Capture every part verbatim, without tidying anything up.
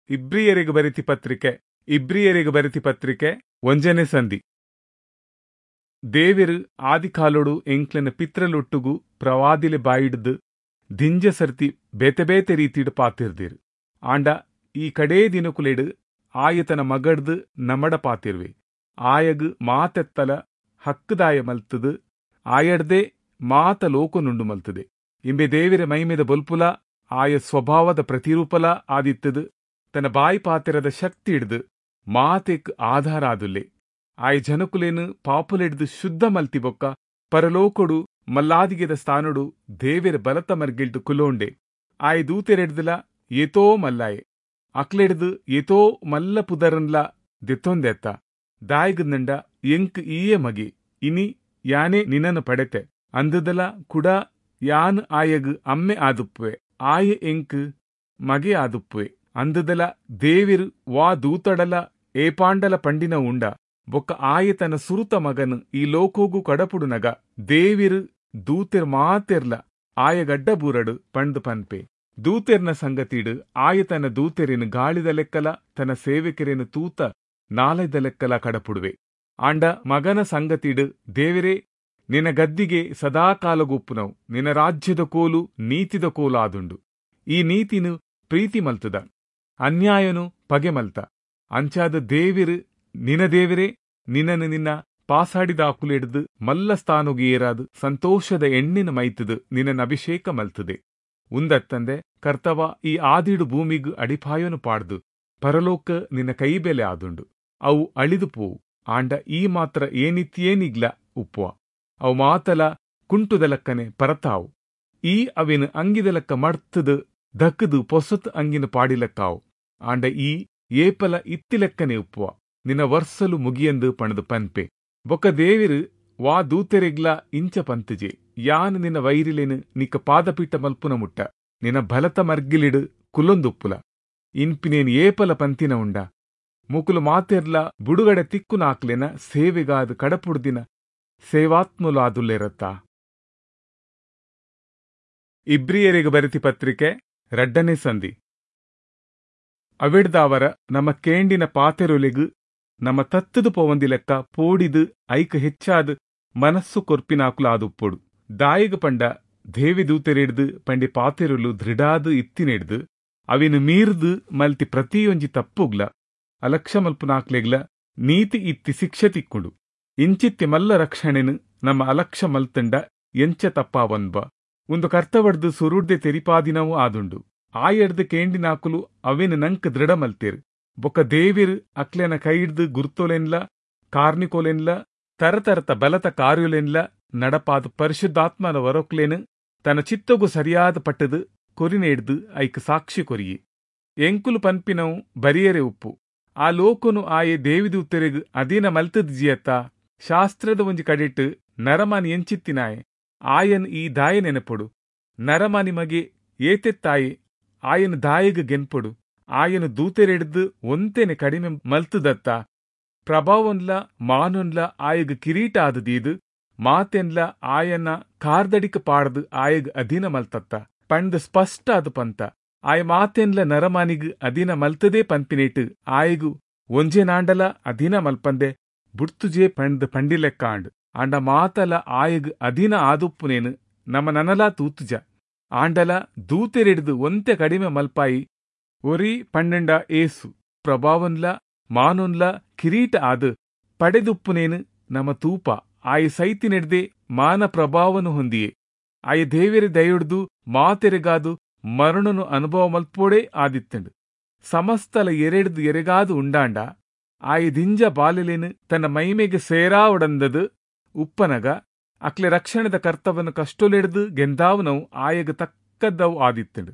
ಇಬ್ರಿಯರಿಗೆ ಬರೆತಿ ಪತ್ರಿಕೆ ಇಬ್ರಿಯರಿಗೆ ಬರೆತಿ ಪತ್ರಿಕೆ ಒಂಜನೇ ಸಂಧಿ. ದೇವೆರು ಆದಿಕಾಲೊಡು ಎಂಕ್ಲೆನ ಪಿತ್ರಲೊಟ್ಟುಗು ಪ್ರವಾದಿಲೆ ಬಾಯಿಡ್ದು ದಿಂಜ ಸರ್ತಿ ಬೇತೆ ಬೇತೆ ರೀತಿಡ್ ಪಾತಿರ್ದಿರು. ಆಂಡ ಈ ಕಡೇ ದಿನಕುಲೆಡು ಆಯತನ ಮಗಡ್ದು ನಮಡ ಪಾತಿರ್ವೆ. ಆಯಗ್ ಮಾತೆತ್ತಲ ಹಕ್ಕುದಾಯ ಮಲ್ತದು ಆಯಡ್ದೆ ಮಾತ ಲೋಕನುಂಡು ಮಲ್ತದೆ. ಇಂಬೆ ದೇವಿರ ಮೈಮೆದ ಬೊಲ್ಪುಲ ಆಯ ಸ್ವಭಾವದ ಪ್ರತಿರೂಪಲ ಆದಿತ್ತದು ತನ್ನ ಬಾಯಿ ಪಾತಿರದ ಶಕ್ತಿ ಹಿಡ್ದು ಮಾತೆಕ್ ಆಧಾರ ಆದುಲ್ಲೆ. ಆಯ ಜನಕುಲೇನು ಪಾಪುಲೆಡ್ದು ಶುದ್ಧ ಮಲ್ತಿ ಬೊಕ್ಕ ಪರಲೋಕೊಡು ಮಲ್ಲಾದಿಗೆದ ಸ್ಥಾನೊಡು ದೇವೆರ ಬಲತ ಮರ್ಗಿಲ್ಡು ಕುಲೋಂಡೆ. ಆಯ ದೂತೆರೆಡ್ದಲ ಏತೋ ಮಲ್ಲಾಯೆ, ಅಕ್ಲೆಡ್ದು ಏತೋ ಮಲ್ಲ ಪುದರನ್ಲ ದೆತ್ತೊಂದೆತ್ತ. ದಾಯಿಗಂದಂಡ ಎಂಕ್ ಈಯೇ ಮಗೆ, ಇನಿ ಯಾನೇ ನಿನ್ನನ್ನು ಪಡೆತೆ ಅಂದದಲ ಕುಡ ಯಾನ್ ಆಯಗ್ ಅಮ್ಮೆ ಆದುಪ್ಪುವೆ, ಆಯೆ ಎಂಕ್ ಮಗೆ ಆದುಪ್ಪುವೆ ಅಂದದಲ ದೇವಿರು ವಾ ದೂತಡಲ ಏಪಾಂಡಲ ಪಂಡಿನ ಉಂಡ. ಬೊಕ್ಕ ಆಯೆ ತನ್ನ ಸುರುತ ಮಗನು ಈ ಲೋಕೋಗು ಕಡಪುಡುನಗ ದೇವಿರು ದೂತೆರ್ ಮಾತೆರ್ಲ ಆಯಗಡ್ಡ ಬೂರಡು ಪಂಡ್ ಪನ್ಪೆ. ದೂತೆರ್ನ ಸಂಗತಿಡು ಆಯೆ ತನ್ನ ದೂತೆರೆನು ಗಾಳಿದ ಲೆಕ್ಕಲ ತನ್ನ ಸೇವಕರೇನು ತೂತ ನಾಲೈದ ಲೆಕ್ಕಲ ಕಡಪುಡುವೆ. ಆಂಡ ಮಗನ ಸಂಗತಿಡು ದೇವರೇ ನಿನ್ನ ಗದ್ದಿಗೆ ಸದಾಕಾಲಗುಪ್ಪುನವು, ನಿನ್ನ ರಾಜ್ಯದ ಕೋಲು ನೀತಿದ ಕೋಲು ಆದುಂಡು. ಈ ನೀತಿನು ಪ್ರೀತಿ ಮಲ್ತದ, ಅನ್ಯಾಯನು ಪಗೆ ಮಲ್ತ. ಅಂಚಾದ ದೇವಿರು ನಿನ ದೇವರೇ ನಿನ್ನನ್ನು ನಿನ್ನ ಪಾಸಾಡಿದ ಆಕುಲೆಡ್ದು ಮಲ್ಲ ಸ್ಥಾನೊಗು ಏರಾದು ಸಂತೋಷದ ಎಣ್ಣಿನ ಮೈತದು ನಿನ್ನನ್ನು ಅಭಿಷೇಕ ಮಲ್ತದೆ. ಉಂದತ್ತಂದೆ ಕರ್ತವ ಈ ಆದಿಡು ಭೂಮಿಗು ಅಡಿಪಾಯನು ಪಾಡ್ದು ಪರಲೋಕ ನಿನ್ನ ಕೈಬೆಲೆ ಆದುಂಡು. ಅವು ಅಳಿದು ಪೋವು, ಆಂಡ ಈ ಮಾತ್ರ ಏನಿತ್ಯೇನಿಗ್ಲ ಉಪ್ಪುವ. ಅವು ಮಾತಲ ಕುಂಟುದಲಕ್ಕನೆ ಪರತಾವು. ಈ ಅವಿನ ಅಂಗಿದಲಕ್ಕ ಮಡ್ತದು ದಕ್ಕದು ಪೊಸತ್ ಅಂಗಿನ ಪಾಡಿಲಕ್ಕಾವು. ಆಂಡ ಈ ಏಪಲ ಇತ್ತಿಲೆಕ್ಕನೆ ಉಪ್ಪುವ, ನಿನ್ನ ವರ್ಸಲು ಮುಗಿಯಂದು ಪಣದು ಪನ್ಪೆ. ಬೊಕ್ಕ ದೇವಿರು ವಾ ದೂತೆರೆಗ್ಲ ಇಂಚ ಪಂತಜೆ, ಯಾನ್ ನಿನ್ನ ವೈರಿಲೇನು ನಿಕ್ಕ ಪಾದಪೀಠ ಮಲ್ಪುನ ಮುಟ್ಟ ನಿನ್ನ ಬಲತ ಮರ್ಗಿಲಿಡು ಕುಲೊಂದುಪ್ಪುಲ. ಇನ್ಪಿನೇನು ಏಪಲ ಪಂತಿನ ಉಂಡ. ಮುಕುಲು ಮಾತೆರ್ಲ ಬುಡುಗಡೆ ತಿಕ್ಕುನಾಕ್ಲೆನ ಸೇವೆಗಾದ ಕಡಪುಡ್ದಿನ ಸೇವಾತ್ಮಲು ಆದುಲ್ಲೇರತ್ತ. ಇಬ್ರಿಯರಿಗೆ ಬರೆತಿ ಪತ್ರಿಕೆ ರಡ್ಡನೇ ಸಂಧಿ. ಅವಿಡ್ದಾವರ ನಮ್ಮ ಕೇಂಡಿನ ಪಾತೆರೊಲೆಗು ನಮ್ಮ ತತ್ತದು ಪೋವಂದಿ ಲೆಕ್ಕ ಪೋಡಿದು ಐಕ್ ಹೆಚ್ಚಾದ ಮನಸ್ಸು ಕೊರ್ಪಿನಾಕುಲಾದುಪ್ಪೊಡು. ದಾಯಿಗ ಪಂಡ ದೇವಿ ದೂತೆರೆಡ್ದು ಪಂಡಿ ಪಾತೆರೊಲು ದೃಢಾದು ಇತ್ತಿನೆಡ್ದು ಅವಿನ ಮೀರ್ದು ಮಲ್ತಿ ಪ್ರತಿಯೊಂಜಿ ತಪ್ಪುಗ್ಲ ಅಲಕ್ಷ ಮಲ್ಪುನಾಕ್ಲೆಗ್ಲ ನೀತಿ ಇತ್ತಿ ಶಿಕ್ಷೆ ತಿಕ್ಕುಂಡು. ಇಂಚಿತ್ತಿ ಮಲ್ಲ ರಕ್ಷಣೆನು ನಮ್ಮ ಅಲಕ್ಷ ಮಲ್ತಂಡ ಎಂಚ ತಪ್ಪಾವನ್ಬ. ಒಂದು ಕರ್ತವಡ್ದು ಸುರುಡ್ದೆ ತೆರಿಪಾದಿನವೂ ಆದುಂಡು. ಆಯಡ್ದು ಕೇಂಡಿನಾಕುಲು ಅವಿನ ನಂಕ್ ದೃಢ ಮಲ್ತೇರು. ಬೊಕ್ಕ ದೇವಿರು ಅಕ್ಲೆನ ಕೈಡ್ದು ಗುರ್ತೊಲೆನ್ಲ ಕಾರ್ನಿಕೋಲೆನ್ಲ ತರತರತ ಬಲತ ಕಾರ್ಯುಲೆನ್ಲ ನಡಪಾದ ಪರಿಶುದ್ಧಾತ್ಮನ ವರೊಕ್ಲೇನು ತನ್ನ ಚಿತ್ತಗು ಸರಿಯಾದ ಪಟ್ಟದು ಕೊರಿನೇಡ್ದು ಐಕ್ ಸಾಕ್ಷಿ ಕೊರಿಯೆ. ಎಂಕುಲು ಪನ್ಪಿನವು ಬರಿಯರೆ ಉಪ್ಪು. ಆ ಲೋಕನು ಆಯೆ ದೇವಿದೂತೆರೆಗ್ ಅಧೀನ ಮಲ್ತದ್ ಜಿಯತ್ತ. ಶಾಸ್ತ್ರದ ಒಂಜಿ ಕಡೆಟ್ ನರಮಾನಿ ಎಂಚಿತ್ತಿನಾಯೆ ಆಯನ್ ಈ ದಾಯ ನೆನಪೊಡು. ನರಮಾನಿ ಮಗೆ ಏತೆತ್ತಾಯೆ ಆಯನ ದಾಯಗ್ ಗೆನ್ಪೊಡು. ಆಯನ ದೂತೆರೆಡ್ದು ಒಂತೆನೆ ಕಡಿಮೆ ಮಲ್ತದತ್ತ. ಪ್ರಭಾವನ್ಲ ಮಾನೊನ್ಲ ಆಯಗ್ ಕಿರೀಟ ಆದದೀದು ಮಾತೆನ್ಲ ಆಯನ ಕಾರ್ದಡಿಕ್ ಪಾಡ್ದು ಆಯಗ್ ಅಧೀನ ಮಲ್ತತ್ತ ಪಂಡ್ ಸ್ಪಷ್ಟ ಅದು ಪಂತ. ಆಯ ಮಾತೆನ್ಲ ನರಮಾನಿಗ್ ಅಧೀನ ಮಲ್ತದೇ ಪನ್ಪಿನೇಟು ಆಯಗು ಒಂಜೆ ನಾಂಡಲ ಅಧೀನ ಮಲ್ಪಂದೆ ಬುಡ್ತುಜೆ ಪಂಡ್ ಪಂಡಿಲೆಕ್ಕ ಆಂಡ್. ಆಂಡ ಮಾತಲ ಆಯಗ್ ಅಧೀನ ಆದುಪ್ಪುನೇನು ನಮ್ಮ ನನಲಾ ತೂತುಜ. ಆಂಡಲ ದೂತೆರೆಡ್ದು ಒಂತೆ ಕಡಿಮೆ ಮಲ್ಪಾಯಿ ಒರಿ ಪಂಡೆಂಡ ಏಸು ಪ್ರಭಾವನ್ಲ ಮಾನೊನ್ಲ ಕಿರೀಟ ಆದು ಪಡೆದುಪ್ಪುನೇನು ನಮ್ಮ ತೂಪ. ಆಯ ಸೈತಿನೆಡ್ದೆ ಮಾನ ಪ್ರಭಾವನು ಹೊಂದಿಯೆ. ಆಯ ದೇವೆರೆ ದಯೊಡ್ದು ಮಾತೆರೆಗಾದು ಮರಣನು ಅನುಭವ ಮಲ್ಪೋಡೆ ಆದಿತ್ತಂಡು. ಸಮಸ್ತಲ ಎರೆಡ್ದು ಎರೆಗಾದು ಉಂಡಾಂಡ ಆಯ ದಿಂಜ ಬಾಲೆಲೇನು ತನ್ನ ಮೈಮೆಗೆ ಸೇರಾವಡಂದದು ಉಪ್ಪನಗ ಅಕ್ಲೆ ರಕ್ಷಣದ ಕರ್ತವನ್ನು ಕಷ್ಟೊಲೆಡ್ದು ಗೆಂದಾವನವು ಆಯಗ ತಕ್ಕದ್ದವು ಆದಿತ್ತಂಡು.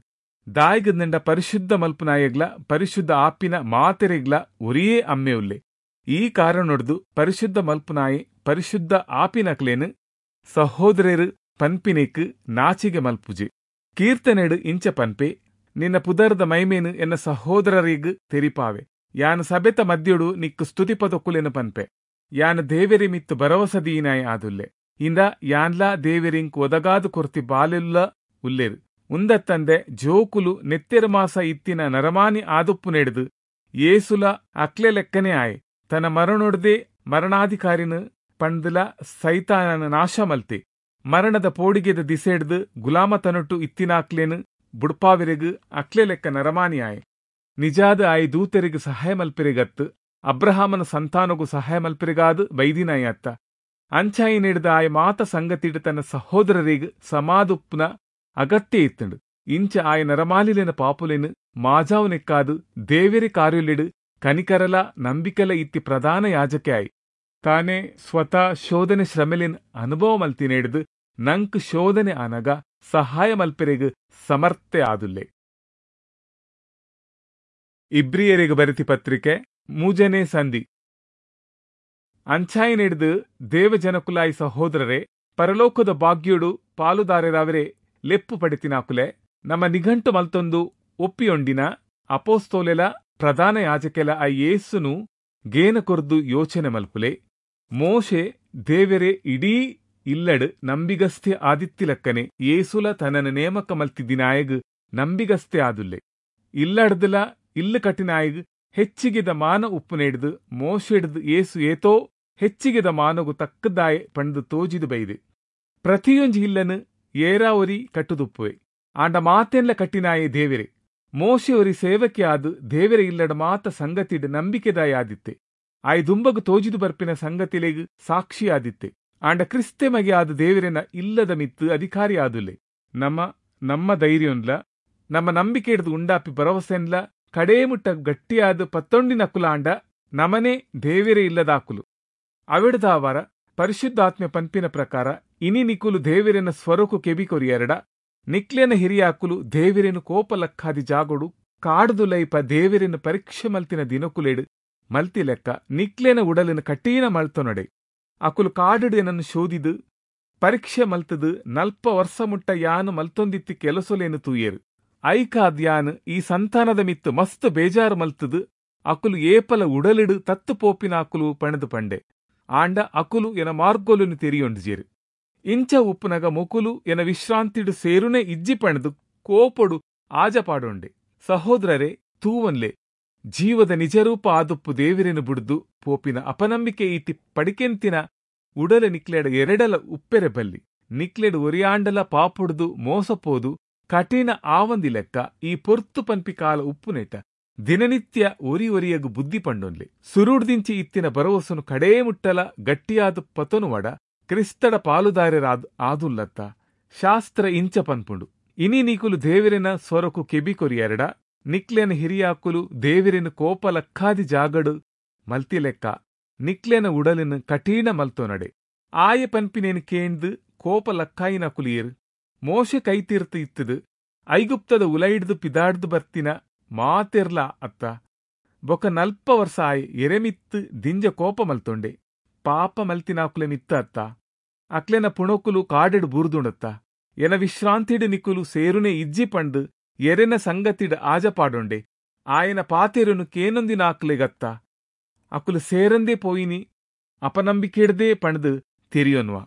ದಾಯಿಗಂದಂಡ ಪರಿಶುದ್ಧ ಮಲ್ಪುನಾಯಗ್ಲ ಪರಿಶುದ್ಧ ಆಪಿನ ಮಾತೆರೆಗ್ಲ ಒರಿಯೇ ಅಮ್ಮೆ ಉಲ್ಲೆ. ಈ ಕಾರಣೊಡ್ದು ಪರಿಶುದ್ಧ ಮಲ್ಪುನಾಯೆ ಪರಿಶುದ್ಧ ಆಪಿನಕ್ಲೇನು ಸಹೋದರರು ಪನ್ಪಿನೇಕ್ ನಾಚಿಗೆ ಮಲ್ಪುಜೆ. ಕೀರ್ತನೆಡು ಇಂಚ ಪನ್ಪೆ, ನಿನ್ನ ಪುದರ್ದ ಮೈಮೇನು ಎನ್ನ ಸಹೋದರರಿಗ್ ತೆರಿಪಾವೆ. ಯಾನು ಸಬೆತ ಮದ್ಯೊಡು ನಿಕ್ಕು ಸ್ತುತಿಪದೊಕ್ಕುಲೇನು ಪನ್ಪೆ. ಯಾನು ದೇವೆರಿ ಮಿತ್ತು ಭರವಸದೀನಾಯ ಆದುಲ್ಲೆ. ಇಂದ ಯಾನ್ಲಾ ದೇವೆರಿಂಕ್ ಒದಗಾದು ಕೊರ್ತಿ ಬಾಲೆಲ್ಲ ಉಲ್ಲೇರು. ಉಂದತ್ತಂದೆ ಜೋಕುಲು ನೆತ್ತೆರ್ ಮಾಸ ಇತ್ತಿನ ನರಮಾನಿ ಆದುಪ್ಪುನೆಡ್ದು ಯೇಸುಲ ಅಕ್ಲೆ ಲೆಕ್ಕನೆ ಆಯೆ. ತನ್ನ ಮರಣೊಡ್ದೇ ಮರಣಾಧಿಕಾರಿನ ಪಂಡ್ದಲ ಸೈತಾನನ ನಾಶ ಮಲ್ತೆ. ಮರಣದ ಪೋಡಿಗೆದ ದಿಸೆಡ್ದು ಗುಲಾಮತನೊಟ್ಟು ಇತ್ತಿನಾಕ್ಲೆನ್ ಬುಡ್ಪಾವಿರೆಗ್ ಅಕ್ಲೆ ಲೆಕ್ಕ ನರಮಾನಿ ಆಯೆ. ನಿಜಾದ ಆಯೆ ದೂತೆರಿಗೆ ಸಹಾಯ ಮಲ್ಪೆರೆಗತ್ತು ಅಬ್ರಹಾಮನ ಸಂತಾನಗು ಸಹಾಯ ಮಲ್ಪೆರೆಗಾದು ಬೈದಿನಾಯ ಅತ್ತ. ಅಂಚಾಯಿನೆಡ್ದು ಆಯೆ ಮಾತ ಸಂಗತಿಡ್ ತನ್ನ ಸಹೋದರರಿಗೆ ಸಮಾದುಪ್ಪುನ ಅಗತ್ಯ ಇತ್ತುಂಡು. ಇಂಚ ಆಯ ನರಮಾಲಿಲೆನ ಪಾಪುಲೆನ್ ಮಾಜಾವುನೆಕ್ಕಾದು ದೇವೆರೆ ಕಾರ್ಯೊಲೆಡ್ ಕನಿಕರಲ ನಂಬಿಕೆಲ ಇತ್ತಿ ಪ್ರಧಾನ ಯಾಜಕೆ ಆಯ್. ತಾನೇ ಸ್ವತಃ ಶೋಧನೆ ಶ್ರಮೆಲೆನ್ ಅನುಭವ ಮಲ್ತಿನೆಡ್ದು ನಂಕ್ ಶೋಧನೆ ಆನಗ ಸಹಾಯ ಮಲ್ಪೆರೆಗ್ ಸಮರ್ಥೆ ಆದುಲ್ಲೆ. ಇಬ್ರಿಯರಿಗೆ ಬರೆತಿ ಪತ್ರಿಕೆ ಮೂಜನೇ ಸಂಧಿ. ಅಂಚಾಯಿನೆಡ್ದು ದೇವಜನಕುಲಾಯಿ ಸಹೋದರರೇ, ಪರಲೋಕದ ಭಾಗ್ಯೋಡು ಪಾಲುದಾರರಾವರೆ ಲೆಪ್ಪು ಪಡೆತಿನಾಕುಲೆ, ನಮ್ಮ ನಿಘಂಟು ಮಲ್ತೊಂದು ಒಪ್ಪಿಯೊಂಡಿನ ಅಪೋಸ್ತೋಲೆಲ ಪ್ರಧಾನ ಯಾಜಕೆಲ ಆ ಯೇಸುನು ಗೇನ ಕೊರ್ದು ಯೋಚನೆ ಮಲ್ಪುಲೆ. ಮೋಶೆ ದೇವೆರೆ ಇಡೀ ಇಲ್ಲಡ್ ನಂಬಿಗಸ್ತೆ ಆದಿತ್ತಿಲಕ್ಕನೆ ಯೇಸುಲ ತನನ ನೇಮಕ ಮಲ್ತಿದ್ದಿನಾಯಗ್ ನಂಬಿಗಸ್ತೆ ಆದುಲ್ಲೆ. ಇಲ್ಲಡ್ದಲ ಇಲ್ಲು ಕಟ್ಟಿನಾಯಗ್ ಹೆಚ್ಚಿಗೆದ ಮಾನ ಉಪ್ಪುನೆಡ್ದು ಮೋಶೆಡ್ದು ಯೇಸು ಏತೋ ಹೆಚ್ಚಿಗೆದ ಮಾನಗು ತಕ್ಕದಾಯೆ ಪಂದು ತೋಜಿದು ಬೈದೆ. ಪ್ರತಿಯೊಂಜಿ ಇಲ್ಲನು ಏರಾ ಒರಿ ಕಟ್ಟುದುಪ್ಪುವೆ, ಆಂಡ ಮಾತೆನ್ಲ ಕಟ್ಟಿನಾಯೆ ದೇವೆರೆ. ಮೋಶೆ ಒರಿ ಸೇವಕೆ ಆದು ದೇವೆರೆ ಇಲ್ಲಡ ಮಾತ ಸಂಗತಿಡ್ ನಂಬಿಕೆದಾಯಾದಿತ್ತೆ. ಆಯ್ ದುಂಬಗು ತೋಜಿದು ಬರ್ಪಿನ ಸಂಗತಿಲೆಗ್ ಸಾಕ್ಷಿಯಾದಿತ್ತೆ. ಆಂಡ ಕ್ರಿಸ್ತೆ ಮಗೆ ಆದ ದೇವರೆನ ಇಲ್ಲದ ಮಿತ್ತು ಅಧಿಕಾರಿ ಆದುಲ್ಲೆ. ನಮ್ಮ ನಮ್ಮ ಧೈರ್ಯನ್ಲ ನಮ್ಮ ನಂಬಿಕೆ ಹಿಡಿದು ಉಂಡಾಪಿ ಭರವಸೆನ್ಲ ಕಡೇಮುಟ್ಟ ಗಟ್ಟಿಯಾದ ಪತ್ತೊಂಡಿನಕುಲಾಂಡ ನಮನೆ ದೇವೆರೆ ಇಲ್ಲದಾಕುಲು. ಅವೆಡ್ದಾವರ ಪರಿಶುದ್ಧಾತ್ಮೆ ಪನ್ಪಿನ ಪ್ರಕಾರ ಇನಿ ನಿಕುಲು ದೇವೆರೆನ ಸ್ವರಕು ಕೆಬಿ ಕೊರಿಯರಡ ನಿಕ್ಲೆನ ಹಿರಿಯಾಕುಲು ದೇವೆರೆನು ಕೋಪಲಕ್ಕಾದಿ ಜಾಗೊಡು ಕಾಡ್ದು ಲೈಪ ದೇವೆರೆನ ಪರೀಕ್ಷೆ ಮಲ್ತಿನ ದಿನಕುಲೆಡು ಮಲ್ತಿ ಲೆಕ್ಕ ನಿಕ್ಲೆನ ಉಡಲಿನ ಕಠಿಣ ಮಲ್ತೊನಡೆ. ಅಕುಲು ಕಾಡುಡು ಏನನ್ನು ಶೋಧಿದು ಪರೀಕ್ಷೆ ಮಲ್ತದು ನಲ್ಪ ವರ್ಷ ಮುಟ್ಟ ಯಾನು ಮಲ್ತೊಂದಿತ್ತಿ ಕೆಲಸೊಲೇನು ತೂಯೇರು. ಐಕಾದ್ ಯಾನು ಈ ಸಂತಾನದ ಮಿತ್ತು ಮಸ್ತ್ ಬೇಜಾರು ಮಲ್ತದು ಅಕುಲು ಏಪಲ ಉಡಲಿಡು ತತ್ತು ಪೋಪಿನ ಅಕುಲು ಪಣದು ಪಂಡೆ. ಆಂಡ ಅಕುಲು ಎನ ಮಾರ್ಗೋಲುನು ತೆರಿಯೊಂಡಿಜೇರು. ಇಂಚ ಉಪ್ಪುನಗ ಮೊಕುಲು ಎನ ವಿಶ್ರಾಂತಿಡು ಸೇರುನೆ ಇಜ್ಜಿ ಪಣದು ಕೋಪೊಡು ಆಜಪಾಡೊಂಡೆ. ಸಹೋದರರೇ, ತೂವನ್ಲೆ ಜೀವದ ನಿಜರೂಪ ಆದುಪ್ಪು ದೇವಿರೆನು ಬುಡ್ದು ಪೋಪಿನ ಅಪನಂಬಿಕೆ ಈತಿ ಪಡಿಕೆಂತಿನ ಉಡಲ ನಿಕ್ಲೆಡ ಎರಡಲ ಉಪ್ಪೆರೆ ಬಲ್ಲಿ. ನಿಕ್ಲೆಡು ಒರಿಯಾಂಡಲ ಪಾಪುಡ್ದು ಮೋಸಪೋದು ಕಠಿಣ ಆವಂದಿ ಲೆಕ್ಕ ಈ ಪೊರ್ತು ಪನ್ಪಿ ಕಾಲ ಉಪ್ಪುನೆಟ ದಿನನಿತ್ಯ ಒರಿ ಒರಿಯಗು ಬುದ್ಧಿ ಪಂಡೊನ್ಲೆ. ಸುರುಡ್ದಿಂಚಿ ಇತ್ತಿನ ಭರವಸನು ಕಡೇ ಮುಟ್ಟಲ ಗಟ್ಟಿಯಾದ ಪತನುವಡ ಕ್ರಿಸ್ತಡ ಪಾಲುದಾರರಾದ ಆದುಲ್ಲತ್ತ. ಶಾಸ್ತ್ರ ಇಂಚ ಪನ್ಪುಂಡು, ಇನಿ ನೀಕುಲು ದೇವಿರೆನ ಸ್ವರಕು ಕೆಬಿ ಕೊರಿಯರಡ ನಿಕ್ಲೆನ ಹಿರಿಯಾಕುಲು ದೇವಿರೆನ ಕೋಪ ಲಕ್ಕಾದಿ ಜಾಗಡು ಮಲ್ತಿ ಲೆಕ್ಕ ನಿಕ್ಲೆನ ಉಡಲಿನ ಕಠಿಣ ಮಲ್ತೊನಡೆ. ಆಯ ಪನ್ಪಿನೇನು ಕೇಂದು ಕೋಪ ಲಕ್ಕಾಯಿನ ಕುಲಿಯರು. ಮೋಶೆ ಕೈತೀರ್ತು ಇತ್ತದು ಐಗುಪ್ತದ ಉಲೈಡ್ದು ಪಿದಾಡ್ದು ಬರ್ತಿನ ಮಾತೆರ್ಲ ಅತ್ತ. ಬೊಕ ನಲ್ಪ ವರ್ಷ ಆಯ್ ಎರೆಮಿತ್ತು ದಿಂಜ ಕೋಪ ಮಲ್ತೊಂಡೆ. ಪಾಪ ಮಲ್ತಿನಾಕುಲೆ ಮಿತ್ತ ಅತ್ತ. ಅಕ್ಲೆನ ಪುಣಕುಲು ಕಾಡೆಡು ಬೂರ್ದುಂಡತ್ತ. ಎನ ವಿಶ್ರಾಂತಿಡು ನಿಕುಲು ಸೇರುನೆ ಇಜ್ಜಿ ಪಂಡು ಎರೆನ ಸಂಗತಿಡು ಆಜಪಾಡೊಂಡೆ. ಆಯನ ಪಾತೆರುನು ಕೇನೊಂದಿನಾಕ್ಲೆಗತ್ತ. ಅಕುಲು ಸೇರಂದೇ ಪೋಯಿನಿ ಅಪನಂಬಿಕೆಡ್ದೇ ಪಂಡ್ದು ತೆರಿಯೊನ್ವ.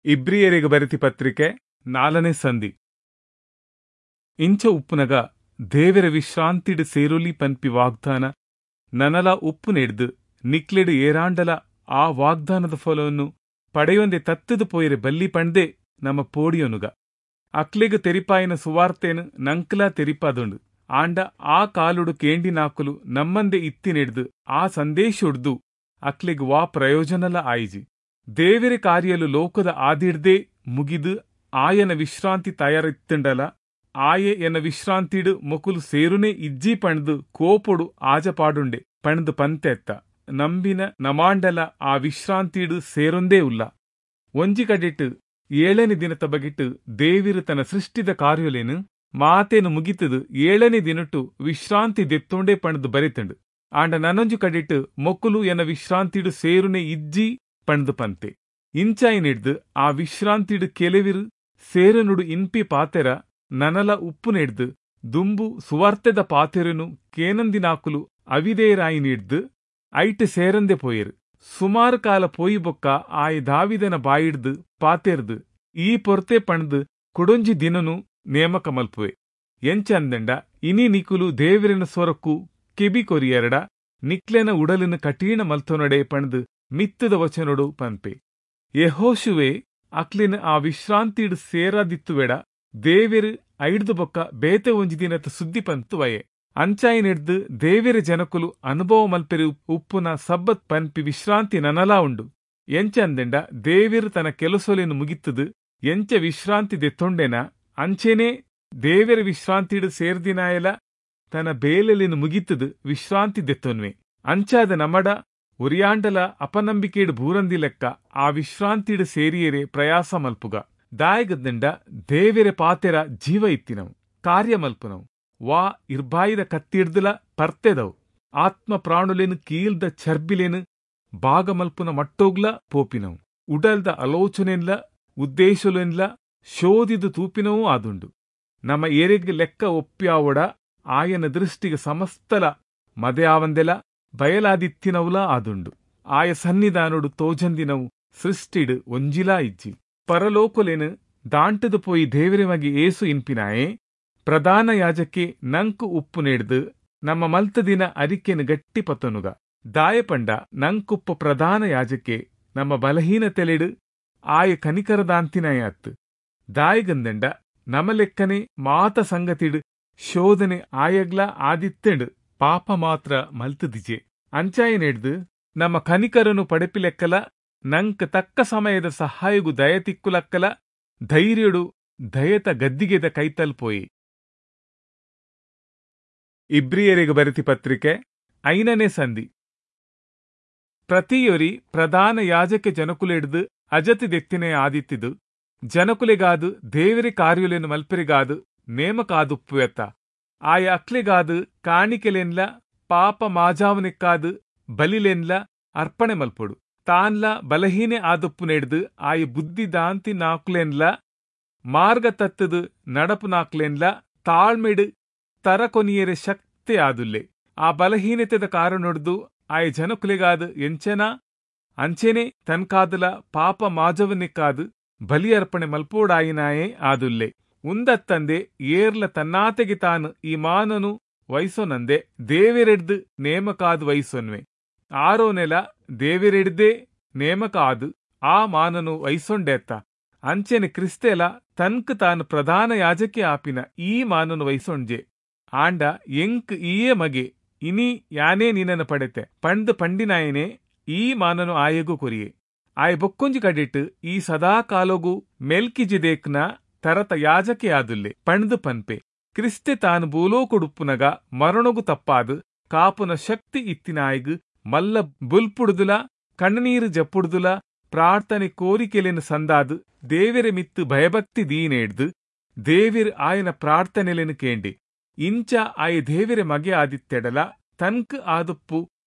ಇಬ್ರಿಯರಿಗೆ ಬರೆತಿ ಪತ್ರಿಕೆ ನಾಲ್ಕನೇ ಸಂಧಿ. ಇಂಚ ಉಪ್ಪುನಗ ದೇವರ ವಿಶ್ರಾಂತಿಡು ಸೇರುಲಿ ಪನ್ಪಿ ವಾಗ್ದಾನ ನನಲ ಉಪ್ಪು ನೆಡ್ದು ನಿಕ್ಲೆಡು ಏರಾಂಡಲ ಆ ವಾಗ್ದಾನದ ಫಲವನ್ನು ಪಡೆಯೊಂದೆ ತತ್ತದು ಪೋಯಿರೆ ಬಲ್ಲಿ ಪಂಡ್ದೆ ನಮ್ಮ ಪೋಡಿಯೊನುಗ. ಅಕ್ಲೆಗ್ ತೆರಿಪಾಯಿನ ಸುವಾರ್ತೆನು ನಂಕ್ಲಾ ತೆರಿಪಾದುಂಡು. ಆಂಡ ಆ ಕಾಲುಡು ಕೇಂಡಿನಾಕುಲು ನಮ್ಮಂದೆ ಇತ್ತಿನೆಡ್ದು ಆ ಸಂದೇಶೊಡ್ದು ಅಕ್ಲೆಗ್ ವಾ ಪ್ರಯೋಜನಲ ಆಯಿಜಿ. ದೇವರ ಕಾರ್ಯಲು ಲೋಕದ ಆದಿಡ್ದೇ ಮುಗಿದು ಆಯನ ವಿಶ್ರಾಂತಿ ತಯಾರಿತ್ತುಂಡಲ ಆಯೆ ಎನ್ನ ವಿಶ್ರಾಂತಿಡು ಮೊಕುಲು ಸೇರುನೆ ಇಜ್ಜಿ ಪಂಡ್ದು ಕೋಪೊಡು ಆಜಪಾಡುಂಡೆ ಪಂಡ್ದು ಪಂತೆತ್ತ. ನಂಬಿನ ನಮಾಂಡಲ ಆ ವಿಶ್ರಾಂತಿಡು ಸೇರೊಂದೇ ಉಲ್ಲ. ಒಂಜಿ ಕಡೆಟ್ ಏಳನೇ ದಿನತ ಬಗಿಟ್ಟು ದೇವಿರು ತನ್ನ ಸೃಷ್ಟಿದ ಕಾರ್ಯಲೇನು ಮಾತೇನು ಮುಗಿತದು ಏಳನೇ ದಿನಟು ವಿಶ್ರಾಂತಿ ದೆತ್ತೊಂಡೆ ಪಂಡ್ದು ಬರೆತಂಡು. ಆಂಡ ನನೊಂಜು ಕಡೆಟ್ ಮೊಕುಲು ಎನ್ನ ವಿಶ್ರಾಂತಿಡು ಸೇರುನೆ ಇಜ್ಜಿ ಪಂಡ್ದು ಪಂತೆ. ಇಂಚಾಯಿನಿಡ್ದು ಆ ವಿಶ್ರಾಂತಿಡು ಕೆಲವಿರು ಸೇರನುಡು ಇನ್ಪಿ ಪಾತೆರ ನನಲ ಉಪ್ಪು ನೆಡ್ದು ದುಂಬು ಸುವಾರ್ತೆದ ಪಾತೆರನು ಕೇನಂದಿನಾಕುಲು ಅವಿದೇರಾಯಿನಿಡ್ದು ಐಟ್ ಸೇರಂದೆ ಪೋಯರು. ಸುಮಾರು ಕಾಲ ಪೋಯಿ ಬೊಕ್ಕ ಆಯ್ ದಾವಿದನ ಬಾಯಿಡ್ದು ಪಾತೆರ್ದು ಈ ಪೊರ್ತೆ ಪಂಡ್ದು ಕುಡೊಂಜಿ ದಿನನು ನೇಮಕ ಮಲ್ಪುವೆ. ಎಂಚಂದಂಡ ಇನಿ ನಿಕುಲು ದೇವರಿನ ಸ್ವರಕ್ಕು ಕೆಬಿ ಕೊರಿಯರಡ ನಿಕ್ಲೆನ ಉಡಲಿನ ಕಠಿಣ ಮಲ್ತೊನಡೆ ಪಂದ್ ಮಿತ್ತದ ವಚನೊಡು ಪನ್ಪೆ. ಯೆಹೋಶುವೆ ಅಕ್ಲೆನ ಆ ವಿಶ್ರಾಂತಿಡ್ ಸೇರಾದಿತ್ತುವೆಡ ದೇವೆರು ಐಡ್ದು ಬೊಕ್ಕ ಬೇತೆ ಒಂಜಿ ದಿನತ ಸುದ್ದಿ ಪಂತುವಯೆ. ಅಂಚಾಯಿನೆಡ್ದ್ ದೇವೆರೆ ಜನಕುಲು ಅನುಭವ ಮಲ್ಪೆರೆ ಉಪ್ಪುನ ಸಬ್ಬತ್ ಪನ್ಪಿ ವಿಶ್ರಾಂತಿ ನನಲಾ ಉಂಡು. ಎಂಚಂದಂಡ ದೇವೆರು ತನ್ನ ಕೆಲಸೊಲೆನ್ ಮುಗಿತ್ತದು ಎಂಚ ವಿಶ್ರಾಂತಿ ದೆತ್ತೊಂಡೆನ ಅಂಚೆನೇ ದೇವೆರ ವಿಶ್ರಾಂತಿಡ್ ಸೇರ್ದಿನಾಯಲ ತನ್ನ ಬೇಲೆಲೆನ್ ಮುಗಿತ್ತದು ವಿಶ್ರಾಂತಿ ದೆತ್ತೊನ್ವೆ. ಅಂಚಾದ ನಮಡ ಒರಿಯಾಂಡಲ ಅಪನಂಬಿಕೆಡ್ ಬೂರಂದಿ ಲೆಕ್ಕ ಆ ವಿಶ್ರಾಂತಿಡ್ ಸೇರಿಯರೆ ಪ್ರಯಾಸ ಮಲ್ಪುಗ. ದಾಯಗದಂಡ ದೇವೆರೆ ಪಾತೆರ ಜೀವ ಇತ್ತಿನವು, ಕಾರ್ಯ ಮಲ್ಪುನವು, ವಾ ಇರ್ಬಾಯಿದ ಕತ್ತಿಡ್ದಲ ಪರ್ತೆದವು, ಆತ್ಮ ಪ್ರಾಣುಲೆನ್ ಕೀಲ್ದ ಚರ್ಬಿಲೆನ್ ಭಾಗ ಮಲ್ಪುನ ಮಟ್ಟೋಗ್ಲ ಪೋಪಿನವು, ಉಡಲ್ದ ಆಲೋಚನೆನ್ಲ ಉದ್ದೇಶಲೆನ್ಲ ಶೋಧಿದು ತೂಪಿನವೂ ಆದುಂಡು. ನಮ್ಮ ಏರೆಗ್ ಲೆಕ್ಕ ಒಪ್ಪ್ಯಾವೊಡ ಆಯನ ದೃಷ್ಟಿಗೆ ಸಮಸ್ತಲ ಮದೆ ಆವಂದೆಲ ಬಯಲಾದಿತ್ತಿನವುಲಾ ಆದುಂಡು. ಆಯ ಸನ್ನಿಧಾನೊಡು ತೋಜಂದಿನವು ಸೃಷ್ಟಿಡ್ ಒಂಜಿಲಾ ಇಜ್ಜಿ. ಪರಲೋಕೊಲೆನ್ ದಾಂಟದು ಪೋಯಿ ದೇವರೆ ಮಗೆ ಏಸು ಇನ್ಪಿನಾಯೆ ಪ್ರಧಾನ ಯಾಜಕೆ ನಂಕು ಉಪ್ಪು ನೆಡ್ದು ನಮ್ಮ ಮಲ್ತದಿನ ಅರಿಕೆನು ಗಟ್ಟಿ ಪತ್ತನುಗ. ದಾಯಪಂಡ ನಂಕುಪ್ಪ ಪ್ರಧಾನ ಯಾಜಕೆ ನಮ್ಮ ಬಲಹೀನತೆಲೆಡು ಆಯ ಕನಿಕರದಾಂತಿನಾಯತ್ತು. ದಾಯಗಂದಂಡ ನಮ ಲೆಕ್ಕನೆ ಮಾತ ಸಂಗತಿಡು ಶೋಧನೆ ಆಯಗ್ಲ ಆದಿತ್ತೆಂಡು ಪಾಪ ಮಾತ್ರ ಮಲ್ತದಿಜೆ. ಅಂಚಾಯ ನೆಡ್ದು ನಮ್ಮ ಕನಿಕರನು ಪಡೆಪಿಲೆಕ್ಕಲ ನಂಕ್ ತಕ್ಕ ಸಮಯದ ಸಹಾಯಗು ದಯ ತಿಕ್ಕುಲಕ್ಕಲ ಧೈರ್ಯಡು ದಯತ ಗದ್ದಿಗೆದ ಕೈತಲ್ಪೋಯಿ. ಇಬ್ರಿಯರಿಗೆ ಬರೆತಿ ಪತ್ರಿಕೆ ಐನನೇ ಸಂಧಿ. ಪ್ರತಿಯೊರಿ ಪ್ರಧಾನ ಯಾಜಕ ಜನಕುಲೆಡ್ದು ಅಜತಿ ದೆತ್ತಿನೇ ಆದಿತ್ತಿದು ಜನಕುಲೆಗಾದು ದೇವರಿ ಕಾರ್ಯುಲೆನು ಮಲ್ಪೆರಿಗಾದು ನೇಮಕಾದುಪ್ಪುವೆತ್ತ. ಆಯ ಅಕ್ಲೆಗಾದು ಕಾಣಿಕೆಲೆನ್ಲ ಪಾಪ ಮಾಜಾವನೆಕ್ಕಾದು ಬಲಿಲೆನ್ಲ ಅರ್ಪಣೆ ಮಲ್ಪೊಡು. ತಾನ್ಲ ಬಲಹೀನೆ ಆದುಪ್ಪು ನೆಡ್ದು ಆಯ ಬುದ್ಧಿ ದಾಂತಿ ನಾಕ್ಲೆನ್ಲ ಮಾರ್ಗ ತತ್ತದು ನಡಪು ನಾಕ್ಲೆನ್ಲ ತಾಳ್ಮೆಡು ತರಕೊನಿಯರೆ ಶಕ್ತಿ ಆದುಲ್ಲೆ. ಆ ಬಲಹೀನತೆದ ಕಾರಣೊಡ್ದು ಆಯ ಜನಕುಲೆಗಾದು ಎಂಚನಾ ಅಂಚೆನೆ ತನ್ಕಾದಲ ಪಾಪ ಮಾಜವನಿಕ್ಕಾದು ಬಲಿ ಅರ್ಪಣೆ ಮಲ್ಪೋಡಾಯಿನಾಯೇ ಆದುಲ್ಲೆ. ಉಂದತ್ತಂದೆ ಏರ್ಲ ತನ್ನಾತೆಗೆ ತಾನು ಈ ಮಾನನು ವಯಸ್ಸೊನಂದೆ ದೇವೆರೆಡ್ದು ನೇಮಕಾದು ವಯಸ್ಸೊನ್ವೆ. ಆರೋ ನೆಲ ದೇವೆರೆಡ್ದೇ ನೇಮಕ ಆದು ಆ ಮಾನನು ವಯಸ್ಸೊಂಡೇತ್ತ. ಅಂಚೆನೆ ಕ್ರಿಸ್ತೆಲ ತನ್ಕ್ ತಾನು ಪ್ರಧಾನ ಯಾಜಕೆ ಆಪಿನ ಈ ಮಾನನು ವಯಸ್ಸೊಂಡ್ಜೆ. ಆಂಡ ಎಂಕ್ ಈಯೇ ಮಗೆ ಇನಿ ಯಾನೇ ನಿನ್ನನ್ನು ಪಡೆತೆ ಪಂಡ್ ಪಂಡಿನಾಯನೇ ಈ ಮಾನನು ಆಯಗೂ ಕೊರಿಯೆ. ಆಯ ಬೊಕ್ಕೊಂಜಿ ಕಡಿಟ್ಟು ಈ ಸದಾ ಕಾಲೋಗು ಮೆಲ್ಕಿಜಿದೇಕ್ನ ತರತ ಯಾಜಕೆ ಆದುಲ್ಲೆ ಪಂಡ್ದು ಪನ್ಪೆ. ಕ್ರಿಸ್ತೆ ತಾನು ಭೂಲೋಕೊಡುಪ್ಪುನಗ ಮರಣಗು ತಪ್ಪಾದು ಕಾಪುನ ಶಕ್ತಿ ಇತ್ತಿನಾಯಗು ಮಲ್ಲ ಬುಲ್ಪುಡುದುಲ ಕಣ್ಣನೀರು ಜಪ್ಪುಡುದುಲ ಪ್ರಾರ್ಥನೆ ಕೋರಿಕೆಲೆನು ಸಂದಾದು ದೇವೆರೆ ಮಿತ್ತು ಭಯಭಕ್ತಿ ದೀನೇಡ್ದು ದೇವಿರ್ ಆಯನ ಪ್ರಾರ್ಥನೆಲೆನು ಕೇಂಡಿ. ಇಂಚ ಆಯ ದೇವೆರೆ ಮಗೆ ಆದಿತ್ತೆಡಲ ತನ್ಕ್ ಆದುಪ್ಪು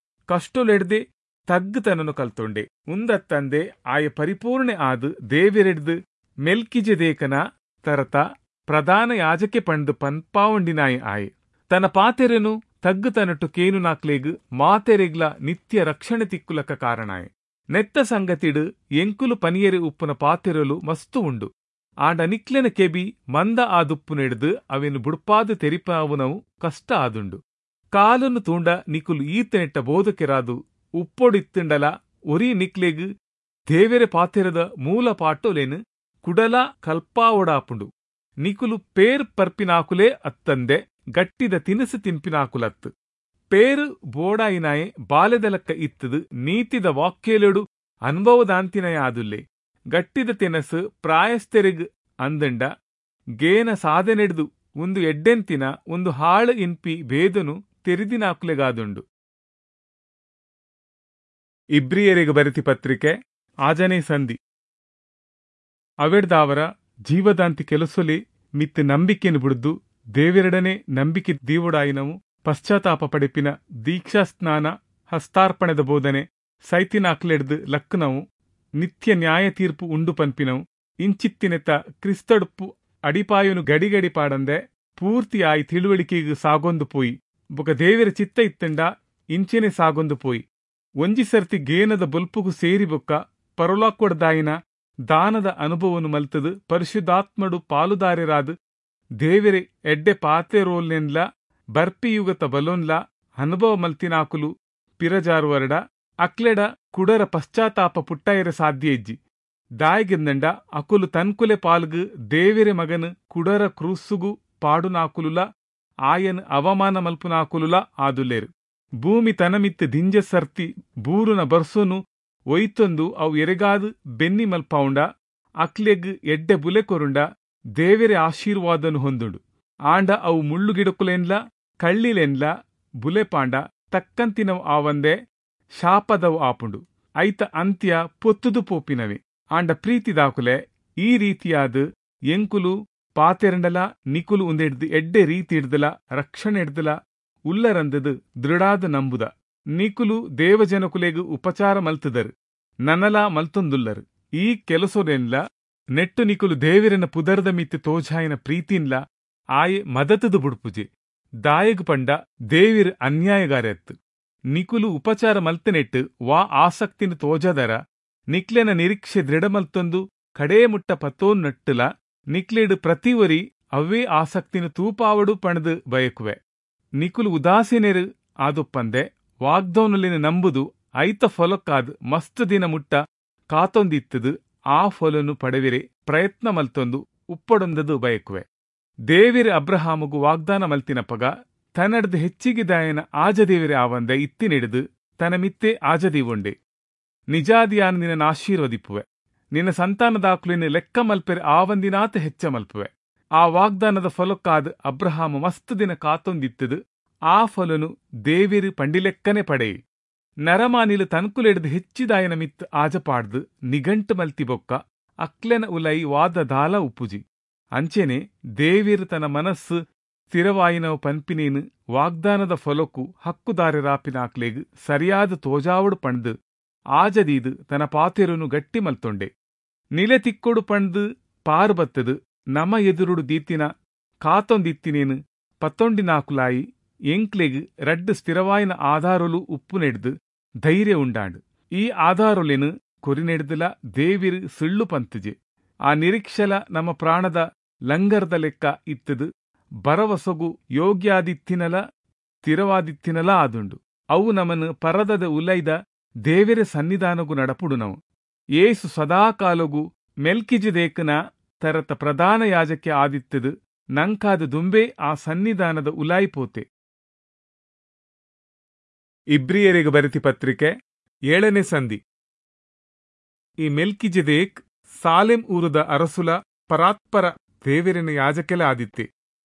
ಕಷ್ಟೊಲೆಡ್ದೆ ತಗ್ಗುತನನು ಕಲ್ತೊಂಡೆ. ಉಂದತ್ತಂದೆ ಆಯ ಪರಿಪೂರ್ಣೆ ಆದು ದೇವೆರೆಡ್ದು ಮೆಲ್ಕಿಜೆದೇಕನ ತರತ ಪ್ರಧಾನ ಯಾಜಕೆ ಪಂಡು ಪನ್ಪಾವಂಡಿನಾಯ ಆಯೆ. ತನ್ನ ಪಾತೆರೆನು ತಗ್ಗುತನಟು ಕೇನು ನಾಕ್ಲೇಗು ಮಾತೆರೆಗ್ಲ ನಿತ್ಯ ರಕ್ಷಣೆ ತಿಕ್ಕುಲಕ ಕಾರಣಾಯೆ. ನೆತ್ತ ಸಂಗತಿಡು ಎಂಕುಲು ಪನಿಯರೆ ಉಪ್ಪುನ ಪಾತೆರಲು ಮಸ್ತು ಉಂಡು. ಆಂಡ ನಿಕ್ಲೆನ ಕೆಬಿ ಮಂದ ಆದುಪ್ಪು ನೆಡ್ದು ಅವೆನು ಬುಡ್ಪಾದು ತೆರಿಪಾವುನವು ಕಷ್ಟ ಆದುಂಡು. ಕಾಲನ್ನು ತೂಂಡ ನಿಕುಲು ಈತನೆಟ್ಟ ಬೋಧಕೆರಾದು ಉಪ್ಪೊಡಿತ್ತುಂಡಲ ಒರಿ ನಿಕ್ಲೆಗ್ ದೇವೆರೆ ಪಾತೆರದ ಮೂಲ ಪಾಟೊಲೆನು ಕುಡಲ ಕಲ್ಪಾವೊಡಾಪುಂಡು. ನಿಕುಲು ಪೇರ್ ಪರ್ಪಿನಾಕುಲೇ ಅತ್ತಂದೆ ಗಟ್ಟಿದ ತಿನಿಸು ತಿನ್ಪಿನಾಕುಲತ್ತು. ಪೇರು ಬೋಡಾಯಿನಾಯೆ ಬಾಲೆದಲಕ್ಕ ಇತ್ತದು ನೀತಿದ ವಾಕ್ಯಲೆಡು ಅನುಭವದಾಂತಿನಯ ಆದುಲ್ಲೆ. ಗಟ್ಟಿದ ತಿನಸು ಪ್ರಾಯಸ್ಥೆರೆಗ್ ಅಂದಂಡ ಗೇನ ಸಾಧನೆಡ್ದು ಒಂದು ಎಡ್ಡೆಂತಿನ ಒಂದು ಹಾಳು ಇನ್ಪಿ ಭೇದನು ತೆರಿದಿನಾಕುಲೆಗಾದುಂಡು. ಇಬ್ರಿಯರಿಗೆ ಬರೆತಿ ಪತ್ರಿಕೆ ಆಜನೇ ಸಂಧಿ. ಅವೆಡ್ದಾವರ ಜೀವದಾಂತಿ ಕೆಲಸೊಲಿ ಮಿತ್ ನಂಬಿಕೆನು ಬುಡ್ದು ದೇವೆರಡನೆ ನಂಬಿಕೆ ದೀವುಡಾಯಿನವು ಪಶ್ಚಾತ್ತಾಪ ಪಡೆಪಿನ ದೀಕ್ಷಾಸ್ನಾನ ಹಸ್ತಾರ್ಪಣೆದ ಬೋಧನೆ ಸೈತಿನಾಕ್ಲೆಡ್ದು ಲಕ್ಕನವು ನಿತ್ಯ ನ್ಯಾಯ ತೀರ್ಪು ಉಂಡು ಪನ್ಪಿನವು ಇಂಚಿತ್ತಿನೆತ ಕ್ರಿಸ್ತಡುಪ್ಪು ಅಡಿಪಾಯನು ಗಡಿಗಡಿ ಪಾಡಂದೆ ಪೂರ್ತಿಯಾಯಿ ತಿಳುವಳಿಕೆಗೆ ಸಾಗೊಂದು ಪೋಯಿ ಬೊಕ ದೇವೆರ ಚಿತ್ತ ಇತ್ತಂಡ ಇಂಚೆನೆ ಸಾಗೊಂದು ಪೋಯಿ. ಒಂಜಿ ಸರ್ತಿ ಗೇನದ ಬೊಲ್ಪುಗು ಸೇರಿ ಬೊಕ್ಕ ಪರಲಾಕೊಡ್ದಾಯಿನ ದಾನದ ಅನುಭವನು ಮಲ್ತದು ಪರಿಶುದ್ಧಾತ್ಮಡು ಪಾಲುದಾರರಾದ ದೇವೆರೆ ಎಡ್ಡೆ ಪಾತೆರೋಲ್ನೆನ್ಲ ಬರ್ಪಿಯುಗತ ಬಲೋನ್ಲ ಅನುಭವ ಮಲ್ತಿನಾಕುಲು ಪಿರಜಾರುವರಡ ಅಕ್ಲೆಡ ಕುಡರ ಪಶ್ಚಾತ್ತಾಪ ಪುಟ್ಟಾಯರ ಸಾಧ್ಯ ಇಜ್ಜಿ. ದಾಯಿಗೆಂದಂಡ ಅಕುಲು ತನ್ಕುಲೆ ಪಾಲ್ಗು ದೇವೆರೆ ಮಗನು ಕುಡರ ಕ್ರೂಸುಗು ಪಾಡುನಾಕುಲುಲ ಆಯನ್ ಅವಮಾನ ಮಲ್ಪುನಾಕುಲುಲ ಆದುಲ್ಲೇರು. ಭೂಮಿ ತನಮಿತ್ತು ದಿಂಜ ಸರ್ತಿ ಬೂರುನ ಬರ್ಸೋನು ಒಯ್ತೊಂದು ಅವು ಎರೆಗಾದು ಬೆನ್ನಿ ಮಲ್ಪಾವುಂಡ ಅಕ್ಲೆಗ್ ಎಡ್ಡೆ ಬುಲೆ ಕೊರುಂಡ ದೇವೆರೆ ಆಶೀರ್ವಾದನು ಹೊಂದುಂಡು. ಆಂಡ ಅವು ಮುಳ್ಳುಗಿಡಕುಲೆನ್ಲ ಕಳ್ಳಿಲೆನ್ಲ ಬುಲೆ ಪಾಂಡ ತಕ್ಕಂತಿನವು ಆವಂದೆ ಶಾಪದವು ಆಪುಂಡು. ಐತ ಅಂತ್ಯ ಪೊತ್ತುದು ಪೋಪಿನವೆ. ಆಂಡ ಪ್ರೀತಿದಾಕುಲೆ ಈ ರೀತಿಯಾದ ಎಂಕುಲು ಪಾತೆರಂಡಲ ನಿಕುಲು ಉಂದೆಡ್ದು ಎಡ್ಡೆ ರೀತಿ ಹಿಡ್ದಲ ರಕ್ಷಣೆ ಹಿಡ್ದಲ ಉಲ್ಲರಂದದು ದೃಢಾದ ನಂಬುದ. ನಿಕುಲು ದೇವಜನಕುಲೆಗು ಉಪಚಾರ ಮಲ್ತದರು, ನನಲಾ ಮಲ್ತೊಂದುಲ್ಲರು. ಈ ಕೆಲಸೊನೆನ್ಲ ನೆಟ್ಟು ನಿಕುಲು ದೇವರನ ಪುದರ್ದ ಮಿತ್ತು ತೋಜಾಯಿನ ಪ್ರೀತಿನ್ಲ ಆಯೆ ಮದತದು ಬುಡ್ಪುಜೆ. ದಾಯಗ್ ಪಂಡ ದೇವಿರ್ ಅನ್ಯಾಯಗಾರೆತ್ತು. ನಿಕುಲು ಉಪಚಾರ ಮಲ್ತನೆಟ್ಟು ವಾ ಆಸಕ್ತಿನ ತೋಜದರ ನಿಕ್ಲೆನ ನಿರೀಕ್ಷೆ ದೃಢ ಮಲ್ತೊಂದು ಕಡೇ ಮುಟ್ಟ ಪತೋನ್ ನಟ್ಟುಲ ನಿಕ್ಲೆಡು ಪ್ರತಿವರಿ ಅವೇ ಆಸಕ್ತಿನ ತೂಪಾವಡು ಪಣದು ಬಯಕುವೆ. ನಿಕುಲು ಉದಾಸೀನರು ಆದುಪ್ಪಂದೆ ವಾಗ್ದೌನಲಿನ ನಂಬುದು ಐತ ಫಲಕ್ಕಾದ್ ಮಸ್ತ್ ದಿನ ಮುಟ್ಟ ಕಾತೊಂದಿತ್ತದು ಆ ಫಲನು ಪಡೆವಿರೆ ಪ್ರಯತ್ನ ಮಲ್ತೊಂದು ಉಪ್ಪಡೊಂದದು ಬಯಕುವೆ. ದೇವಿರ ಅಬ್ರಹಾಮಗು ವಾಗ್ದಾನ ಮಲ್ತಿನಪಗ ತನ್ನಡ್ದು ಹೆಚ್ಚಿಗೆ ದಾಯನ ಆಜದೇವಿರೆ ಆವಂದೆ ಇತ್ತಿನಿಡಿದು ತನ್ನ ಮಿತ್ತೆ ಆಜದೀವೊಂಡೆ. ನಿಜಾದಿಯಾನ ನಿನ್ನ ಆಶೀರ್ವದಿಪ್ಪುವೆ, ನಿನ್ನ ಸಂತಾನದಾಕುಲಿನ ಲೆಕ್ಕ ಮಲ್ಪೆರೆ ಆವಂದಿನಾತ ಹೆಚ್ಚ ಮಲ್ಪುವೆ. ಆ ವಾಗ್ದಾನದ ಫಲಕ್ಕಾದ ಅಬ್ರಹಾಮ ಮಸ್ತ್ ದಿನ ಕಾತೊಂದಿತ್ತದು ಆ ಫಲನು ದೇವಿರು ಪಂಡಿಲೆಕ್ಕನೆ ಪಡೆಯಿ. ನರಮಾನಿಲು ತನ್ಕುಲೆಡ್ದು ಹೆಚ್ಚಿದಾಯನ ಮಿತ್ತು ಆಜಪಾಡ್ದು ನಿಘಂಟು ಮಲ್ತಿ ಬೊಕ್ಕ ಅಕ್ಲೆನ ಉಲೈ ವಾದ ದಾಲ ಉಪ್ಪುಜಿ. ಅಂಚೆನೆ ದೇವಿರು ತನ್ನ ಮನಸ್ಸು ಸ್ಥಿರವಾಯಿನವು ಪನ್ಪಿನೇನು ವಾಗ್ದಾನದ ಫಲಕ್ಕು ಹಕ್ಕುದಾರರಾಪಿನಾಕ್ಲೆಗ್ ಸರಿಯಾದ ತೋಜಾವಡು ಪಣ್ದು ಆಜದೀದು ತನ್ನ ಪಾತೆರುನು ಗಟ್ಟಿ ಮಲ್ತೊಂಡೆ. ನಿಲೆ ತಿಕ್ಕೊಡು ಪಣ್ದು ಪಾರು ಬತ್ತದು ನಮ ಎದುರುಡು ದೀತಿನ ಕಾತೊಂದಿತ್ತಿನೇನು ಪತ್ತೊಂಡಿನಾಕುಲಾಯಿ ಎಂಕ್ಲೆಗ್ ರಡ್ಡು ಸ್ಥಿರವಾಯಿನ ಆಧಾರಲು ಉಪ್ಪು ನೆಡ್ದು ಧೈರ್ಯ ಉಂಡಾಂಡು. ಈ ಆಧಾರೊಲೆನು ಕೊರಿನೆಡ್ದಲ ದೇವಿರು ಸುಳ್ಳು ಪಂತುಜೆ. ಆ ನಿರೀಕ್ಷೆಲ ನಮ್ಮ ಪ್ರಾಣದ ಲಂಗರ್ದ ಲೆಕ್ಕ ಇತ್ತದು ಬರವಸೊಗು ಯೋಗ್ಯಾದಿತ್ತಿನಲ ಸ್ಥಿರವಾದಿತ್ತಿನಲ ಆದುಂಡು. ಅವು ನಮನು ಪರದದ ಉಲೈದ ದೇವಿರ ಸನ್ನಿಧಾನಗು ನಡಪುಡು ನಾವು. ಏಸು ಸದಾಕಾಲಗು ಮೆಲ್ಕಿಜೆದೇಕನ ತರತ ಪ್ರಧಾನ ಯಾಜಕ್ಕೆ ಆದಿತ್ತದು ನಂಕಾದ ದುಂಬೆ ಆ ಸನ್ನಿಧಾನದ ಉಲಾಯಿಪೋತೆ. ಇಬ್ರಿಯರಿಗೆ ಬರೆತಿ ಪತ್ರಿಕೆ ಏಳನೇ ಸಂಧಿ. ಈ ಮೆಲ್ಕಿಜೆದೇಕ್ ಸಾಲೆಂ ಊರದ ಅರಸುಲ ಪರಾತ್ಪರ ದೇವರಿನ ಯಾಜಕೆಲ ಆದಿತ್ತೆ.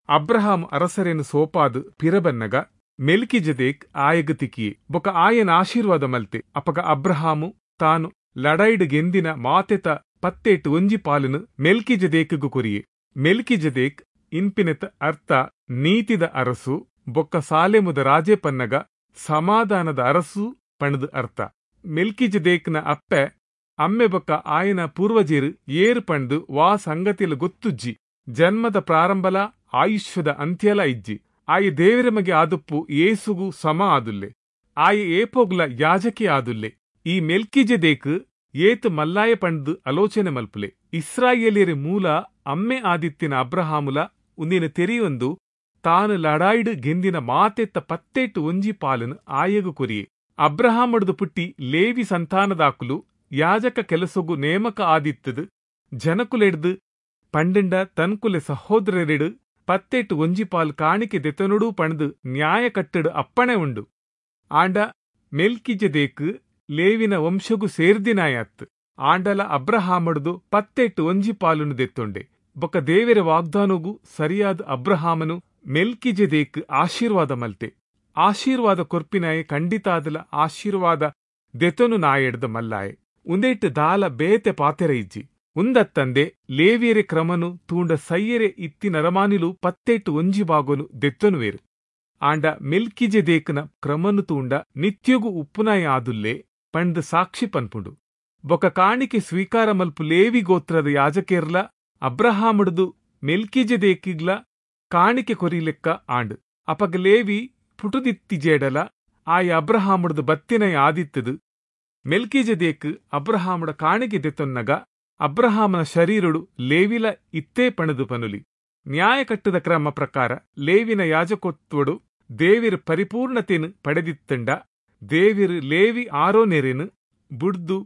ಅಬ್ರಹಾಂ ಅರಸರೇನು ಸೋಪಾದು ಪಿರಬನ್ನಗ ಮೆಲ್ಕಿಜೆದೇಕ್ ಆಯಗ ತಿಕ್ಕಿಯೆ ಬೊಕ ಆಯನ ಆಶೀರ್ವಾದ ಮಲ್ತೆ. ಅಪಗ ಅಬ್ರಹಾಮು ತಾನು ಲಡೈಡ್ ಗೆಂದಿನ ಮಾತೆತ ಪತ್ತೇಟು ಒಂಜಿ ಪಾಲನು ಮೆಲ್ಕಿಜೆದೇಕ್ಗೂ ಕೊರಿಯೆ. ಮೆಲ್ಕಿಜೆದೇಕ್ ಇನ್ಪಿನೆತ ಅರ್ಥ ನೀತಿದ ಅರಸು ಬೊಕ್ಕ ಸಾಲೆಮುದ ರಾಜೆ ಪನ್ನಗ ಸಮಾಧಾನದ ಅರಸು ಪಣದು ಅರ್ಥ. ಮೆಲ್ಕಿಜೆದೇಕ್ನ ಅಪ್ಪೆ ಅಮ್ಮೆ ಬೊಕ್ಕ ಆಯನ ಪೂರ್ವಜೇರು ಏರು ಪಂಡು ವಾ ಸಂಗತಿಲ ಗೊತ್ತುಜ್ಜಿ. ಜನ್ಮದ ಪ್ರಾರಂಭಲ ಆಯುಷ್ಯದ ಅಂತ್ಯಲ ಇಜ್ಜಿ. ಆಯ ದೇವರ ಮಗೆ ಆದುಪ್ಪು ಏಸುಗು ಸಮ ಆದುಲ್ಲೆ. ಆಯ ಏಪೋಗ್ಲ ಯಾಜಕಿ ಆದುಲ್ಲೆ. ಈ ಮೆಲ್ಕಿಜೆದೇಕ್ ಏತು ಮಲ್ಲಾಯ ಪಂಡ್ದು ಆಲೋಚನೆ ಮಲ್ಪುಲೆ. ಇಸ್ರಾಯೇಲಿಯರ ಮೂಲ ಅಮ್ಮೆ ಆದಿತ್ತಿನ ಅಬ್ರಹಾಮುಲ ಉಂದಿನ ತೆರೆಯೊಂದು ತಾನು ಲಡಾಯ್ಡು ಗೆಂದಿನ ಮಾತೆತ್ತ ಪತ್ತೇಟು ಒಂಜಿ ಪಾಲನು ಆಯಗು ಕೊರಿಯೆ. ಅಬ್ರಹಾಮಡ್ದು ಪುಟ್ಟಿ ಲೇವಿ ಸಂತಾನದಾಕುಲು ಯಾಜಕ ಕೆಲಸಗು ನೇಮಕ ಆದಿತ್ತದು ಜನಕುಲೆಡ್ದು ಪಂಡಿಂಡ ತನ್ಕುಲೆ ಸಹೋದರರೆಡು ಪತ್ತೇಟು ಒಂಜಿ ಪಾಲ್ ಕಾಣಿಕೆ ದೆತನುಡು ಪಣದು ನ್ಯಾಯ ಕಟ್ಟಡು ಅಪ್ಪಣೆ ಉಂಡು. ಆಂಡ ಮೆಲ್ಕಿಜೆದೇಕ್ ಲೇವಿನ ವಂಶಗು ಸೇರ್ದಿನಾಯತ್. ಆಂಡಲ ಅಬ್ರಹಾಮಡ್ದು ಪತ್ತೇಟು ಒಂಜಿ ಪಾಲುನು ದೆತ್ತೊಂಡೆ. ಬೊಕ್ಕ ದೇವರ ವಾಗ್ದಾನಗು ಸರಿಯಾದ ಅಬ್ರಹಾಮನು ಮೆಲ್ಕಿಜೆದೇಕ್ ಆಶೀರ್ವಾದ ಮಲ್ತೆ. ಆಶೀರ್ವಾದ ಕೊರ್ಪಿನಾಯೆ ಖಂಡಿತಾದಲ ಆಶೀರ್ವಾದ ದೆತನು ನಾಯೆಡ್ದ ಮಲ್ಲಾಯೆ. ಉಂದೇಟು ದಾಲ ಬೇತೆ ಪಾತೆರ ಇಜ್ಜಿ. ಉಂದತ್ತಂದೆ ಲೇವಿಯರೆ ಕ್ರಮನು ತೂಂಡ ಸೈಯರೆ ಇತ್ತಿ ನರಮಾನಿಲು ಪತ್ತೇಟು ಒಂಜಿ ಬಾಗೊನು ದೆತ್ತನುವೇರು. ಆಂಡ ಮೆಲ್ಕಿಜೆದೇಕನ ಕ್ರಮನು ತೂಂಡ ನಿತ್ಯಗು ಉಪ್ಪುನಾಯ ಆದುಲ್ಲೆ ಪಂಡ್ ಸಾಕ್ಷಿ ಪನ್ಪುಂಡು. ಬೊಕ ಕಾಣಿಕೆ ಸ್ವೀಕಾರ ಮಲ್ಪು ಲೇವಿ ಗೋತ್ರದ ಯಾಜಕೇರ್ಲ ಅಬ್ರಹಾಮಡ್ದು ಮೆಲ್ಕಿಜೆದೇಕಿಗ್ಲ ಕಾಣಿಕೆ ಕೊರಿಲೆಕ್ಕ ಆಂಡ್. ಅಪಗ ಲೇವಿ ಪುಟುದಿತ್ತಿಜೇಡಲ ಆಯ ಅಬ್ರಹಾಮಡ್ದು ಬತ್ತಿನಯ ಆದಿತ್ತದು. ಮೆಲ್ಕಿಜೆದೇಕ್ ಅಬ್ರಹಾಮಡ ಕಾಣಿಕೆ ದೆತ್ತೊನ್ನಗ ಅಬ್ರಹಾಮನ ಶರೀರಡು ಲೇವಿಲ ಇತ್ತೇ ಪಣದು ಪನುಲಿ. ನ್ಯಾಯಕಟ್ಟದ ಕ್ರಮ ಪ್ರಕಾರ ಲೇವಿನ ಯಾಜಕತ್ವಡು ದೇವಿರ್ ಪರಿಪೂರ್ಣತೆನು ಪಡೆದಿತ್ತಂಡ ದೇವಿರ್ ಲೇವಿ ಆರೋನೆರೆನು ಬುಡ್ದು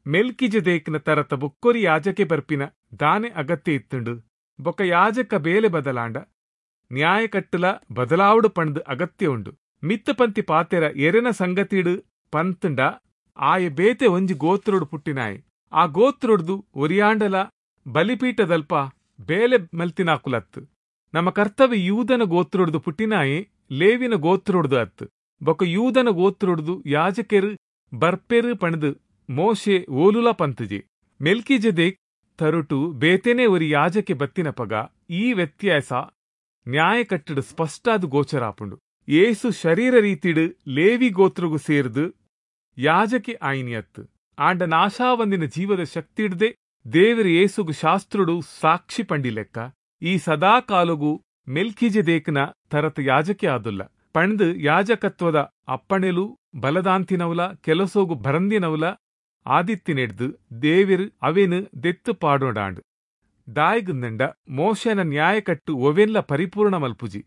ಮೆಲ್ಕಿಜೆದೇಕ್ನ ತರತ ಬೊಕ್ಕೊರಿ ಯಾಜಕೆ ಬರ್ಪಿನ ದಾನೆ ಅಗತ್ಯ ಇತ್ತುಂಡು. ಬೊಕ ಯಾಜಕ ಬೇಲೆ ಬದಲಾಂಡ ನ್ಯಾಯಕಟ್ಟುಲ ಬದಲಾವಡು ಪಣದು ಅಗತ್ಯ ಉಂಡು. ಮಿತ್ತಪಂತಿ ಪಾತೆರ ಎರೆನ ಸಂಗತಿಡು ಪಂತುಂಡ ಆಯೆ ಬೇತೆ ಒಂಜಿ ಗೋತ್ರೊಡು ಪುಟ್ಟಿನಾಯೆ. ಆ ಗೋತ್ರೊಡ್ದು ಒರಿಯಾಂಡಲ ಬಲಿಪೀಠದಲ್ಪ ಬೇಲೆ ಮಲ್ತಿನಾಕುಲತ್ತು. ನಮ್ಮ ಕರ್ತವ್ಯ ಯೂದನ ಗೋತ್ರೊಡ್ದು ಪುಟ್ಟಿನಾಯೆ ಲೇವಿನ ಗೋತ್ರೊಡ್ದು ಅತ್ತು. ಬೊಕ ಯೂದನ ಗೋತ್ರೊಡ್ದು ಯಾಜಕೆರು ಬರ್ಪೆರು ಪಣದು ಮೋಶೆ ಓಲುಲ ಪಂತುಜೆ. ಮೆಲ್ಕಿಜೆದೇಕ್ ತರುಟು ಬೇತೆನೆ ಒರಿ ಯಾಜಕೆ ಬತ್ತಿನಪಗ ಈ ವ್ಯತ್ಯಾಸ ನ್ಯಾಯಕಟ್ಟಡು ಸ್ಪಷ್ಟಾದ ಗೋಚರಾಪುಂಡು. ಏಸು ಶರೀರ ರೀತಿಡು ಲೇವಿ ಗೋತ್ರಗು ಸೇರ್ದು ಯಾಜಕೆ ಆಯಿನಿಯತ್ತು. ಆಂಡ ನಾಶಾವಂದಿನ ಜೀವದ ಶಕ್ತಿಡ್ದೆ ದೇವರ ಏಸುಗು ಶಾಸ್ತ್ರುಡು ಸಾಕ್ಷಿ ಪಂಡಿಲೆಕ್ಕ ಈ ಸದಾ ಕಾಲಗು ಮೆಲ್ಕಿಜೆದೇಕ್ನ ತರತ ಯಾಜಕೆ ಆದುಲ್ಲ. ಪಂಡು ಯಾಜಕತ್ವದ ಅಪ್ಪಣೆಲು ಬಲದಾಂತಿನವಲ ಕೆಲಸೋಗು ಬರಂದಿನವಲ ಆದಿತ್ತಿನೆಡ್ದು ದೇವಿರ್ ಅವೆನು ದೆತ್ತು ಪಾಡೋಡಾಂಡು. ದಾಯಿಗುಂದಂಡ ಮೋಶನ ನ್ಯಾಯಕಟ್ಟು ಒವೆನ್ಲ ಪರಿಪೂರ್ಣ ಮಲ್ಪುಜಿ.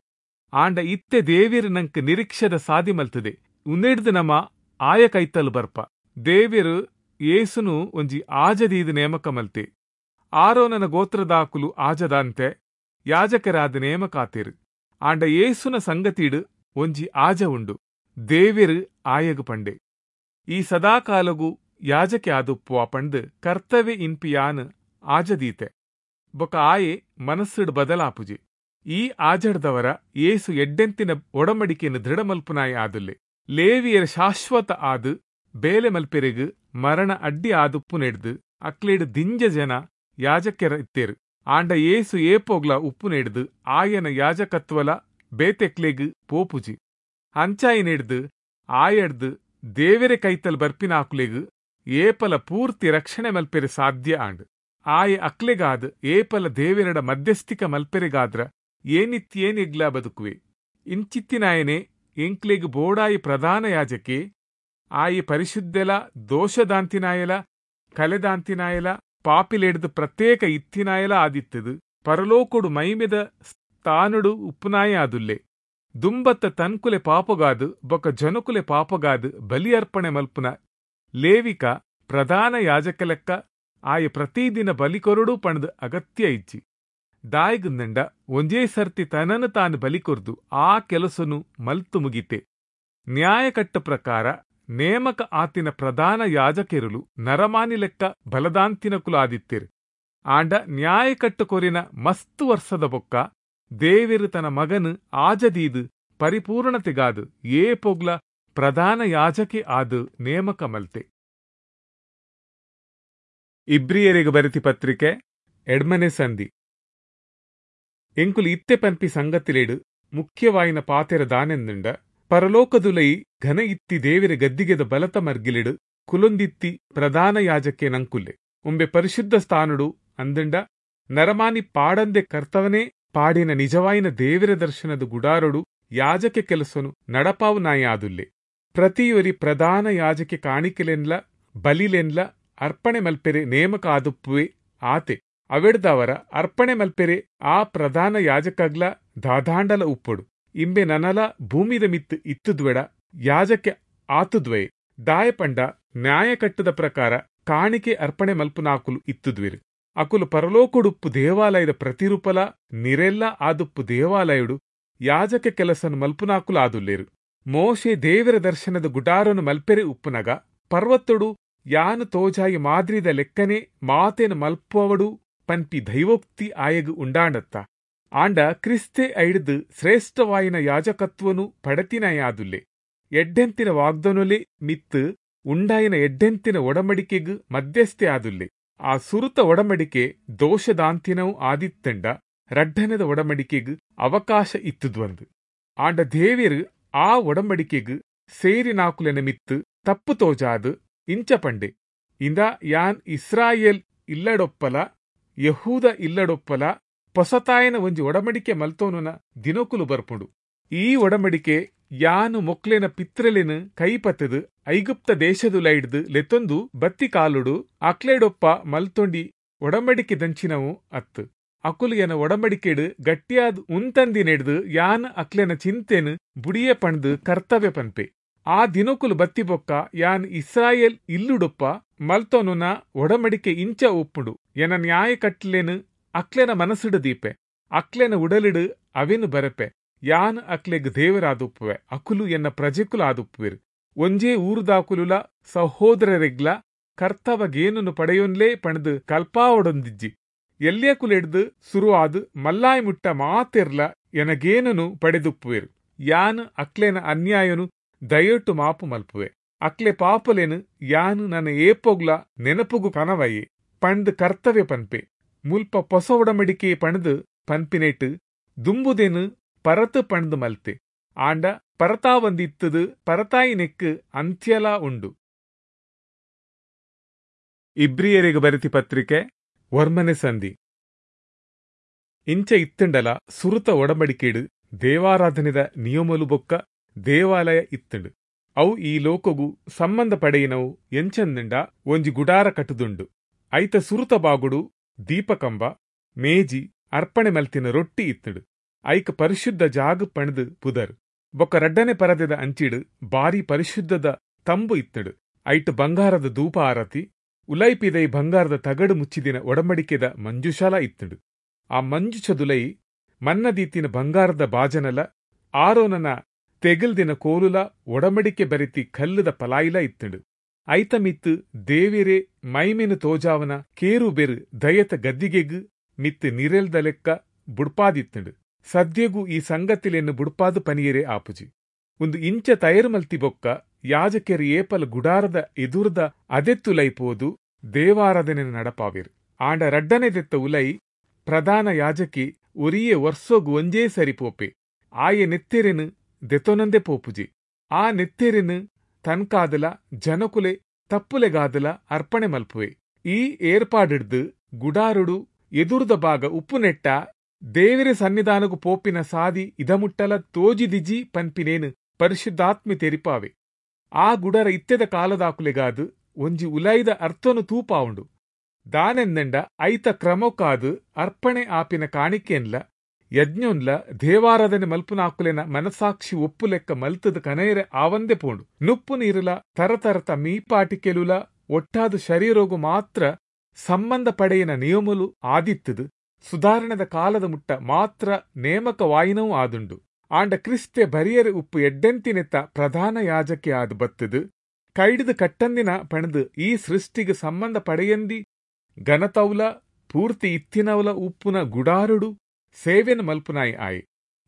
ಆಂಡ ಇತ್ತೆ ದೇವಿರ್ ನಂಕ್ ನಿರೀಕ್ಷದ ಸಾದಿ ಮಲ್ತದೆ. ಉಂದೆಡ್ದು ನಮ ಆಯ ಕೈತಲು ಬರ್ಪ. ದೇವಿರು ಏಸುನು ಒಂಜಿ ಆಜದೀದು ನೇಮಕ ಮಲ್ತೆ. ಆರೋನನ ಗೋತ್ರದಾಕುಲು ಆಜದಾಂತೆ ಯಾಜಕರಾದ ನೇಮಕಾತೇರು. ಆಂಡ ಏಸುನ ಸಂಗತಿಡು ಒಂಜಿ ಆಜ ಉಂಡು. ದೇವಿರು ಆಯಗು ಪಂಡೆ, ಈ ಸದಾಕಾಲಗು ಯಾಜಕೆ ಆದುಪ್ಪುವ ಪಂಡು ಕರ್ತವ್ಯ ಇನ್ಪಿಯಾನ್ ಆಜದೀತೆ. ಬೊಕ ಆಯೆ ಮನಸ್ಸುಡು ಬದಲಾಪುಜಿ. ಈ ಆಜಡ್ದವರ ಏಸು ಎಡ್ಡೆಂತಿನ ಒಡಮಡಿಕೆಯನ್ನು ದೃಢಮಲ್ಪುನಾಯ ಆದುಲ್ಲೆ. ಲೇವಿಯರ ಶಾಶ್ವತ ಆದು ಬೇಲೆ ಮಲ್ಪೆರೆಗು ಮರಣ ಅಡ್ಡಿ ಆದುಪ್ಪು ನೆಡ್ದು ಅಕ್ಲೇಡು ದಿಂಜ ಜನ ಯಾಜಕೆರ ಇತ್ತೇರು. ಆಂಡ ಏಸು ಏಪೋಗ್ಲ ಉಪ್ಪು ನೆಡ್ದು ಆಯನ ಯಾಜಕತ್ವಲ ಬೇತೆಕ್ಲೆಗು ಪೋಪುಜಿ. ಅಂಚಾಯಿ ನೆಡ್ದು ಆಯಡ್ದು ದೇವೆರೆ ಕೈತಲ್ ಬರ್ಪಿನಾಕುಲೆಗು ಏಪಲ ಪೂರ್ತಿ ರಕ್ಷಣೆ ಮಲ್ಪೆರೆ ಸಾಧ್ಯ ಆಂಡ್. ಆಯೆ ಅಕ್ಲೆಗಾದ್ ಏಪಲ ದೇವೆರಡ ಮಧ್ಯಸ್ಥಿಕ ಮಲ್ಪೆರೆಗಾದ್ರ ಏನಿತ್ಯೇನಿಗ್ಲ ಬದುಕುವೆ. ಇಂಚಿತ್ತಿನಾಯನೆ ಎಂಕ್ಲೆಗ್ ಬೋಡಾಯಿ ಪ್ರಧಾನ ಯಾಜಕೆ ಆಯಿ ಪರಿಶುದ್ಧೆಲ ದೋಷದಾಂತಿನಾಯಲ ಕಲೆದಾಂತಿನಾಯಲ ಪಾಪಿಲೆಡ್ದು ಪ್ರತ್ಯೇಕ ಇತ್ತಿನಾಯಲ ಆದಿತ್ತದು ಪರಲೋಕೊಡು ಮೈಮೆದ ಸ್ಥಾನುಡು ಉಪ್ಪುನಾಯ ಆದುಲ್ಲೆ. ದುಂಬತ್ತ ತನ್ಕುಲೆ ಪಾಪಗಾದು ಬೊಕ ಜನಕುಲೆ ಪಾಪಗಾದು ಬಲಿ ಅರ್ಪಣೆ ಮಲ್ಪುನ ಲೇವಿಕ ಪ್ರಧಾನ ಯಾಜಕಲೆಕ್ಕ ಆಯ ಪ್ರತಿದಿನ ಬಲಿಕೊರಡು ಪಣದು ಅಗತ್ಯ ಇಜ್ಜಿ. ದಾಯಿಗುಂದಂಡ ಒಂಜೇ ಸರ್ತಿ ತನನು ತಾನು ಬಲಿಕೊರ್ದು ಆ ಕೆಲಸನು ಮಲ್ತು ಮುಗಿತೆ. ನ್ಯಾಯಕಟ್ಟ ಪ್ರಕಾರ ನೇಮಕ ಆತಿನ ಪ್ರಧಾನ ಯಾಜಕೆರುಲು ನರಮಾನಿ ಲೆಕ್ಕ ಬಲದಾಂತಿನ ಕುಲ ಆದಿತ್ತೇರು. ಆಂಡ ನ್ಯಾಯಕಟ್ಟು ಕೊರಿನ ಮಸ್ತು ವರ್ಷದ ಬೊಕ್ಕ ದೇವಿರು ತನ್ನ ಮಗನು ಆಜದೀದು ಪರಿಪೂರ್ಣತೆಗಾದು ಏ ಪೊಗ್ಲ ಪ್ರಧಾನ ಯಾಜಕೆ ಆದು ನೇಮಕ ಮಲ್ತೆ. ಇಬ್ರಿಯರಿಗೆ ಬರೆತಿ ಪತ್ರಿಕೆ ಎಡ್ಮನೆ ಸಂಧಿ. ಎಂಕುಲು ಇತ್ತೆ ಪನ್ಪಿ ಸಂಗತಿಲೇಡು ಮುಖ್ಯವಾಯಿನ ಪಾತೆರ ದಾನೆಂದುಂಡ ಪರಲೋಕದುಲೈ ಘನ ಇತ್ತಿ ದೇವಿರ ಗದ್ದಿಗೆದ ಬಲತ ಮರ್ಗಿಲಿಡು ಕುಲೊಂದಿತ್ತಿ ಪ್ರಧಾನ ಯಾಜಕೆ ನಂಕುಲ್ಲೆ. ಉಂಬೆ ಪರಿಶುದ್ಧ ಸ್ಥಾನುಡು ಅಂದುಂಡ ನರಮಾನಿ ಪಾಡಂದೆ ಕರ್ತವನೇ ಪಾಡಿನ ನಿಜವಾಯಿನ ದೇವಿರ ದರ್ಶನದ ಗುಡಾರೊಡು ಯಾಜಕೆ ಕೆಲಸನು ನಡಪಾವು ನಾಯಾದುಲ್ಲೆ. ಪ್ರತಿಯೊರಿ ಪ್ರಧಾನ ಯಾಜಕೆ ಕಾಣಿಕೆಲೆನ್ಲ ಬಲಿಲೆನ್ಲ ಅರ್ಪಣೆ ಮಲ್ಪೆರೆ ನೇಮಕ ಆದುಪ್ಪುವೆ ಆತೆ. ಅವೆಡ್ದವರ ಅರ್ಪಣೆ ಮಲ್ಪೆರೆ ಆ ಪ್ರಧಾನ ಯಾಜಕಗ್ಲ ದಾದಾಂಡಲ ಉಪ್ಪೊಡು. ಇಂಬೆ ನನಲ ಭೂಮಿದ ಮಿತ್ತು ಇತ್ತುದ್ವೆಡ ಯಾಜಕೆ ಆತುದ್ವೇ. ದಾಯಪಂಡ ನ್ಯಾಯಕಟ್ಟದ ಪ್ರಕಾರ ಕಾಣಿಕೆ ಅರ್ಪಣೆ ಮಲ್ಪುನಾಕುಲು ಇತ್ತುದ್ವಿರು. ಅಕುಲು ಪರಲೋಕುಡುಪ್ಪು ದೇವಾಲಯದ ಪ್ರತಿರೂಪಲ ನಿರೆಲ್ಲ ಆದುಪ್ಪು ದೇವಾಲಯುಡು ಯಾಜಕ ಕೆಲಸನು ಮಲ್ಪುನಾಕುಲು ಆದುಲ್ಲೇರು. ಮೋಶೆ ದೇವರ ದರ್ಶನದ ಗುಡಾರನು ಮಲ್ಪೆರೆ ಉಪ್ಪುನಗ ಪರ್ವತೊಡು ಯಾನು ತೋಜಾಯಿ ಮಾದ್ರಿದ ಲೆಕ್ಕನೆ ಮಾತೇನು ಮಲ್ಪುವಡು ಪನ್ಪಿ ದೈವೋಕ್ತಿ ಆಯಗು ಉಂಡಾಂಡತ್ತ. ಆಂಡ ಕ್ರಿಸ್ತೆ ಐಡ್ದು ಶ್ರೇಷ್ಠವಾಯಿನ ಯಾಜಕತ್ವನು ಪಡತಿನಯಾದುಲ್ಲೆ. ಎಡ್ಡೆಂತಿನ ವಾಗ್ದನುಲೆ ಮಿತ್ತು ಉಂಡಾಯಿನ ಎಡ್ಡೆಂತಿನ ಒಡಮಡಿಕೆಗು ಮಧ್ಯಸ್ಥೆ ಆದುಲ್ಲೆ. ಆ ಸುರುತ ಒಡಮಡಿಕೆ ದೋಷದಾಂತಿನವು ಆದಿತ್ತಂಡ ರಡ್ಡನದ ಒಡಮಡಿಕೆಗು ಅವಕಾಶ ಇತ್ತುದ್ವಂದು. ಆಂಡ ದೇವಿರು ಆ ಒಡಂಬಡಿಕೆಗು ಸೇರಿನಾಕುಲೆನ ಮಿತ್ತು ತಪ್ಪು ತೋಜಾದು ಇಂಚ ಪಂಡೆ, ಇಂದ ಯಾನ್ ಇಸ್ರಾಯೇಲ್ ಇಲ್ಲಡೊಪ್ಪಲ ಯಹೂದ ಇಲ್ಲಡೊಪ್ಪಲ ಪೊಸತಾಯನ ಒಂಜಿ ಒಡಮಡಿಕೆ ಮಲ್ತೋನುನ ದಿನಕುಲು ಬರ್ಪುಂಡು. ಈ ಒಡಂಬಡಿಕೆ ಯಾನು ಮೊಕ್ಲೆನ ಪಿತ್ರಲೆನ ಕೈಪತ್ತದು ಐಗುಪ್ತ ದೇಶದುಲೈಡ್ದು ಲೆತ್ತೊಂದು ಬತ್ತಿ ಕಾಲುಡು ಅಕ್ಲೆಡೊಪ್ಪ ಮಲ್ತೊಂಡಿ ಒಡಂಬಡಿಕೆ ದಂಚಿನವು ಅತ್ತು. ಅಕುಲು ಎನ ಒಡಂಬಡಿಕೆಡು ಗಟ್ಟಿಯಾದ್ ಉಂತಂದಿನೆಡ್ದು ಯಾನ್ ಅಕ್ಲೆನ ಚಿಂತೆನ್ ಬುಡಿಯೆ ಪಂಡ್ದ್ ಕರ್ತವ್ಯ ಪನ್ಪೆ. ಆ ದಿನೊಕುಲು ಬತ್ತಿಬೊಕ್ಕ ಯಾನ್ ಇಸ್ರಾಯೇಲ್ ಇಲ್ಲುಡುಪ್ಪ ಮಲ್ತೊನುನ ಒಡಂಬಡಿಕೆ ಇಂಚ ಉಪ್ಪುಂಡು. ಎನ ನ್ಯಾಯ ಕಟ್ಲೆನ್ ಅಕ್ಲೆನ ಮನಸ್ಸುಡು ದೀಪೆ, ಅಕ್ಲೆನ ಉಡಲಿಡು ಅವೆನ್ ಬರೆಪೆ. ಯಾನ್ ಅಕ್ಲೆಗ್ ದೇವರಾದುಪ್ಪುವೆ, ಅಕುಲು ಎನ್ನ ಪ್ರಜೆಕುಲು ಆದುಪ್ಪುವೆರು. ಒಂಜೇ ಊರುದಾಕುಲುಲ ಸಹೋದರೆರೆಗ್ಲಾ ಕರ್ತವ ಗೇನೊನು ಪಡೆಯೊನ್ಲೆ ಪಂಡ್ದ್ ಕಲ್ಪಾವೊಡಂದಿಜ್ಜಿ. ಎಲ್ಯಕುಲೆಡ್ದ್ ಸುರು ಆದ್ ಮಲ್ಲಾಯ ಮುಟ್ಟ ಮಾತೆರ್ಲ ಎನ ಗೇನೊನು ಪಡೆದುಪ್ಪುವೆರ್. ಯಾನ್ ಅಕ್ಲೆನ ಅನ್ಯಾಯೊನು ದಯೊಟು ಮಾಪು ಮಲ್ಪುವೆ, ಅಕ್ಲೆ ಪಾಪೊಲೆನ್ ಯಾನ್ ನನ ಏಪೊಗ್ಲಾ ನೆನಪುಗು ಕನವಯೆ ಪಂಡ್ದ್ ಕರ್ತವೆ ಪನ್ಪೆ. ಮುಲ್ಪ ಪೊಸ ಒಡಂಬಡಿಕೆ ಪಂಡ್ದ್ ಪನ್ಪಿನೆಟ್ ದುಂಬುದೆನ್ ಪರತ್ ಪಂಡ್ದ್ ಮಲ್ತೆ. ಆಂಡ ಪರತಾವಂದಿತ್ತದ್ ಪರತಾಯಿನೆಕ್ಕ್ ಅಂತ್ಯಲಾ ಉಂಡು. ಇಬ್ರಿಯೆರೆಗ್ ಬರೆತಿ ಪತ್ರಿಕೆ ಒರ್ಮನೆ ಸಂಧಿ. ಇಂಚ ಇತ್ತಂಡಲ ಸುರುತ ಒಡಂಬಡಿಕೆಡ್ ದೇವಾರಾಧನೆದ ನಿಯಮಲು ಬೊಕ್ಕ ದೇವಾಲಯ ಇತ್ತಂಡು. ಅವು ಈ ಲೋಕಗು ಸಂಬಂಧ ಪಡೆಯಿನವು. ಎಂಚಂದಂಡ ಒಂಜಿ ಗುಡಾರ ಕಟ್ಟುದುಂಡು. ಐತ ಸುರುತ ಬಾಗುಡು ದೀಪಕಂಬ, ಮೇಜಿ, ಅರ್ಪಣೆ ಮಲ್ತಿನ ರೊಟ್ಟಿ ಇತ್ತಂಡು. ಐಕ್ ಪರಿಶುದ್ಧ ಜಾಗ ಪಂಡ್ದ್ ಪುದರ್. ಬೊಕ್ಕ ರಡ್ಡನೆ ಪರದೆದ ಅಂಚಿಡ್ ಬಾರಿ ಪರಿಶುದ್ಧದ ತಂಬು ಇತ್ತಂಡು. ಐಟ್ ಬಂಗಾರದ ಧೂಪ ಆರತಿ, ಉಲೈ ಪಿದೈ ಬಂಗಾರದ ತಗಡು ಮುಚ್ಚಿದಿನ ಒಡಂಬಡಿಕೆದ ಮಂಜುಷಾಲ ಇತ್ತಂಡು. ಆ ಮಂಜುಷದುಲೈ ಮನ್ನದೀತಿನ ಬಂಗಾರದ ಬಾಜನಲ, ಆರೋನನ ತೆಗಲ್ದಿನ ಕೋಲುಲ, ಒಡಂಬಡಿಕೆ ಬರೆತಿ ಕಲ್ಲುದ ಪಲಾಯಿಲ ಇತ್ತಂಡು. ಐತ ಮಿತ್ತು ದೇವೆರೆ ಮೈಮೆನು ತೋಜಾವನ ಕೇರುಬೆರು ದಯತ ಗದ್ದಿಗೆಗ್ ಮಿತ್ತು ನಿರೆಲ್ದ ಲೆಕ್ಕ ಬುಡ್ಪಾದಿತ್ತಂಡು. ಸದ್ಯಗೂ ಈ ಸಂಗತಿಲೆನ್ನು ಬುಡ್ಪಾದು ಪನಿಯರೆ ಆಪುಜಿ. ಒಂದು ಇಂಚ ತಯಾರು ಮಲ್ತಿ ಬೊಕ್ಕ ಯಾಜಕೆರು ಏಪಲ ಗುಡಾರದ ಎದುರ್ದ ಅದೆತ್ತುಲೈ ಪೋದು ದೇವಾರಾಧನೆ ನಡಪಾವಿರು. ಆಂಡ ರಡ್ಡನೆ ದೆತ್ತ ಉಲೈ ಪ್ರಧಾನ ಯಾಜಕಿ ಒರಿಯೆ ವರ್ಷೋಗು ಒಂಜೇ ಸರಿ ಪೋಪೆ. ಆಯೆ ನೆತ್ತೆರೆನು ದೆತೊನಂದೆ ಪೋಪುಜಿ. ಆ ನೆತ್ತೆರೆನು ತನ್ಕಾದಲ ಜನಕುಲೆ ತಪ್ಪುಲೆಗಾದಲ ಅರ್ಪಣೆ ಮಲ್ಪುವೆ. ಈ ಏರ್ಪಾಡಿಡ್ದು ಗುಡಾರುಡು ಎದುರುದ ಭಾಗ ಉಪ್ಪುನೆಟ್ಟ ದೇವರ ಸನ್ನಿಧಾನಗು ಪೋಪಿನ ಸಾದಿ ಇದಮುಟ್ಟಲ ತೋಜಿದಿಜಿ ಪನ್ಪಿನೇನು ಪರಿಶುದ್ಧಾತ್ಮೆ ತೆರಿಪಾವೆ. ಆ ಗುಡರ ಇತ್ತೆದ ಕಾಲದಾಕುಲೆಗಾದು ಒಂಜಿ ಉಲೈದ ಅರ್ಥನು ತೂಪಾವುಂಡು. ದಾನೆಂದಂಡ ಐತ ಕ್ರಮಕ್ಕಾದು ಅರ್ಪಣೆ ಆಪಿನ ಕಾಣಿಕೆನ್ಲ ಯಜ್ಞೊನ್ಲ ದೇವಾರಾಧನೆ ಮಲ್ಪುನಾಕುಲೆನ ಮನಸಾಕ್ಷಿ ಒಪ್ಪುಲೆಕ್ಕ ಮಲ್ತದ ಕನಯರೆ ಆವಂದೆ ಪೋಂಡು. ನುಪ್ಪು ನೀರುಲ ತರತರತ ಮೀಪಾಟಿಕೆಲುಲ ಒಟ್ಟಾದ ಶರೀರೋಗು ಮಾತ್ರ ಸಂಬಂಧ ಪಡೆಯಿನ ನಿಯಮಲು ಆದಿತ್ತದು ಸುಧಾರಣೆದ ಕಾಲದ ಮುಟ್ಟ ಮಾತ್ರ ನೇಮಕವಾಯಿನವೂ ಆದುಂಡು. ಆಂಡ ಕ್ರಿಸ್ತೆ ಬರಿಯರೆ ಉಪ್ಪು ಎಡ್ಡೆಂತಿನೆತ್ತ ಪ್ರಧಾನ ಯಾಜಕೆ ಆದ್ ಬತ್ತದು ಕೈಡಿದು ಕಟ್ಟಂದಿನ ಪಣದು ಈ ಸೃಷ್ಟಿಗೆ ಸಂಬಂಧ ಪಡೆಯಂದಿ ಘನತೌಲ ಪೂರ್ತಿ ಇತ್ತಿನವಲ ಉಪ್ಪುನ ಗುಡಾರುಡು ಸೇವೆನ ಮಲ್ಪುನಾಯಿ ಆಯಿ.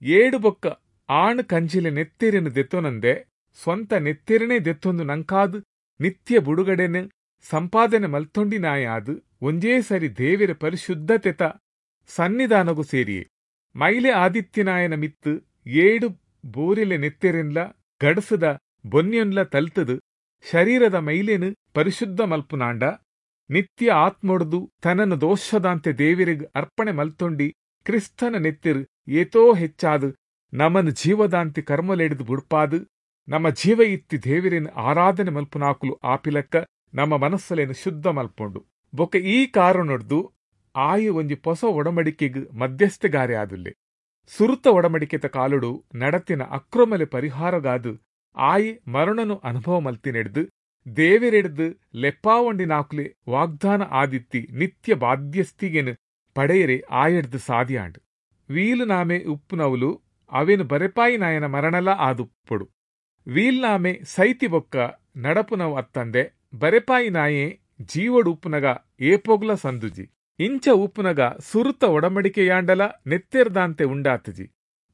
ಏಡು ಬೊಕ್ಕ ಆಣ್ ಕಂಜಿಲೆ ನೆತ್ತೆರಿನ ದೆತ್ತೊನಂದೆ ಸ್ವಂತ ನೆತ್ತೆರನೇ ದೆತ್ತೊಂದು ನಂಕಾದು ನಿತ್ಯ ಬುಡುಗಡೆನ ಸಂಪಾದನೆ ಮಲ್ತೊಂಡಿನಾಯಾದು ಒಂಜೇ ಸರಿ ದೇವಿರ ಪರಿಶುದ್ಧತೆತ ಸನ್ನಿಧಾನಗು ಸೇರಿಯೆ. ಮೈಲೆ ಆದಿತ್ಯನಾಯನ ಮಿತ್ತು ಏಡು ಬೋರಿಲೆ ನೆತ್ತೆರೆನ್ಲ ಗಡಸದ ಬೊನ್ಯೊನ್ಲ ತಲ್ತದು ಶರೀರದ ಮೈಲೇನು ಪರಿಶುದ್ಧ ಮಲ್ಪುನಾಂಡ ನಿತ್ಯ ಆತ್ಮೊಡ್ದು ತನನ ದೋಷದಾಂತೆ ದೇವಿರಿಗ್ ಅರ್ಪಣೆ ಮಲ್ತೊಂಡಿ ಕ್ರಿಸ್ತನ ನೆತ್ತಿರು ಏತೋ ಹೆಚ್ಚಾದು ನಮನ ಜೀವದಾಂತಿ ಕರ್ಮಲೆಡ್ದು ಬುಡ್ಪಾದು ನಮ್ಮ ಜೀವ ಇತ್ತಿ ದೇವಿರಿನ ಆರಾಧನೆ ಮಲ್ಪುನಾಕುಲು ಆಪಿಲಕ್ಕ ನಮ್ಮ ಮನಸ್ಸಲೇನು ಶುದ್ಧ ಮಲ್ಪೊಂಡು. ಬೊಕ್ಕ ಈ ಕಾರಣೊಡ್ದು ಆಯಿ ಒಂಜಿ ಪೊಸ ಒಡಂಬಡಿಕೆಗ್ ಮಧ್ಯಸ್ಥಗಾರಿ ಆದುಲ್ಲೆ. ಸುರುತ ಒಡಂಬಡಿಕೆತ ಕಾಲುಡು ನಡತಿನ ಅಕ್ರಮಲೆ ಪರಿಹಾರಗಾದು ಆಯಿ ಮರಣನು ಅನುಭವ ಮಲ್ತಿನೆಡ್ದು ದೇವಿರೆಡ್ದು ಲೆಪ್ಪಾವಂಡಿನಾಕುಲೆ ವಾಗ್ದಾನ ಆದಿತ್ತಿ ನಿತ್ಯ ಬಾಧ್ಯಸ್ಥಿಗೆನು ಪಡೆಯರೆ ಆಯಡ್ದು ಸಾದಿಯಾಂಡು. ವೀಲುನಾಮೆ ಉಪ್ಪುನವುಲು ಅವೇನು ಬರೆಪಾಯಿ ನಾಯನ ಮರಣಲ ಆದುಪ್ಪೊಡು. ವೀಲ್ನಾಮೆ ಸೈತಿ ಬೊಕ್ಕ ನಡಪುನವು ಅತ್ತಂದೆ ಬರೆಪಾಯಿ ನಾಯೆ ಜೀವಡು ಉಪ್ಪುನಗ ಏಪೋಗ್ಲ ಸಂದುಜಿ. ಇಂಚ ಉಪ್ಪುನಗ ಸುರುತ ಒಡಂಬಡಿಕೆಯಾಂಡಲ ನೆತ್ತೆರ್ದಾಂತೆ ಉಂಡಾತಜಿ.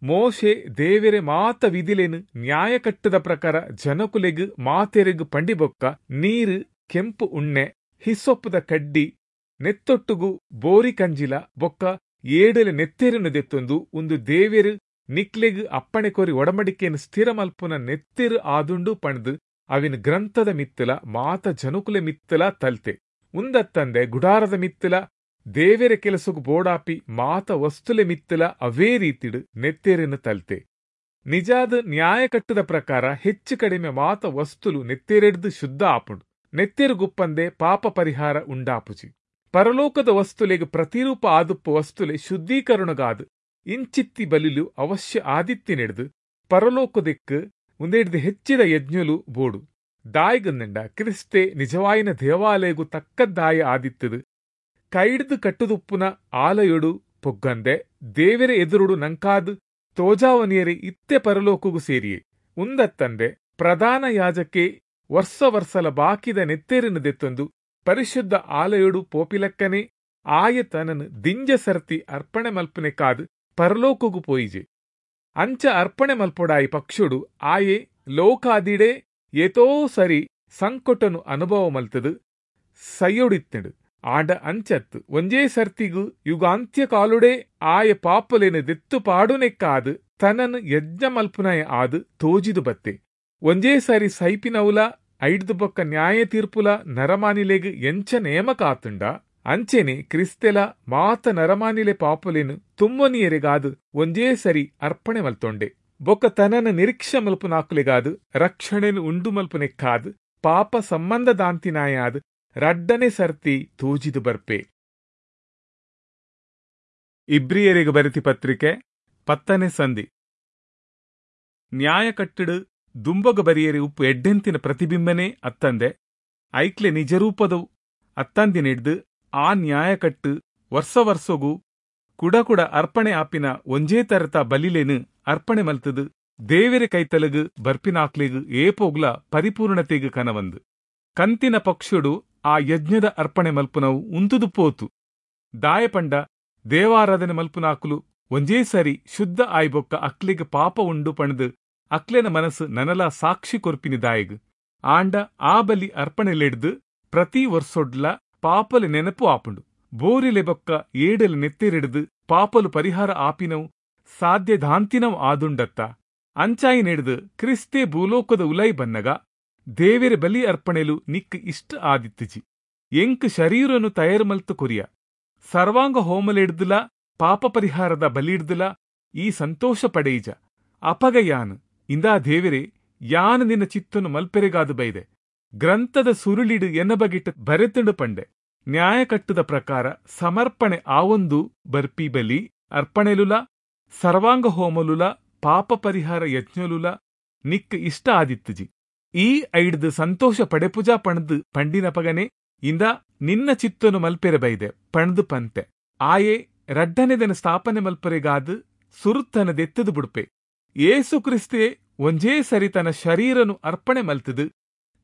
ಮೋಶೆ ದೇವೆರೆ ಮಾತ ವಿಧಿಲೇನು ನ್ಯಾಯಕಟ್ಟದ ಪ್ರಕಾರ ಜನಕುಲೆಗ್ ಮಾತೆರೆಗ್ ಪಂಡಿಬೊಕ್ಕ ನೀರು, ಕೆಂಪು ಉಣ್ಣೆ, ಹಿಸ್ಸೊಪ್ಪುದ ಕಡ್ಡಿ, ನೆತ್ತೊಟ್ಟುಗು ಬೋರಿ ಕಂಜಿಲ ಬೊಕ್ಕ ಏಡಲೆ ನೆತ್ತೆರನ್ನು ದೆತ್ತೊಂದು ಒಂದು ದೇವೆರು ನಿಕ್ಲೆಗ್ ಅಪ್ಪಣೆ ಕೋರಿ ಒಡಂಬಡಿಕೆಯನ್ನು ಸ್ಥಿರ ಮಲ್ಪುನ ನೆತ್ತೆರು ಆದುಂಡು ಪಂಡ್ದು ಅವಿನ ಗ್ರಂಥದ ಮಿತ್ತಲ ಮಾತ ಜನಕುಲೆ ಮಿತ್ತಲ ತಲ್ತೆ. ಉಂದತ್ತಂದೆ ಗುಡಾರದ ಮಿತ್ತಲ ದೇವೆರೆ ಕೆಲಸಗು ಬೋಡಾಪಿ ಮಾತ ವಸ್ತುಲೆ ಮಿತ್ತಲ ಅವೇ ರೀತಿಡು ನೆತ್ತೆರೆನು ತಲ್ತೆ. ನಿಜಾದ ನ್ಯಾಯಕಟ್ಟದ ಪ್ರಕಾರ ಹೆಚ್ಚು ಕಡಿಮೆ ಮಾತ ವಸ್ತುಲು ನೆತ್ತೆರೆಡ್ದು ಶುದ್ಧ ಆಪುಂಡು. ನೆತ್ತೆರು ಗುಪ್ಪಂದೆ ಪಾಪ ಪರಿಹಾರ ಉಂಡಾಪುಜಿ. ಪರಲೋಕದ ವಸ್ತುಲೆಗ್ ಪ್ರತಿರೂಪ ಆದುಪ್ಪ ವಸ್ತುಲೆ ಶುದ್ಧೀಕರಣಗಾದ್ ಇಂಚಿತ್ತಿ ಬಲಿಲು ಅವಶ್ಯ ಆದಿತ್ತಿನೆಡ್ದು ಪರಲೋಕದೆಕ್ಕ್ ಉಂದೆಡ್ದು ಹೆಚ್ಚಿದ ಯಜ್ಞಲು ಬೋಡು. ದಾಯಿಗಂದಂಡ ಕ್ರಿಸ್ತೆ ನಿಜವಾಯಿನ ದೇವಾಲಯಗು ತಕ್ಕದ್ದಾಯ ಆದಿತ್ತದು ಕೈಡ್ದು ಕಟ್ಟುದುಪ್ಪುನ ಆಲಯೊಡು ಪೊಗ್ಗಂದೆ ದೇವೆರೆ ಎದುರುಡು ನಂಕಾದ್ ತೋಜಾವನಿಯರೆ ಇತ್ತೆ ಪರಲೋಕಗು ಸೇರಿಯೆ. ಉಂದತ್ತಂದೆ ಪ್ರಧಾನ ಯಾಜಕೆ ವರ್ಷ ವರ್ಷಲ ಬಾಕಿದ ನೆತ್ತೆರಿನ ದೆತ್ತೊಂದು ಪರಿಶುದ್ಧ ಆಲಯೊಡು ಪೋಪಿಲಕ್ಕನೆ ಆಯ ತನನು ದಿಂಜ ಸರ್ತಿ ಅರ್ಪಣೆ ಮಲ್ಪನೆಕಾದ್ ಪರಲೋಕಗು ಪೋಯಿಜೆ. ಅಂಚ ಅರ್ಪಣೆ ಮಲ್ಪೊಡಾಯಿ ಪಕ್ಷುಡು ಆಯೆ ಲೋಕಾದಿಡೆ ಏತೋ ಸರಿ ಸಂಕಟನು ಅನುಭವ ಮಲ್ತದು ಸೈಯೊಡಿತ್ತಂಡು. ಆಂಡ ಅಂಚತ್ತು ಒಂಜೇ ಸರ್ತಿಗು ಯುಗಾಂತ್ಯ ಕಾಲುಡೆ ಆಯ ಪಾಪಲೇನು ದೆತ್ತು ಪಾಡುನೆಕ್ಕಾದು ತನನು ಯಜ್ಞ ಮಲ್ಪುನಾಯ ಆದು ತೋಜಿದು ಬತ್ತೆ. ಒಂಜೇ ಸಾರಿ ಸೈಪಿನವುಲ ಐಡ್ದು ಬೊಕ್ಕ ನ್ಯಾಯ ತೀರ್ಪುಲ ನರಮಾನಿಲೆಗ್ ಎಂಚ ನೇಮಕ ಆತುಂಡ ಅಂಚೆನೆ ಕ್ರಿಸ್ತೆಲ ಮಾತ ನರಮಾನಿಲೆ ಪಾಪುಲೇನು ತುಮ್ಮನಿಯರೆಗಾದು ಒಂಜೇ ಸರಿ ಅರ್ಪಣೆ ಮಲ್ತೊಂಡೆ. ಬೊಕ್ಕ ತನನ ನಿರೀಕ್ಷೆ ಮಲ್ಪುನಾಕುಲೆಗಾದು ರಕ್ಷಣೆನು ಉಂಡು ಮಲ್ಪುನೆಕ್ಕಾದು ಪಾಪ ಸಂಬಂಧದಾಂತಿನಾಯಾದು ರಡ್ಡನೆ ಸರ್ತಿ ತೋಜಿದು ಬರ್ಪೆ. ಇಬ್ರಿಯರಿಗೆ ಬರೆತಿ ಪತ್ರಿಕೆ ಪತ್ತನೆ ಸಂಧಿ. ನ್ಯಾಯ ಕಟ್ಟಡು ದುಂಬಗ ಬರಿಯರಿ ಉಪ್ಪು ಎಡ್ಡೆಂತಿನ ಪ್ರತಿಬಿಂಬನೇ ಅತ್ತಂದೆ ಐಕ್ಲೆ ನಿಜರೂಪದವು ಅತ್ತಂದಿನಿಡ್ದು ಆ ನ್ಯಾಯಕಟ್ಟು ವರ್ಷ ವರ್ಷಗೂ ಕುಡ ಕುಡ ಅರ್ಪಣೆ ಆಪಿನ ಒಂಜೇ ತರತ ಬಲಿಲೇನು ಅರ್ಪಣೆ ಮಲ್ತದು ದೇವೆರೆ ಕೈತಲಗು ಬರ್ಪಿನಾಕ್ಲೆಗು ಏಪೋಗ್ಲ ಪರಿಪೂರ್ಣತೆಗು ಕನವಂದು. ಕಂತಿನ ಪಕ್ಷುಡು ಆ ಯಜ್ಞದ ಅರ್ಪಣೆ ಮಲ್ಪುನವು ಉಂತುದು ಪೋತು. ದಾಯಪಂಡ ದೇವಾರಾಧನೆ ಮಲ್ಪುನಾಕುಲು ಒಂಜೇ ಸರಿ ಶುದ್ಧ ಆಯ್ಬೊಕ್ಕ ಅಕ್ಲೆಗ್ ಪಾಪ ಉಂಡು ಪಣದು ಅಕ್ಲೆನ ಮನಸ್ಸು ನನಲ ಸಾಕ್ಷಿ ಕೊರ್ಪಿನಿ ದಾಯಗ್. ಆಂಡ ಆ ಬಲಿ ಅರ್ಪಣೆಲೆಡ್ದು ಪ್ರತಿ ವರ್ಷೊಡ್ಲ ಪಾಪಲು ನೆನಪು ಆಪುಂಡು. ಬೋರಿಲೆ ಬೊಕ್ಕ ಏಡಲು ನೆತ್ತಿರಿಡ್ದು ಪಾಪಲು ಪರಿಹಾರ ಆಪಿನವು ಸಾಧ್ಯದಾಂತಿನವು ಆದುಂಡತ್ತ. ಅಂಚಾಯಿ ನೆಡ್ದು ಕ್ರಿಸ್ತೆ ಭೂಲೋಕದ ಉಲೈ ಬನ್ನಗ ದೇವೆರೆ ಬಲಿ ಅರ್ಪಣೆಲು ನಿಕ್ ಇಷ್ಟ ಆದಿತ್ತಿಜಿ. ಎಂಕ್ ಶರೀರನು ತಯಾರು ಮಲ್ತು ಕೊರಿಯ ಸರ್ವಾಂಗ ಹೋಮಲೆಡ್ದುಲ ಪಾಪ ಪರಿಹಾರದ ಬಲಿಡ್ದುಲ ಈ ಸಂತೋಷ ಪಡೆಯಿಜ. ಅಪಗ ಯಾನು ಇಂದಾ ದೇವೆರೆ ಯಾನು ನಿನ್ನ ಚಿತ್ತನು ಮಲ್ಪೆರೆಗಾದು ಬೈದೆ ಗ್ರಂಥದ ಸುರುಳಿಡು ಎನ್ನ ಬಗಿಟ್ಟು ಬರೆತುಂಡು ಪಂಡೆ. ನ್ಯಾಯಕಟ್ಟುದ ಪ್ರಕಾರ ಸಮರ್ಪಣೆ ಆವೊಂದು ಬರ್ಪಿ ಬಲಿ ಅರ್ಪಣೆಲುಲ ಸರ್ವಾಂಗ ಹೋಮಲುಲ ಪಾಪ ಪರಿಹಾರ ಯಜ್ಞಲುಲ ನಿಕ್ ಇಷ್ಟ ಆದಿತ್ತುಜಿ. ಈ ಐಡ್ದು ಸಂತೋಷ ಪಡೆಪುಜಾ ಪಣದು ಪಂಡಿನ ಪಗನೆ ಇಂದ ನಿನ್ನ ಚಿತ್ತನು ಮಲ್ಪೆರೆ ಬೈದೆ ಪಣದು ಪಂತೆ. ಆಯೆ ರಡ್ಡನೆದನ ಸ್ಥಾಪನೆ ಮಲ್ಪರೆಗಾದು ಸುರುತ್ತನ ದೆತ್ತದು ಬುಡ್ಪೆ. ಏಸು ಕ್ರಿಸ್ತೆ ಒಂಜೇ ಸರಿ ತನ್ನ ಶರೀರನು ಅರ್ಪಣೆ ಮಲ್ತದು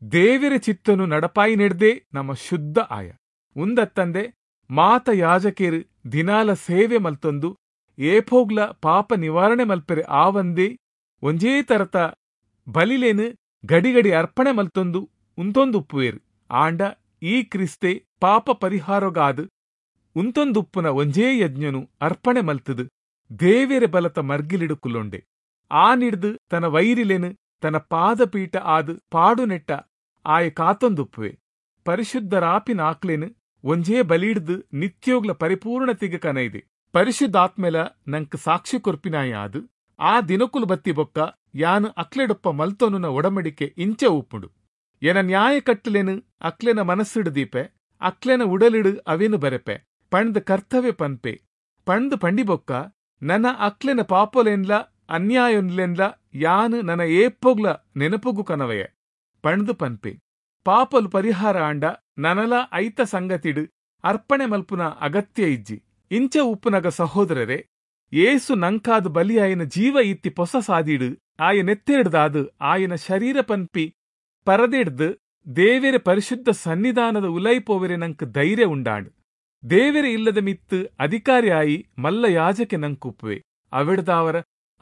ದೇವಿರ ಚಿತ್ತನು ನಡಪಾಯಿ ನೆಡ್ದೆ ನಮ್ಮ ಶುದ್ಧ ಆಯ. ಉಂದತ್ತಂದೆ ಮಾತ ಯಾಜಕೇರು ದಿನಾಲ ಸೇವೆ ಮಲ್ತೊಂದು ಏಪೋಗ್ಲ ಪಾಪ ನಿವಾರಣೆ ಮಲ್ಪೆರೆ ಆವಂದೇ ಒಂಜೇ ತರತ ಬಲಿಲೇನು ಗಡಿಗಡಿ ಅರ್ಪಣೆ ಮಲ್ತೊಂದು ಉಂತೊಂದುಪ್ಪುವೇರು. ಆಂಡ ಈ ಕ್ರಿಸ್ತೆ ಪಾಪ ಪರಿಹಾರಗಾದು ಉಂತೊಂದುಪ್ಪುನ ಒಂಜೇ ಯಜ್ಞನು ಅರ್ಪಣೆ ಮಲ್ತದು ದೇವೆರೆ ಬಲತ ಮರ್ಗಿಲಿಡುಕುಲೊಂಡೆ. ಆ ನಿಡ್ದು ತನ್ನ ವೈರಿಲೇನು ತನ್ನ ಪಾದಪೀಠ ಆದು ಪಾಡುನೆಟ್ಟ ಆಯ ಕಾತೊಂದುಪ್ಪುವೆ. ಪರಿಶುದ್ಧರಾಪಿನ ಆಕ್ಲೇನು ಒಂಜೇ ಬಲಿಡ್ದು ನಿತ್ಯೋಗ್ಲ ಪರಿಪೂರ್ಣತೆಗೆ ಕನೈದೆ. ಪರಿಶುದ್ಧಾತ್ಮೆಲ ನಂಕ್ ಸಾಕ್ಷಿ ಕೊರ್ಪಿನಾಯ ಆದು ಆ ದಿನಕುಲು ಬತ್ತಿ ಬೊಕ್ಕ ಯಾನು ಅಕ್ಲೆಡೊಪ್ಪ ಮಲ್ತೊನುನ ಒಡಮಡಿಕೆ ಇಂಚ ಉಪ್ಪುಂಡು. ಎನ ನ್ಯಾಯ ಕಟ್ಟುಲೇನು ಅಕ್ಲೆನ ಮನಸ್ಸಿಡು ದೀಪೆ ಅಕ್ಲೆನ ಉಡಲಿಡು ಅವೇನು ಬರೆಪೆ ಪಣ್ದು ಕರ್ತವ್ಯ ಪನ್ಪೆ. ಪಣ್ದು ಪಂಡಿಬೊಕ್ಕ ನನ್ನ ಅಕ್ಲೆನ ಪಾಪೊಲೆನ್ಲ ಅನ್ಯಾಯೊನ್ಲೆನ್ಲ ಯಾನು ನನ್ನ ಏಪೊಗ್ಲ ನೆನಪುಗು ಕನವಯ ಪಣ್ದು ಪನ್ಪೆ. ಪಾಪಲು ಪರಿಹಾರ ಆಂಡ ನನಲ ಐತ ಸಂಗತಿಡು ಅರ್ಪಣೆ ಮಲ್ಪುನ ಅಗತ್ಯ ಇಜ್ಜಿ. ಇಂಚ ಉಪ್ಪುನಗ ಸಹೋದರರೇ, ಏಸು ನಂಕಾದು ಬಲಿಯಾಯನ ಜೀವ ಇತ್ತಿ ಪೊಸ ಸಾದಿಡು ಆಯ ನೆತ್ತೆಡ್ದಾದು ಆಯನ ಶರೀರ ಪನ್ಪಿ ಪರದೆಡ್ದು ದೇವೆರೆ ಪರಿಶುದ್ಧ ಸನ್ನಿಧಾನದ ಉಲೈಪೋವೆರೆ ನಂಕ್ ಧೈರ್ಯ ಉಂಡಾಂಡ್. ದೇವೆರೆ ಇಲ್ಲದ ಮಿತ್ತು ಅಧಿಕಾರಿ ಆಯಿ ಮಲ್ಲ ಯಾಜಕೆ ನಂಕುಪ್ಪುವೆ. ಅವೆಡ್ದಾವರ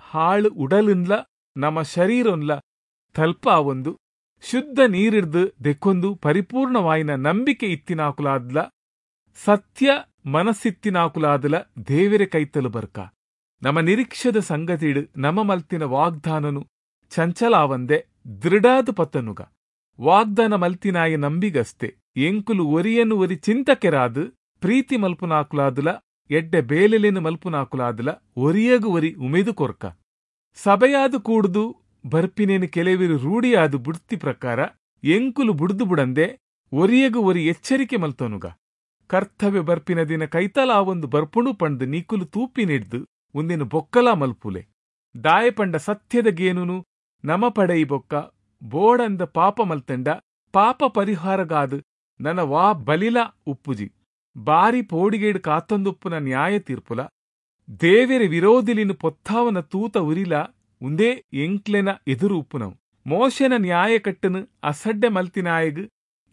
ಹಾಳು ಉಡಲುನ್ಲ ನಮ್ಮ ಶರೀರೊನ್ಲ ತಲ್ಪ ಒಂದು ಶುದ್ಧ ನೀರಿಡ್ದು ದೆಕ್ಕೊಂದು ಪರಿಪೂರ್ಣವಾಯಿನ ನಂಬಿಕೆ ಇತ್ತಿನಾಕುಲಾದ್ಲ ಸತ್ಯ ಮನಸ್ಸಿತ್ತಿನಾಕುಲಾದಲ ದೇವೆರೆ ಕೈತಲು ಬರ್ಕ. ನಮ್ಮ ನಿರೀಕ್ಷದ ಸಂಗತಿಡು ನಮ್ಮ ಮಲ್ತಿನ ವಾಗ್ದಾನನು ಚಂಚಲಾವಂದೆ ದೃಢಾದ ಪತ್ತನುಗ. ವಾಗ್ದಾನ ಮಲ್ತಿನಾಯ ನಂಬಿಗಸ್ತೆ ಎಂಕುಲು ಒರಿಯನು ಒರಿ ಚಿಂತಕೆರಾದು ಪ್ರೀತಿ ಮಲ್ಪುನಾಕುಲಾದುಲ ಎಡ್ಡೆ ಬೇಲೆಲೇನು ಮಲ್ಪುನಾಕುಲಾದುಲ ಒರಿಯಗು ಒರಿ ಉಮೇದು ಕೊರ್ಕ. ಸಭೆಯಾದು ಕೂಡ್ದು ಬರ್ಪಿನೇನು ಕೆಲವರು ರೂಢಿಯಾದು ಬುಡ್ತಿ ಪ್ರಕಾರ ಎಂಕುಲು ಬುಡ್ದು ಬುಡಂದೆ ಒರಿಯಗು ಒರಿ ಎಚ್ಚರಿಕೆ ಮಲ್ತೋನುಗ. ಕರ್ತವ್ಯ ಬರ್ಪಿನ ದಿನ ಕೈತಲಾವೊಂದು ಬರ್ಪುಣು ಪಂಡ್ದ್ ನಿಕುಲು ತೂಪಿನಿಡ್ದು ಉಂದೆನು ಬೊಕ್ಕಲಾ ಮಲ್ಪುಲೆ. ದಾಯೆ ಪಂಡ ಸತ್ಯದ ಗೇನುನು ನಮ ಪಡೆಯಿ ಬೊಕ್ಕ ಬೋಡಂದ ಪಾಪ ಮಲ್ತಂಡ ಪಾಪ ಪರಿಹಾರಗಾದ್ ನನ ವಾ ಬಲಿಲ ಉಪ್ಪುಜಿ. ಬಾರಿ ಪೋಡಿಗೇಡು ಕಾತೊಂದುಪ್ಪುನ ನ್ಯಾಯ ತೀರ್ಪುಲ ದೇವೆರೆ ವಿರೋಧಿಲಿನ ಪೊತ್ತಾವನ ತೂತ ಉರಿಲ ಉಂದೇ ಎಂಕ್ಲೆನ ಎದುರು ಉಪ್ಪುನವು. ಮೋಶೆನ ನ್ಯಾಯಕಟ್ಟನು ಅಸಡ್ಡೆ ಮಲ್ತಿನಾಯಗ್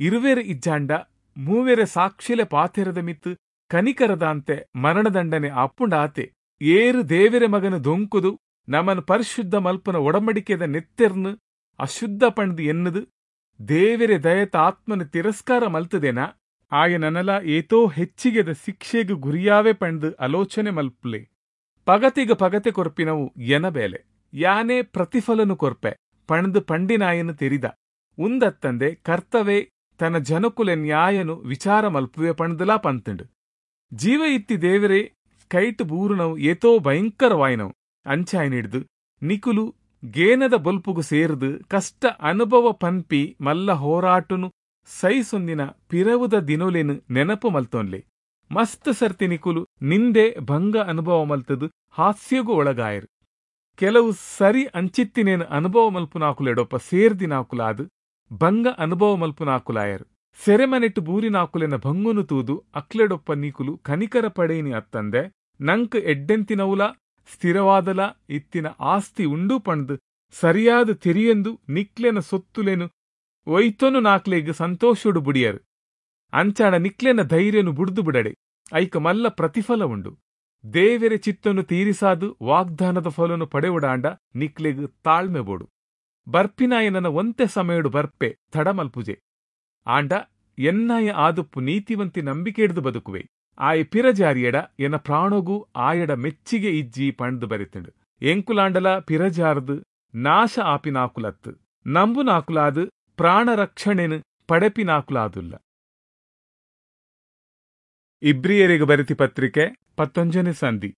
ಇರುವೆರ್ ಇಜ್ಜಾಂಡ ಮೂವೆರೆ ಸಾಕ್ಷಿಲೆ ಪಾತೆರದ ಮಿತ್ತು ಕನಿಕರದಾಂತೆ ಮರಣದಂಡನೆ ಆಪುಂಡಾತೆ. ಏರು ದೇವೆರೆ ಮಗನ ದೊಂಕುದು ನಮನ್ ಪರಿಶುದ್ಧ ಮಲ್ಪನ ಒಡಂಬಡಿಕೆದ ನೆತ್ತೆರ್ನು ಅಶುದ್ಧ ಪಂಡ್ದು ಎನ್ನುದು ದೇವೆರೆ ದಯತ ಆತ್ಮನ ತಿರಸ್ಕಾರ ಮಲ್ತದೇನ ಆಯನನಲ ಏತೋ ಹೆಚ್ಚಿಗೆದ ಶಿಕ್ಷೆಗ್ ಗುರಿಯಾವೆ ಪಂಡ್ದು ಆಲೋಚನೆ ಮಲ್ಪುಲೆ. ಪಗತಿಗ ಪಗತೆ ಕೊರ್ಪಿನವು ಎನ ಬೇಲೆ, ಯಾನೇ ಪ್ರತಿಫಲನು ಕೊರ್ಪೆ ಪಂಡ್ದು ಪಂಡಿನಾಯನು ತೆರಿದ. ಉಂದತ್ತಂದೆ ಕರ್ತವೆ ತನ್ನ ಜನಕುಲೆ ನ್ಯಾಯನು ವಿಚಾರ ಮಲ್ಪುವೆ ಪಂಡ್ದಲಾ ಪಂತುಂಡು. ಜೀವ ಇತ್ತಿ ದೇವರೇ ಕೈಟ್ ಬೂರುನವು ಏತೋ ಭಯಂಕರವಾಯಿನವು. ಅಂಚಾಯನಿಡ್ದು ನಿಕುಲು ಗೇನದ ಬೊಲ್ಪುಗು ಸೇರ್ದು ಕಷ್ಟ ಅನುಭವ ಪನ್ಪಿ ಮಲ್ಲ ಹೋರಾಟನು ಸೈಸೊಂದಿನ ಪಿರವುದ ದಿನೊಲೆನು ನೆನಪು ಮಲ್ತೊನ್ಲೆ. ಮಸ್ತ್ ಸರ್ತಿ ನಿಕುಲು ನಿಂದೆ ಭಂಗ ಅನುಭವ ಮಲ್ತದು ಹಾಸ್ಯಗೂ ಒಳಗಾಯರು. ಕೆಲವು ಸರಿ ಅಂಚಿತ್ತಿನೇನು ಅನುಭವ ಮಲ್ಪುನಾಕುಲೆಡೊಪ್ಪ ಸೇರ್ದಿನಾಕುಲಾದು ಭಂಗ ಅನುಭವ ಮಲ್ಪುನಾಕುಲಾಯರು. ಸೆರೆಮನೆಟ್ಟು ಬೂರಿನಾಕುಲೆನ ಭಂಗುನು ತೂದು ಅಕ್ಲೆಡೊಪ್ಪ ನೀಕುಲು ಕನಿಕರ ಪಡೆಯಿನಿ ಅತ್ತಂದೆ ನಂಕ್ ಎಡ್ಡೆಂತಿನವುಲ ಸ್ಥಿರವಾದಲ ಇತ್ತಿನ ಆಸ್ತಿ ಉಂಡು ಪಂಡ್ದು ಸರಿಯಾದ ತೆರಿಯೆಂದು ನಿಕ್ಲೆನ ಸೊತ್ತುಲೆನು ಒಯ್ತೊನು ನಾಕ್ಲೆಗ್ ಸಂತೋಷೊಡು ಬುಡಿಯರು. ಅಂಚಾಣ ನಿಕ್ಲೆನ ಧೈರ್ಯನು ಬುಡ್ದು ಬಿಡಡೆ, ಐಕ ಮಲ್ಲ ಪ್ರತಿಫಲ ಉಂಡು. ದೇವೆರೆ ಚಿತ್ತನು ತೀರಿಸಾದು ವಾಗ್ದಾನದ ಫಲನು ಪಡೆವುಡಾಂಡ ನಿಕ್ಲೆಗ್ ತಾಳ್ಮೆ ಬೋಡು. ಬರ್ಪಿನಾಯನನ ಒಂತೆ ಸಮಯಡು ಬರ್ಪೆ ತಡಮಲ್ಪುಜೆ. ಆಂಡ ಎನ್ನಾಯ ಆದುಪ್ಪು ನೀತಿವಂತಿ ನಂಬಿಕೆಡ್ದು ಬದುಕುವೆ. ಆಯ ಪಿರಜಾರಿಯಡ ಎನ ಪ್ರಾಣಗೂ ಆಯಡ ಮೆಚ್ಚಿಗೆ ಇಜ್ಜಿ ಪಂಡ್ದು ಬರೆತುಂಡು. ಎಂಕುಲಾಂಡಲ ಪಿರಜಾರ್ದು ನಾಶ ಆಪಿನಾಕುಲತ್ತು ನಂಬುನಾಕುಲಾದು ಪ್ರಾಣರಕ್ಷಣೆನು ಪಡೆಪಿನಾಕುಲಾದುಲ್ಲ. ಇಬ್ರಿಯರಿಗೆ ಬರೆತಿ ಪತ್ರಿಕೆ ಪತ್ತೊಂಜನೇ ಸಂಧಿ.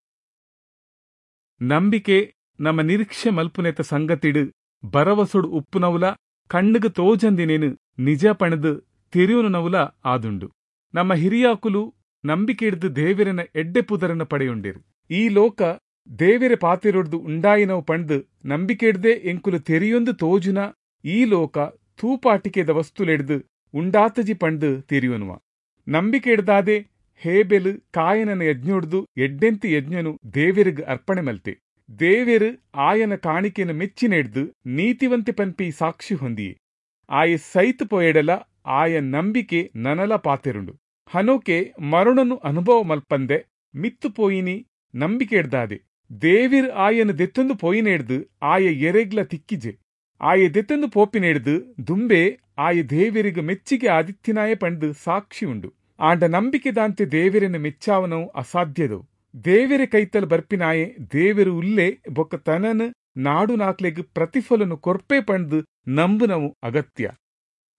ನಂಬಿಕೆ ನಮ್ಮ ನಿರೀಕ್ಷೆ ಮಲ್ಪುನೆತ ಸಂಗತಿಡು ಬರವಸುಡು ಉಪ್ಪುನವುಲ ಕಣ್ಣುಗು ತೋಜಂದಿನೇನು ನಿಜ ಪಣದು ತೆರಿಯುನವುಲ ಆದುಂಡು. ನಮ್ಮ ಹಿರಿಯಾಕುಲು ನಂಬಿಕೆ ಹಿಡ್ದು ದೇವೆರೆನ ಎಡ್ಡೆ ಪುದರನ್ನು ಪಡೆಯುಂಡಿರು. ಈ ಲೋಕ ದೇವೆರೆ ಪಾತಿರೊಡ್ದು ಉಂಡಾಯಿನವು ಪಂಡ್ದು ನಂಬಿಕೆ ಹಿಡ್ದೆ ಎಂಕುಲು ತೆರಿಯೊಂದು ತೋಜುನ ಈ ಲೋಕ ತೂಪಾಟಿಕೆದ ವಸ್ತುಲೆಡ್ದು ಉಂಡಾತಜಿ ಪಂಡ್ದು ತೆರಿಯುನುವ. ನಂಬಿಕೆ ಹಿಡ್ದಾದೆ ಹೇಬೆಲು ಕಾಯನನ ಯಜ್ಞೊಡ್ದು ಎಡ್ಡೆಂತಿ ಯಜ್ಞನು ದೇವೆರಿಗ್ ಅರ್ಪಣೆ ಮಲ್ತೆ. ದೇವೆರು ಆಯನ ಕಾಣಿಕೆಯನ್ನು ಮೆಚ್ಚಿನೆಡ್ದು ನೀತಿವಂತೆ ಪನ್ಪಿ ಸಾಕ್ಷಿ ಹೊಂದಿಯೆ. ಆಯ ಸೈತು ಪೋಯೆಡಲ ಆಯ ನಂಬಿಕೆ ನನಲ ಪಾತೆರುಂಡು. ಹನೋಕೆ ಮರಣನು ಅನುಭವ ಮಲ್ಪಂದೆ ಮಿತ್ತು ಪೋಯಿನಿ ನಂಬಿಕೆ ಹಿಡ್ದಾದೆ. ದೇವಿರ್ ಆಯನ ದೆತ್ತೊಂದು ಪೋಯಿನೆಡ್ದು ಆಯ ಎರೆಗ್ಲ ತಿಕ್ಕಿಜೆ. ಆಯ ದೆತ್ತೊಂದು ಪೋಪಿನೆಡ್ದು ದುಂಬೆ ಆಯ ದೇವಿರಿಗ ಮೆಚ್ಚಿಗೆ ಆದಿತ್ಯನಾಯ ಪಂಡ್ದು ಸಾಕ್ಷಿ ಉಂಡು. ಆಂಡ ನಂಬಿಕೆದಾಂತೆ ದೇವಿರನ್ನು ಮೆಚ್ಚಾವನವು ಅಸಾಧ್ಯದವು. ದೇವಿರ ಕೈತಲ್ ಬರ್ಪಿನಾಯೆ ದೇವಿರು ಉಲ್ಲೆ ಬೊಕ್ಕ ತನನು ನಾಡು ನಾಕ್ಲೆಗ್ ಪ್ರತಿಫಲನು ಕೊರ್ಪೆ ಪಂಡ್ದು ನಂಬುನವು ಅಗತ್ಯ.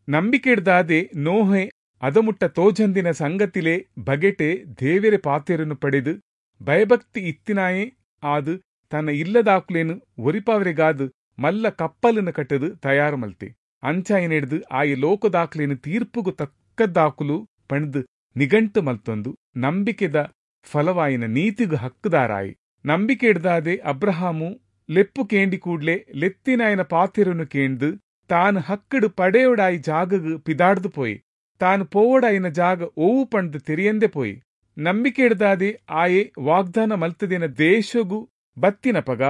ನಂಬಿಕೆ ಹಿಡ್ದಾದೆ ನೋಹೆ ಅದಮುಟ್ಟ ತೋಜಂದಿನ ಸಂಗತಿಲೆ ಬಗೆಟೆ ದೇವೆರೆ ಪಾತೆರನ್ನು ಪಡೆದು ಭಯಭಕ್ತಿ ಇತ್ತಿನಾಯೆ ಆದು ತನ್ನ ಇಲ್ಲದಾಕುಲೇನು ಒರಿಪಾವರೆಗಾದು ಮಲ್ಲ ಕಪ್ಪಲನ್ನು ಕಟ್ಟದು ತಯಾರು ಮಲ್ತೆ. ಅಂಚಾಯನೆಡ್ದು ಆಯ ಲೋಕದಾಕ್ಲೇನು ತೀರ್ಪುಗು ತಕ್ಕದ್ದಾಕುಲು ಪಂಡ್ದು ನಿಗಂಟು ಮಲ್ತೊಂದು ನಂಬಿಕೆದ ಫಲವಾಯಿನ ನೀತಿಗು ಹಕ್ಕುದಾರಾಯಿ. ನಂಬಿಕೆ ಹಿಡ್ದಾದೆ ಅಬ್ರಹಾಮು ಲೆಪ್ಪು ಕೇಂಡಿ ಕೂಡ್ಲೆ ಲೆತ್ತಿನಾಯನ ಪಾತೆರನ್ನು ಕೇಂದು ತಾನು ಹಕ್ಕಡು ಪಡೆಯೋಡಾಯಿ ಜಾಗಗು ಪಿದಾಡ್ದು ಪೋಯಿ. ತಾನು ಪೋವಡಾಯಿನ ಜಾಗ ಓವು ಪಂಡ್ದು ತೆರಿಯಂದೆ ಪೋಯಿ. ನಂಬಿಕೆ ಹಿಡ್ದಾದೆ ಆಯೆ ವಾಗ್ದಾನ ಮಲ್ತದಿನ ದೇಶಗು ಬತ್ತಿನ ಪಗ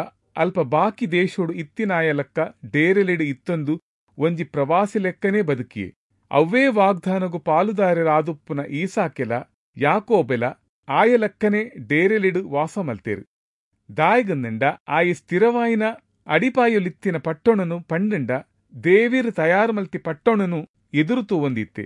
ಅಲ್ಪ ಬಾಕಿ ದೇಶೋಡು ಇತ್ತಿನಾಯ ಲೆಕ್ಕ ಡೇರೆಲೆಡು ಇತ್ತೊಂದು ಒಂಜಿ ಪ್ರವಾಸಿ ಲೆಕ್ಕನೇ ಬದುಕಿಯೆ. ಅವ್ವೇ ವಾಗ್ದಾನಗು ಪಾಲುದಾರರಾದುಪ್ಪುನ ಈಸಾಕೆಲ ಯಾಕೋಬೆಲ ಆಯ ಲೆಕ್ಕನೆ ಡೇರೆಲಿಡು ವಾಸ ಮಲ್ತೇರು. ದಾಯಗಂದಂಡ ಆಯ ಸ್ಥಿರವಾಯಿನ ಅಡಿಪಾಯೊಲಿತ್ತಿನ ಪಟ್ಟಣನು ಪಂಡಂಡ ದೇವಿರು ತಯಾರು ಮಲ್ತಿ ಪಟ್ಟಣನು ಎದುರು ತೂವೊಂದಿತ್ತೆ.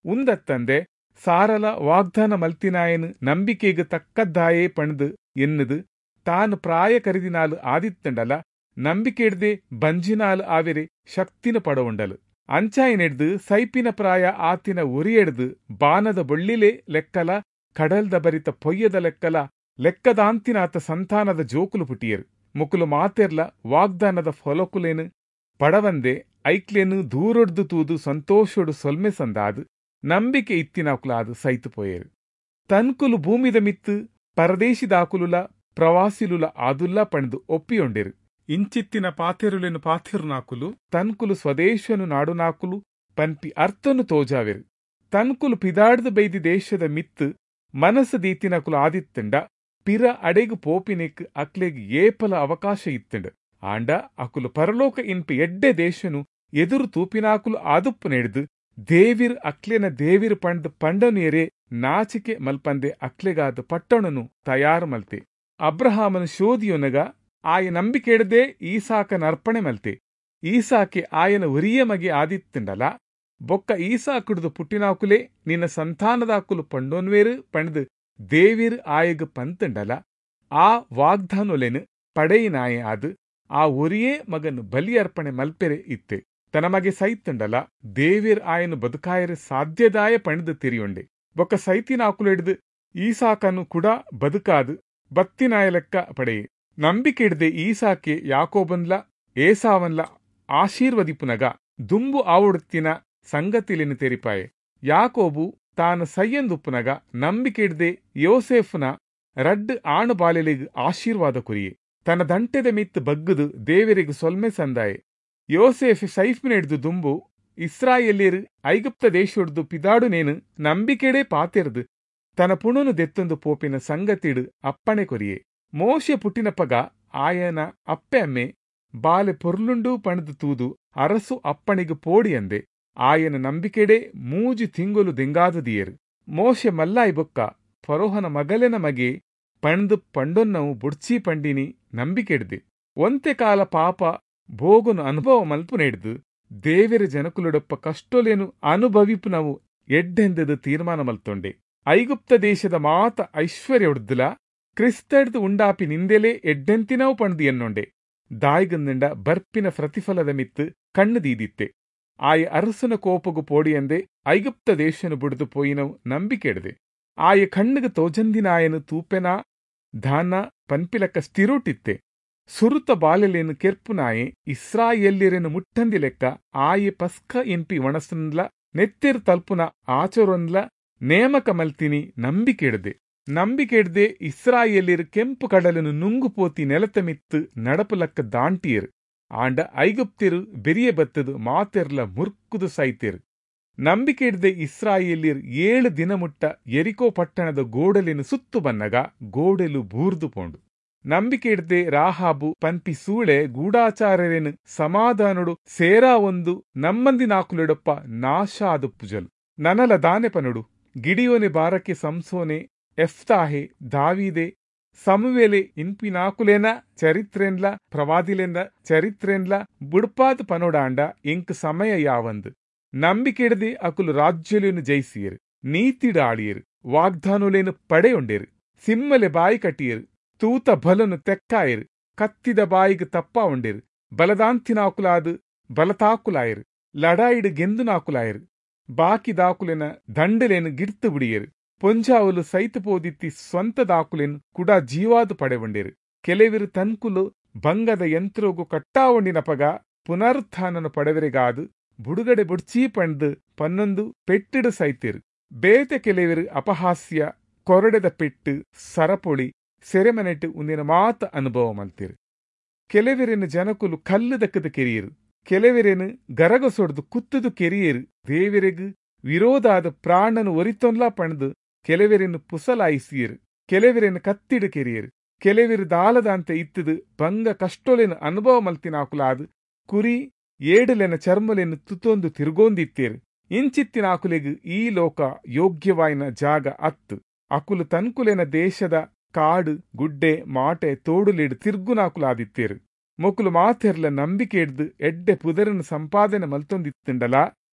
ಉಂದತ್ತಂದೆ ಸಾರಲ ವಾಗ್ದಾನ ಮಲ್ತಿನಾಯನು ನಂಬಿಕೆಗೆ ತಕ್ಕದ್ದಾಯೇ ಪಣ್ದು ಎನ್ನುದು ತಾನು ಪ್ರಾಯ ಕರಿದಿನಾಲು ಆದಿತ್ತಂಡಲ ನಂಬಿಕೆ ಹಿಡ್ದೆ ಬಂಜಿನಾಲು ಆವೆರೆ ಶಕ್ತಿನ ಪಡವುಂಡಲು. ಅಂಚಾಯನೆಡ್ದು ಸೈಪಿನ ಪ್ರಾಯ ಆತಿನ ಒರಿಯೆಡ್ದು ಬಾನದ ಬೊಳ್ಳಿಲೆ ಲೆಕ್ಕಲ ಕಡಲ್ದ ಬರಿತ ಪೊಯ್ಯದ ಲೆಕ್ಕಲ ಲೆಕ್ಕದಾಂತಿನಾತ ಸಂತಾನದ ಜೋಕುಲು ಪುಟಿಯರು. ಮುಕುಲು ಮಾತೆರ್ಲ ವಾಗ್ದಾನದ ಫಲಕುಲೇನು ಪಡವಂದೆ ಐಕ್ಲೇನು ದೂರೊಡ್ದು ತೂದು ಸಂತೋಷೊಡು ಸೊಲ್ಮೆ ಸಂದಾದು ನಂಬಿಕೆ ಇತ್ತಿನಾಕುಲಾದು ಸೈತು ಪೋಯರು. ತನ್ಕುಲು ಭೂಮಿದ ಮಿತ್ತು ಪರದೇಶಿದಾಕುಲುಲ ಪ್ರವಾಸಿಲುಲ ಆದುಲ್ಲ ಪಂಡ್ದು ಒಪ್ಪಿಯೊಂಡೆರು. ಇಂಚಿತ್ತಿನ ಪಾತೆರುಲೆನು ಪಾತೆರುನಾಕುಲು ತನ್ಕುಲು ಸ್ವದೇಶನು ನಾಡುನಾಕುಲು ಪನ್ಪಿ ಅರ್ಥನು ತೋಜಾವೆರು. ತನ್ಕುಲು ಪಿದಾಡ್ದು ಬೈದಿ ದೇಶದ ಮಿತ್ತು ಮನಸ್ಸು ದೀತಿನಕುಲು ಆದಿತ್ತಂಡ ಪಿರ ಅಡೆಗು ಪೋಪಿನೆಕ್ ಅಕ್ಲೆಗ್ ಏಪಲ ಅವಕಾಶ ಇತ್ತಂಡ್. ಆಂಡ ಅಕುಲು ಪರಲೋಕ ಇನ್ಪಿ ಎಡ್ಡೆ ದೇಶನು ಎದುರು ತೂಪಿನಾಕುಲು ಆದುಪ್ಪು ನೆಡ್ದು ದೇವಿರ್ ಅಕ್ಲೆನ ದೇವಿರ್ ಪಂಡ್ದು ಪಂಡನೇರೆ ನಾಚಿಕೆ ಮಲ್ಪಂದೆ ಅಕ್ಲೆಗಾದ ಪಟ್ಟಣನು ತಯಾರು ಮಲ್ತೆ. ಅಬ್ರಹಾಮನು ಶೋಧಿಯೊನಗ ಆಯ ನಂಬಿಕೆಡದೆ ಈಸಾಕನ ಅರ್ಪಣೆ ಮಲ್ತೆ. ಈಸಾಕೆ ಆಯನ ಒರಿಯ ಮಗೆ ಆದಿತ್ತಂಡಲ ಬೊಕ್ಕ ಈಸಾಕುಡ್ದು ಪುಟ್ಟಿನಾಕುಲೇ ನಿನ್ನ ಸಂತಾನದಾಕುಲು ಪಂಡೋನ್ವೇರು ಪಂಡ್ದು ದೇವಿರ್ ಆಯಗ್ ಪಂತಂಡಲ ಆ ವಾಗ್ದಾನೊಲೆನು ಪಡೆಯಿನಾಯೆ ಆದು ಆ ಒರಿಯೇ ಮಗನು ಬಲಿ ಅರ್ಪಣೆ ಮಲ್ಪೆರೆ ಇತ್ತೆ. ತನ ಮಗೆ ಸೈತಂಡಲ ದೇವಿರ್ ಆಯನು ಬದುಕಾಯರೆ ಸಾಧ್ಯದಾಯ ಪಂಡ್ದು ತಿರಿಯೊಂಡೆ. ಬೊಕ್ಕ ಸೈತಿನಾಕುಲೆಡ್ದು ಈಸಾಕನು ಕೂಡ ಬದುಕಾದು ಬತ್ತಿನಾಯ ಲೆಕ್ಕ ಪಡೆಯೆ. ನಂಬಿಕೆಡ್ದೆ ಈಸಾಕೆ ಯಾಕೋಬನ್ಲ ಏಸಾವನ್ಲ ಆಶೀರ್ವದಿಪುನಗ ದುಂಬು ಆವೊಡುತ್ತಿನ ಸಂಗತಿಲೆನು ತೆರಿಪಾಯೆ. ಯಾಕೋಬು ತಾನು ಸೈಯಂದುಪ್ಪುನಗ ನಂಬಿಕೆಡ್ದೆ ಯೋಸೇಫ್ನ ರಡ್ಡ್ ಆಣು ಬಾಲೆಲೆಗ್ ಆಶೀರ್ವಾದ ಕೊರಿಯೆ. ತನ್ನ ದಂಟೆದ ಮಿತ್ತು ಬಗ್ಗುದು ದೇವರಿಗೆ ಸೊಲ್ಮೆ ಸಂದಾಯೆ. ಯೋಸೇಫ್ ಸೈಫ್ನೆಡ್ದು ದುಂಬು ಇಸ್ರಾಯೇಲ್ಯರು ಐಗುಪ್ತ ದೇಶೊಡ್ದು ಪಿದಾಡುನೇನು ನಂಬಿಕೆಡೆ ಪಾತೆರ್ದು ತನ್ನ ಪುಣನು ದೆತ್ತೊಂದು ಪೋಪಿನ ಸಂಗತಿಡು ಅಪ್ಪಣೆ ಕೊರಿಯೆ. ಮೋಶೆ ಪುಟ್ಟಿನಪಗ ಆಯನ ಅಪ್ಪೆ ಅಮ್ಮೆ ಬಾಲೆ ಪೊರ್ಲುಂಡು ಪಣದು ತೂದು ಅರಸು ಅಪ್ಪಣಿಗೆ ಪೋಡಿಯಂದೆ ಆಯನ ನಂಬಿಕೆಡೆ ಮೂಜಿ ತಿಂಗೊಲು ದೆಂಗಾದದಿಯರು. ಮೋಶೆ ಮಲ್ಲಾಯಿ ಬೊಕ್ಕ ಫರೋಹನ ಮಗಲೆನ ಮಗೆ ಪಣದು ಪಂಡೊನ್ನವು ಬುಡ್ಚಿ ಪಂಡಿನಿ ನಂಬಿಕೆಡ್ದೆ. ಒಂತೆ ಕಾಲ ಪಾಪ ಭೋಗುನು ಅನುಭವ ಮಲ್ಪುನೆಡ್ದು ದೇವೆರ ಜನಕುಲುಡಪ್ಪ ಕಷ್ಟೊಲೇನು ಅನುಭವಿಪುನವು ಎಡ್ಡೆಂದದು ತೀರ್ಮಾನ ಮಲ್ತೊಂಡೆ. ಐಗುಪ್ತ ದೇಶದ ಮಾತ ಐಶ್ವರ್ಯೊಡ್ದುಲ ಕ್ರಿಸ್ತಡ್ದು ಉಂಡಾಪಿ ನಿಂದೆಲೆ ಎಡ್ಡೆಂತಿನವು ಪಂಡ್ದು ಎನ್ನೊಂಡೆ. ದಾಯಿಗಂದಂಡ ಬರ್ಪಿನ ಪ್ರತಿಫಲದ ಮಿತ್ತು ಕಣ್ಣು ದೀದಿತ್ತೆ. ಆಯ ಅರಸನ ಕೋಪಗು ಪೋಡಿಯಂದೆ ಐಗುಪ್ತ ದೇಶನು ಬುಡ್ದು ಪೋಯಿನವು ನಂಬಿಕೆಡ್ದೆ. ಆಯ ಕಣ್ಣುಗ ತೋಜಂದಿನಾಯನು ತೂಪೆನಾ ಧಾನ ಪನ್ಪಿಲಕ್ಕ ಸ್ಥಿರೋಟಿತ್ತೆ. ಸುರುತ ಬಾಲೆಲೇನು ಕೆರ್ಪುನಾಯೆ ಇಸ್ರಾಯೇಲ್ಯರೆನು ಮುಟ್ಟಂದಿ ಲೆಕ್ಕ ಆಯೆ ಪಸ್ಕ ಎನ್ಪಿ ಒಣಸನ್ಲ ನೆತ್ತೆರ್ ತಲ್ಪುನ ಆಚರೊನ್ಲ ನೇಮಕ ಮಲ್ತಿನಿ ನಂಬಿಕೆಡ್ದೆ. ನಂಬಿಕೆಡ್ದೆ ಇಸ್ರಾಯೇಲ್ಯರು ಕೆಂಪು ಕಡಲನು ನುಂಗು ಪೋತಿ ನೆಲತ ಮಿತ್ತು ನಡಪುಲಕ್ಕ ದಾಂಟಿಯರು. ಆಂಡ ಐಗುಪ್ತಿರು ಬೆರಿಯ ಬತ್ತದು ಮಾತೆರ್ಲ ಮುರ್ಕುದು ಸೈತೇರು. ನಂಬಿಕೆಡ್ದೆ ಇಸ್ರಾಯೇಲ್ಯರು ಏಳು ದಿನ ಮುಟ್ಟ ಎರಿಕೋ ಪಟ್ಟಣದ ಗೋಡಲಿನ ಸುತ್ತು ಬನ್ನಗ ಗೋಡೆಲು ಬೂರ್ದು ಪೋಂಡು. ನಂಬಿಕೆಡ್ದೆ ರಾಹಾಬು ಪನ್ಪಿ ಸೂಳೆ ಗೂಢಾಚಾರ್ಯರೇನು ಸಮಾಧಾನುಡು ಸೇರಾ ಒಂದು ನಮ್ಮಂದಿನಾಕುಲೆಡೊಪ್ಪ ನಾಶ ಆದುಪ್ಪುಜಲು. ನನಲ ದಾನೆ ಪನುಡು ಗಿಡಿಯೋನೆ ಬಾರಕ್ಕೆ ಸಂಸೋನೆ ಎಫ್ತಾಹೆ ದಾವೀದೆ ಸಮುವೇಲೆ ಇನ್ಪಿನಾಕುಲೇನ ಚರಿತ್ರೆನ್ಲ ಪ್ರವಾದಿಲೆಂದ ಚರಿತ್ರೆನ್ಲ ಬುಡ್ಪಾದ್ ಪನೋಡಾಂಡ ಎಂಕ್ ಸಮಯ ಯಾವಂದು. ನಂಬಿಕೆಡ್ದೆ ಅಕುಲು ರಾಜ್ಯಲೇನು ಜಯಿಸಿಯರು, ನೀತಿಡ ಆಳಿಯರು, ವಾಗ್ದಾನುಲೇನು ಪಡೆಯೊಂಡೇರು, ಸಿಮ್ಮಲೆ ಬಾಯಿ ಕಟ್ಟಿಯರು, ತೂತ ಬಲನು ತೆಕ್ಕಾಯರು, ಕತ್ತಿದ ಬಾಯಿಗೆ ತಪ್ಪ ಉಂಡೇರು, ಬಲದಾಂತಿನಾಕುಲಾದು ಬಲತಾಕುಲಾಯರು, ಲಡಾಯಿಡು ಗೆಂದುನಾಕುಲಾಯರು, ಬಾಕಿ ದಾಕುಲೆನ ದಂಡಲೇನು ಗಿಡ್ತು ಬಿಡಿಯರು, ಪೊಂಜಾವುಲು ಸೈತು ಪೋದಿತ್ತಿ ಸ್ವಂತ ದಾಕುಲೆನು ಕುಡ ಜೀವಾದು ಪಡೆವಂಡೇರು. ಕೆಲವಿರು ತನ್ಕುಲು ಭಂಗದ ಯಂತ್ರೋಗು ಕಟ್ಟಾವೊಂಡಿನಪಗ ಪುನರುತ್ಥಾನನು ಪಡೆವರೆಗಾದು ಬುಡುಗಡೆ ಬುಡ್ಚೀ ಪಂಡ್ದು ಪನ್ನೊಂದು ಪೆಟ್ಟಿಡು ಸೈತಿರು. ಬೇತೆ ಕೆಲವಿರು ಅಪಹಾಸ್ಯ ಕೊರಡೆದ ಪೆಟ್ಟು ಸರಪೊಳಿ ಸೆರೆಮನೆಟ್ಟು ಉಂದಿನ ಮಾತ ಅನುಭವ ಮಲ್ತಿರು. ಕೆಲವಿರಿನ ಜನಕುಲು ಕಲ್ಲು ದಕ್ಕದ ಕೆರಿಯರು, ಕೆಲವಿರೇನು ಗರಗಸೊಡ್ದು ಕುತ್ತದು ಕೆರಿಯರು. ದೇವರೆಗು ವಿರೋಧಾದ ಪ್ರಾಣನು ಒರಿತೊನ್ಲಾ ಪಣದು ಕೆಲವಿರೇನು ಪುಸಲಾಯಿಸಿಯರು, ಕೆಲವಿರೇನು ಕತ್ತಿಡು ಕೆರಿಯರು, ಕೆಲವಿರು ದಾಲದಾಂತೆ ಇತ್ತದು ಭಂಗ ಕಷ್ಟೊಲೆನು ಅನುಭವ ಮಲ್ತಿನಾಕುಲಾದು ಕುರಿ ಏಡುಲೆನ ಚರ್ಮಲೆನು ತುತೊಂದು ತಿರುಗೋಂದಿತ್ತೇರು. ಇಂಚಿತ್ತಿನಾಕುಲೆಗು ಈ ಲೋಕ ಯೋಗ್ಯವಾಯಿನ ಜಾಗ ಅತ್ತು. ಅಕುಲು ತನ್ಕುಲೆನ ದೇಶದ ಕಾಡು ಗುಡ್ಡೆ ಮಾಟೆ ತೋಡುಲಿಡು ತಿರ್ಗುನಾಕುಲಾದಿತ್ತೇರು. ಮೊಕುಲು ಮಾತೆರ್ಲ ನಂಬಿಕೆ ಹಿಡ್ದು ಎಡ್ಡೆ ಪುದರನ್ನು ಸಂಪಾದನೆ ಮಲ್ತೊಂದಿತ್ತಂಡಲ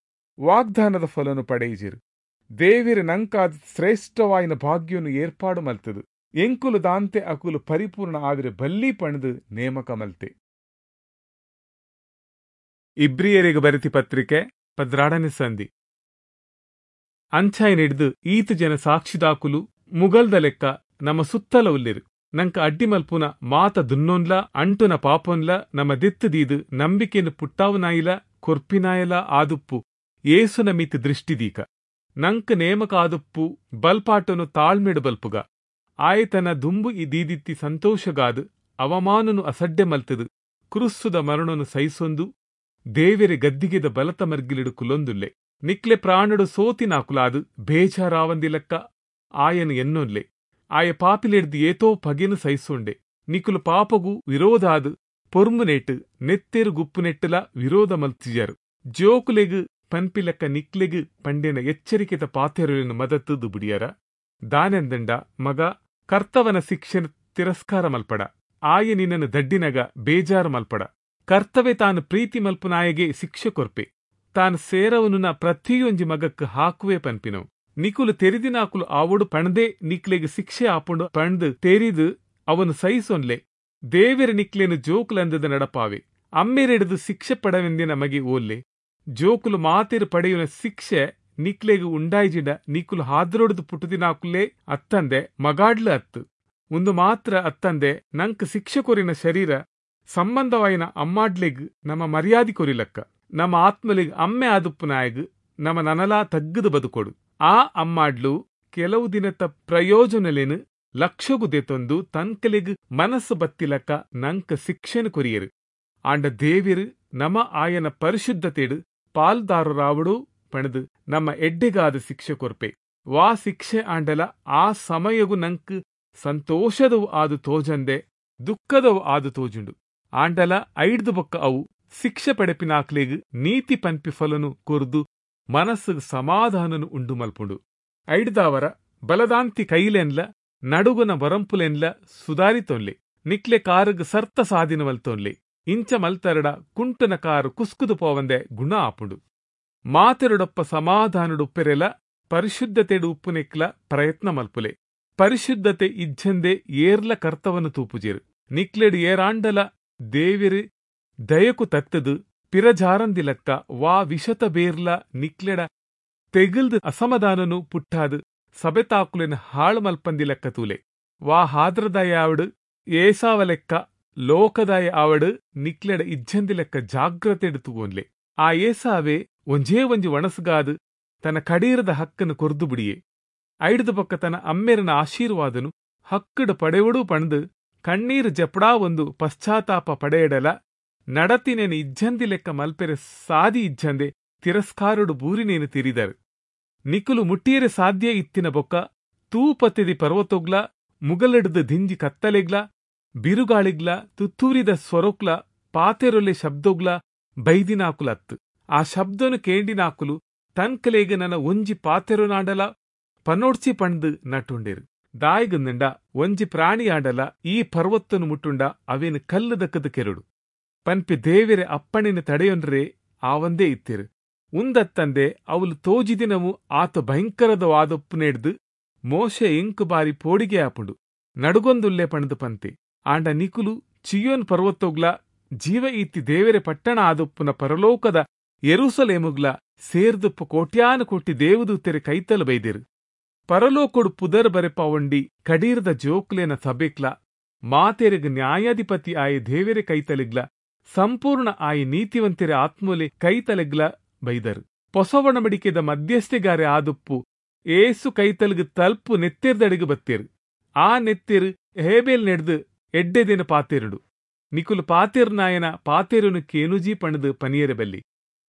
ವಾಗ್ದಾನದ ಫಲನು ಪಡೆಯಿಜಿರು. ದೇವಿರ ನಂಕಾದ ಶ್ರೇಷ್ಠವಾಯಿನ ಭಾಗ್ಯನು ಏರ್ಪಾಡು ಮಲ್ತದು. ಎಂಕುಲು ದಾಂತೆ ಅಕುಲು ಪರಿಪೂರ್ಣ ಆವಿರ ಬಲ್ಲಿ ಪಣದು ನೇಮಕ ಮಲ್ತೆ. ಇಬ್ರಿಯರಿಗೆ ಬರೆತಿ ಪತ್ರಿಕೆ ಪದ್ರಾಡನೆ ಸಂಧಿ. ಅಂಚಾಯಿನಿಡ್ದು ಈತ ಜನ ಸಾಕ್ಷಿದಾಕುಲು ಮುಗಲ್ದ ಲೆಕ್ಕ ನಮ್ಮ ಸುತ್ತಲ ಉಲ್ಲಿರು. ನಂಕ ಅಡ್ಡಿ ಮಲ್ಪುನ ಮಾತ ದುನ್ನೊನ್ಲ ಅಂಟುನ ಪಾಪೊನ್ಲ ನಮ್ಮ ದಿತ್ತದೀದು ನಂಬಿಕೆಯನ್ನು ಪುಟ್ಟಾವನಾಯಿಲ ಕೊರ್ಪಿನಾಯಲ ಆದುಪ್ಪು ಏಸುನ ಮಿತ್ ದೃಷ್ಟಿದೀಕ. ನಂಕ್ ನೇಮಕಾದುಪ್ಪು ಬಲ್ಪಾಟನು ತಾಳ್ಮೆಡು ಬಲ್ಪುಗ. ಆಯೆ ತನ ದುಂಬು ದೀದಿತ್ತಿ ಸಂತೋಷಗಾದ್ ಅವಮಾನನು ಅಸಡ್ಡೆ ಮಲ್ತದು ಕ್ರುಸ್ಸುದ ಮರಣನು ಸಹಿಸೊಂದು ದೇವೆರೆ ಗದ್ದಿಗೆದ ಬಲತ ಮರ್ಗಿಲಿಡು ಕುಲೊಂದುಲ್ಲೆ. ನಿಕ್ಲೆ ಪ್ರಾಣಡು ಸೋತಿನಾಕುಲಾದ್ ಬೇಜಾರಾವಂದಿಲಕ್ಕ ಆಯನು ಎನ್ನೊನ್ಲೆ. ಆಯ ಪಾಪಿಲೆಡ್ದು ಏತೋ ಪಗೆನು ಸಹಿಸೊಂಡೆ. ನಿಕುಲು ಪಾಪಗು ವಿರೋಧಾದ್ ಪೊರ್ಮುನೇಟ್ ನೆತ್ತೆರು ಗುಪ್ಪುನೆಟ್ಟುಲ ವಿರೋಧ ಮಲ್ತಿಜರು. ಜೋಕುಲೆಗ್ ಪನ್ಪಿಲಕ್ಕ ನಿಕ್ಲೆಗ್ ಪಂಡಿನ ಎಚ್ಚರಿಕೆದ ಪಾತೆರೊಲೆನ್ ಮದತುದು ಬುಡಿಯರ. ದಾನೆಂದಂಡ ಮಗ ಕರ್ತವನ ಶಿಕ್ಷೆನ್ ತಿರಸ್ಕಾರ ಮಲ್ಪಡ, ಆಯೆ ನಿನ್ನನ್ನು ದಡ್ಡಿನಗ ಬೇಜಾರು ಮಲ್ಪಡ. ಕರ್ತವೆ ತಾನು ಪ್ರೀತಿ ಮಲ್ಪುನಾಯಗೆ ಶಿಕ್ಷೆ ಕೊರ್ಪೆ, ತಾನು ಸೇರವನುನ ಪ್ರತಿಯೊಂಜಿ ಮಗಕ್ಕೆ ಹಾಕುವೆ ಪನ್ಪಿನವು. ನಿಕುಲು ತೆರಿದಿನಾಕುಲು ಆವೊಡು ಪಣದೆ ನಿಕ್ಲೆಗ್ ಶಿಕ್ಷೆ ಆಪುಂಡು ಪಂಡ್ ತೆರಿದು ಅವನು ಸಹಿಸೊನ್ಲೆ. ದೇವೆರ ನಿಕ್ಲೇನು ಜೋಕುಲಂದದ ನಡಪಾವೆ. ಅಮ್ಮೆರೆಡ್ದು ಶಿಕ್ಷೆ ಪಡವೆಂದಿನ ಮಗೆ ಓಲ್ಲೆ. ಜೋಕುಲು ಮಾತೆರು ಪಡೆಯುನ ಶಿಕ್ಷೆ ನಿಕ್ಲೆಗ್ ಉಂಡಾಯ್ಜಿಡ ನಿಕುಲು ಹಾದ್ರೊಡ್ದು ಪುಟ್ಟುದಿನಾಕುಲೇ ಅತ್ತಂದೆ ಮಗಾಡ್ಲು ಅತ್ತು. ಒಂದು ಮಾತ್ರ ಅತ್ತಂದೆ ನಂಕ್ ಶಿಕ್ಷೆ ಕೊರಿನ ಶರೀರ ಸಂಬಂಧವಾಯಿನ ಅಮ್ಮಾಡ್ಲೆಗ್ ನಮ್ಮ ಮರ್ಯಾದೆ ಕೊರಿಲಕ್ಕ ನಮ್ಮ ಆತ್ಮಲೆಗ್ ಅಮ್ಮೆ ಆದುಪ್ಪುನಾಯಗ್ ನಮ್ಮ ನನಲಾ ತಗ್ಗದು ಬದುಕೊಡು. ಆ ಅಮ್ಮಾಡ್ಲು ಕೆಲವು ದಿನತ ಪ್ರಯೋಜನಲೇನು ಲಕ್ಷಗು ದೆತೊಂದು ತನ್ಕಲೆಗ್ ಮನಸ್ಸು ಬತ್ತಿಲಕ್ಕ ನಂಕ್ ಶಿಕ್ಷೆನು ಕೊರಿಯರು. ಆಂಡ ದೇವಿರು ನಮ ಆಯನ ಪರಿಶುದ್ಧತೆಡು ಪಾಲ್ದಾರರಾವಡು ಪಣದು ನಮ್ಮ ಎಡ್ಡೆಗಾದ ಶಿಕ್ಷೆ ಕೊರ್ಪೆ. ವಾ ಶಿಕ್ಷೆ ಆಂಡಲ ಆ ಸಮಯಗು ನಂಕ್ ಸಂತೋಷದವು ಆದು ತೋಜಂದೆ ದುಃಖದವು ಆದು ತೋಜುಂಡು. ಆಂಡಲ ಐಡ್ದು ಬೊಕ್ಕ ಅವು ಶಿಕ್ಷೆ ಪಡೆಪಿನಾಕ್ಲೆಗ್ ನೀತಿ ಪನ್ಪಿ ಫಲನು ಕೊರ್ದು ಮನಸ್ಸುಗ್ ಸಮಾಧಾನನು ಉಂಡು ಮಲ್ಪುಂಡು. ಐಡ್ದಾವರ ಬಲದಾಂತಿ ಕೈಲೆನ್ಲ ನಡುಗುನ ಬರಂಪುಲೆನ್ಲ ಸುಧಾರಿತೊನ್ಲೆ. ನಿಕ್ಲೆ ಕಾರುಗ್ ಸರ್ತ ಸಾಧಿನ ಮಲ್ತೊನ್ಲೆ. ಇಂಚ ಮಲ್ತರಡ ಕುಂಟುನ ಕಾರು ಕುಸ್ಕುದು ಪೋವಂದೆ ಗುಣ ಆಪುಂಡು. ಮಾತೆರುಡೊಪ್ಪ ಸಮಾಧಾನಡುಪ್ಪೆರೆಲ ಪರಿಶುದ್ಧತೆಡು ಉಪ್ಪುನೆಕ್ಲ ಪ್ರಯತ್ನ ಮಲ್ಪುಲೆ. ಪರಿಶುದ್ಧತೆ ಇಜ್ಜಂದೆ ಏರ್ಲ ಕರ್ತವನು ತೂಪುಜೆರು. ನಿಕ್ಲೆಡು ಏರಾಂಡಲ ದೇವಿರು ದಯಕು ತತ್ತದು ಪಿರಜಾರಂದಿಲಕ್ಕ ವಾ ವಿಷತ ಬೇರ್ಲ ನಿಕ್ಲೆಡ ತೆಗಿಲ್ದು ಅಸಮಾಧಾನನು ಪುಟ್ಟಾದು ಸಬೆತಾಕುಲೆನ ಹಾಳು ಮಲ್ಪಂದಿಲಕ್ಕ ತೂಲೆ. ವಾ ಹಾದ್ರದಾಯ ಆವಡು ಏಸಾವಲೆಕ್ಕ ಲೋಕದಾಯ ಆವಡು ನಿಕ್ಲೆಡ ಇಜ್ಜಂದಿಲೆಕ್ಕ ಜಾಗ್ರತೆಡು ತೂವೊನ್ಲೆ. ಆ ಏಸಾವೆ ಒಂಜೇ ಒಂಜಿ ಒಣಸುಗಾದು ತನ್ನ ಕಡೀರದ ಹಕ್ಕನ್ನು ಕೊರ್ದು ಬಿಡಿಯೆ. ಐಡ್ದು ಪಕ್ಕ ತನ್ನ ಅಮ್ಮೆರನ ಆಶೀರ್ವಾದನು ಹಕ್ಕಡು ಪಡೆವಡು ಪಣದು ಕಣ್ಣೀರು ಜಪಡಾ ಒಂದು ಪಶ್ಚಾತ್ತಾಪ ಪಡೆಯಡಲ ನಡತಿನೇನು ಇಜ್ಜಂದಿ ಲೆಕ್ಕ ಮಲ್ಪೆರೆ ಸಾದಿ ಇಜ್ಜಂದೆ ತಿರಸ್ಕಾರುಡು ಬೂರಿನೇನು ತಿರಿದರು. ನಿಕುಲು ಮುಟ್ಟಿಯರೆ ಸಾಧ್ಯ ಇತ್ತಿನ ಬೊಕ್ಕ ತೂಪತ್ತಿದಿ ಪರ್ವತೊಗ್ಲ ಮುಗಲೆಡ್ದು ದಿಂಜಿ ಕತ್ತಲೆಗ್ಲ ಬಿರುಗಾಳಿಗ್ಲ ತುತ್ತೂರಿದ ಸ್ವರೊಕ್ಲ ಪಾತೆರೊಲೆ ಶಬ್ದೊಗ್ಲ ಬೈದಿನಾಕುಲತ್ತು. ಆ ಶಬ್ದನು ಕೇಂಡಿನಾಕುಲು ತನ್ಕಲೆಗ್ ನನ್ನ ಒಂಜಿ ಪಾತೆರೊನಾಡಲ ಪನೋಡ್ಚಿ ಪಂಡ್ದು ನಟುಂಡೇರು. ದಾಯಿಗಂದಂಡ ಒಂಜಿ ಪ್ರಾಣಿಯಾಡಲ ಈ ಪರ್ವತ್ತನು ಮುಟ್ಟುಂಡ ಅವೇನು ಕಲ್ಲು ದಕ್ಕದ ಕೆರಡು ಪನ್ಪಿ ದೇವೆರೆ ಅಪ್ಪಣಿನ ತಡೆಯೊನ್ರೆ ಆವಂದೇ ಇತ್ತಿರು. ಉಂದತ್ತಂದೆ ಅವಲು ತೋಜಿದಿನವು ಆತ ಭಯಂಕರದ ವಾದೊಪ್ಪುನೆಡ್ದು ಮೋಶೆ ಎಂಕು ಬಾರಿ ಪೋಡಿಗೆ ಆಪುಂಡು ನಡುಗೊಂದುಲ್ಲೆ ಪಣದು ಪಂತೆ. ಆಂಡ ನಿಕುಲು ಚಿಯೋನ್ ಪರ್ವತೊಗ್ಲ ಜೀವ ಇತ್ತಿ ದೇವೆರೆ ಪಟ್ಟಣ ಆದೊಪ್ಪುನ ಪರಲೋಕದ ಯೆರೂಸಲೇಮುಗ್ಲ ಸೇರ್ದುಪ್ಪು ಕೋಟ್ಯಾನು ಕೋಟಿ ದೇವದೂತೆರೆ ಕೈತಲು ಬೈದಿರು. ಪರಲೋಕೊಡು ಪುದರ್ ಬರೆಪಾವಂಡಿ ಕಡೀರ್ದ ಜೋಕ್ಲೇನ ಸಭೆಕ್ಲ ಮಾತೆರೆಗ್ ನ್ಯಾಯಾಧಿಪತಿ ಆಯ ದೇವೆರೆ ಕೈತಲೆಗ್ಲ ಸಂಪೂರ್ಣ ಆಯ ನೀತಿವಂತೆರೆ ಆತ್ಮೊಲೆ ಕೈತಲೆಗ್ಲ ಬೈದರು. ಪೊಸವಣಮಡಿಕೆದ ಮಧ್ಯಸ್ಥೆಗಾರೆ ಆದುಪ್ಪು ಏಸು ಕೈತಲ್ಗ್ ತಲ್ಪು ನೆತ್ತೆರ್ದಡಿಗೆ ಬತ್ತೇರು. ಆ ನೆತ್ತೆರು ಹೇಬೇಲ್ ನೆಡ್ದು ಎಡ್ಡೆದಿನ ಪಾತೆರುಡು. ನಿಕುಲು ಪಾತೆರ್ನಾಯನ ಪಾತೆರುನು ಕೇನುಜಿ ಪಣದು ಪನಿಯರೆ ಬಲ್ಲಿ.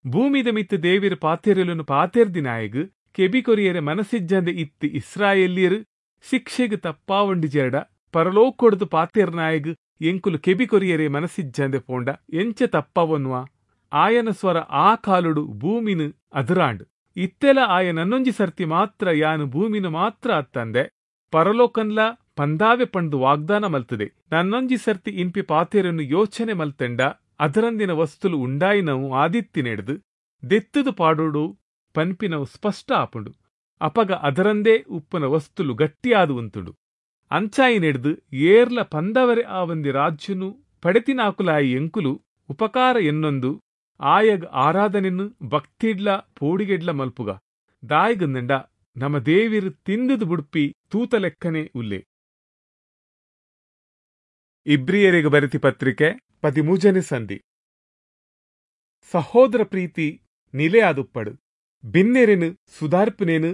ಭೂಮಿದ ಮಿತ್ತು ದೇವಿರ ಪಾತೆರಲುನು ಪಾತೆರ್ದಿನಾಯಗ್ ಕೆಬಿ ಕೊರಿಯರೆ ಮನಸ್ಸಿಜ್ಜಂದೆ ಇತ್ತು ಇಸ್ರಾಯೇಲ್ಯರು ಶಿಕ್ಷೆಗ್ ತಪ್ಪಾವಂಡಿ ಜೆರಡ ಪರಲೋಕೊಡ್ದು ಪಾತೆರ್ನಾಯಗ್ ಎಂಕುಲು ಕೆಬಿ ಕೊರಿಯರೆ ಮನಸ್ಸಿಜ್ಜಂದೆ ಪೋಂಡ ಎಂಚ ತಪ್ಪವನ್ವಾ. ಆಯನ ಸ್ವರ ಆ ಕಾಲುಡು ಭೂಮಿನು ಅದುರಾಂಡ್. ಇತ್ತೆಲ ಆಯ ನನ್ನೊಂಜಿ ಸರ್ತಿ ಮಾತ್ರ ಯಾನು ಭೂಮಿನು ಮಾತ್ರ ಅತ್ತಂದೆ ಪರಲೋಕನ್ಲ ಪಂದಾವೆ ಪಂಡು ವಾಗ್ದಾನ ಮಲ್ತದೆ. ನನ್ನೊಂಜಿ ಸರ್ತಿ ಇನ್ಪಿ ಪಾತೆರನ್ನು ಯೋಚನೆ ಮಲ್ತೆಂಡ ಅದರಂದಿನ ವಸ್ತುಲು ಉಂಡಾಯಿನವು ಆದಿತ್ತಿನೆಡ್ದು ದೆತ್ತದು ಪಾಡೋಡು ಪನ್ಪಿನವು ಸ್ಪಷ್ಟ ಆಪುಂಡು. ಅಪಗ ಅದರಂದೇ ಉಪ್ಪುನ ವಸ್ತುಲು ಗಟ್ಟಿಯಾದು ಉಂತುಂಡು. ಅಂಚಾಯಿನೆಡ್ದು ಏರ್ಲ ಪಂದವರೆ ಆವಂದಿ ರಾಜ್ಯನು ಪಡೆತಿನಾಕುಲಾಯಿ ಎಂಕುಲು ಉಪಕಾರ ಎನ್ನೊಂದು ಆಯಗ್ ಆರಾಧನೆನ್ನು ಭಕ್ತಿಡ್ಲ ಪೋಡಿಗೆಡ್ಲ ಮಲ್ಪುಗ. ದಾಯಿಗಂದಂಡ ನಮ್ಮ ದೇವಿರು ತಿಂದುದು ಬುಡ್ಪಿ ತೂತಲೆಕ್ಕನೆ ಉಲ್ಲೆ. ಇಬ್ರಿಯರಿಗೆ ಬರೆತಿ ಪತ್ರಿಕೆ ಪದಿಮೂಜನೆ ಸಂಧಿ. ಸಹೋದರ ಪ್ರೀತಿ ನಿಲೆಯಾದುಪ್ಪಡು. ಬಿನ್ನೆರೆನು ಸುಧಾರ್ಪುನೇನು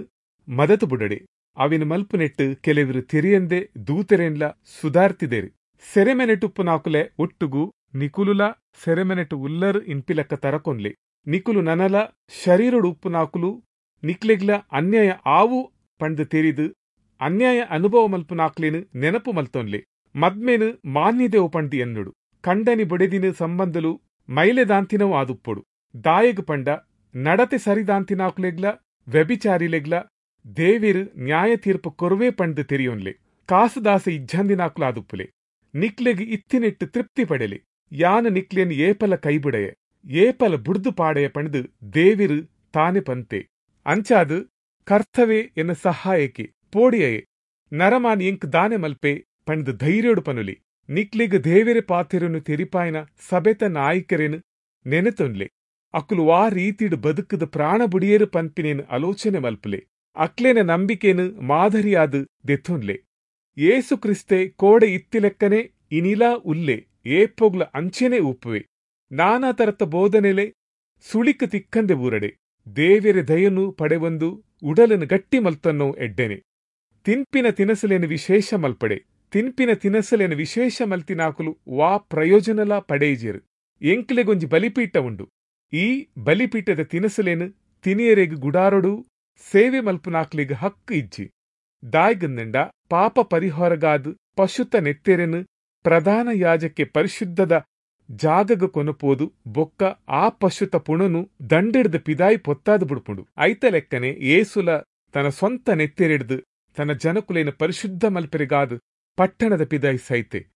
ಮದತು ಬುಡಡೆ. ಅವಿನ ಮಲ್ಪುನೆಟ್ಟು ಕೆಲವರು ತೆರಿಯಂದೆ ದೂತೆರೆನ್ಲ ಸುಧಾರ್ತಿದೇರು. ಸೆರೆಮೆನೆಟುಪ್ಪುನಾಕುಲೆ ಒಟ್ಟುಗು ನಿಕುಲುಲ ಸೆರೆಮೆನೆಟು ಉಲ್ಲರ್ ಇನ್ಪಿಲಕ್ಕ ತರಕೊನ್ಲೆ. ನಿಕುಲು ನನಲ ಶರೀರೊಡು ಉಪ್ಪುನಾಕುಲು ನಿಕ್ಲೆಗ್ಲ ಅನ್ಯಾಯ ಆವು ಪಂದ್ ತೆರಿದು ಅನ್ಯಾಯ ಅನುಭವ ಮಲ್ಪುನಾಕ್ಲೆನ್ ನೆನಪು ಮಲ್ತೊನ್ಲೆ. ಮದ್ಮೇನು ಮಾನ್ಯದೇವು ಪಂದ್ ಎನ್ನುಡು. ಕಂಡನಿ ಬೊಡೆದಿನ ಸಂಬಂಧಲು ಮೈಲೆದಾಂತಿನವು ಆದುಪ್ಪೊಡು. ದಾಯೆಗ್ ಪಂಡ ನಡತೆ ಸರಿದಾಂತಿನಾಕುಲೆಗ್ಲ ವ್ಯಭಿಚಾರಿಲೆಗ್ಲ ದೇವೆರು ನ್ಯಾಯ ತೀರ್ಪು ಕೊರುವೆ ಪಂದ್ ತೆರಿಯೊನ್ಲೆ. ಕಾಸುದಾಸೆ ಇಜ್ಜಂದಿನಾಕುಲಾದುಪ್ಪುಲೆ. ನಿಕ್ಲೆಗ್ ಇತ್ತಿನೆಟ್ಟು ತೃಪ್ತಿ ಪಡೆಲೆ. ಯಾನ ನಿಕ್ಲೆನ್ ಏಪಲ ಕೈಬುಡಯೆ, ಏಪಲ ಬುಡ್ದು ಪಾಡೆಯ ಪಂದ್ ದೇವೆರು ತಾನೆ ಪಂತೆ. ಅಂಚಾದ್ ಕರ್ತವೆ ಎನ್ನ ಸಹಾಯಕ್ಕೆ ಪೋಡಿಯಯೆ, ನರಮಾನ್ ಎಂಕ್ ದಾನೆ ಮಲ್ಪೆ ಪಂದ್ ಧೈರ್ಯೋಡು ಪನುಲಿ. ನಿಕ್ಲೆಗ್ ದೇವೆರೆ ಪಾತೆರನು ತೆರಿಪಾಯನ ಸಬೆತ ನಾಯಕರೇನು ನೆನೆತೊನ್ಲೆ. ಅಕುಲು ವಾ ರೀತಿಡ್ ಬದುಕದ ಪ್ರಾಣ ಬುಡಿಯೇರು ಪನ್ಪಿನೇನು ಆಲೋಚನೆ ಮಲ್ಪುಲೆ. ಅಕ್ಲೆನ ನಂಬಿಕೆನು ಮಾದರಿಯಾದ ದೆತ್ತೊನ್ಲೆ. ಯೇಸು ಕ್ರಿಸ್ತೆ ಕೋಡೆ ಇತ್ತಿಲೆಕ್ಕನೆ ಇನಿಲಾ ಉಲ್ಲೆ, ಏಪೊಗ್ಲ ಅಂಚೆನೆ ಉಪ್ಪುವೆ. ನಾನಾ ತರತ ಬೋಧನೆಲೆ ಸುಳಿಕ್ ತಿಕ್ಕಂದೆ ಬೂರಡೆ. ದೇವೆರೆ ದಯನು ಪಡೆವೊಂದು ಉಡಲನ್ನು ಗಟ್ಟಿ ಮಲ್ತನ್ನೋ ಎಡ್ಡೆನೆ. ತಿನ್ಪಿನ ತಿನಸಲೇನು ವಿಶೇಷ ಮಲ್ಪಡೆ. ತಿನ್ಪಿನ ತಿನಸಲೇನು ವಿಶೇಷ ಮಲ್ತಿನಾಕುಲು ವಾ ಪ್ರಯೋಜನಲ ಪಡೆಯಿಜೆರು. ಎಂಕ್ಲೆಗೊಂಜಿ ಬಲಿಪೀಠ ಉಂಡು. ಈ ಬಲಿಪೀಠದ ತಿನಸಲೇನು ತಿನಿಯರೆಗ್ ಗುಡಾರೊಡು ಸೇವೆ ಮಲ್ಪುನಾಕ್ಲೆಗ್ ಹಕ್ಕು ಇಜ್ಜಿ. ದಾಯ್ಗಂದಂಡ ಪಾಪ ಪರಿಹಾರಗಾದ್ ಪಶುತ ನೆತ್ತೆರೆನು ಪ್ರಧಾನ ಯಾಜಕ್ಕೆ ಪರಿಶುದ್ಧದ ಜಾಗಗ ಕೊನಪೋದು ಬೊಕ್ಕ ಆ ಪಶುತ ಪುಣನು ದಂಡಿಡ್ದು ಪಿದಾಯಿ ಪೊತ್ತಾದು ಬುಡ್ಪುಂಡು. ಐತ ಲೆಕ್ಕನೆ ಏಸುಲ ತನ್ನ ಸ್ವಂತ ನೆತ್ತೆರೆಡ್ದು ತನ್ನ ಜನಕುಲೇನು ಪರಿಶುದ್ಧ ಮಲ್ಪೆರೆಗಾದ್ ಪಟ್ಟಣದ ಪಿದಾಯಿ ಸೈತೆ.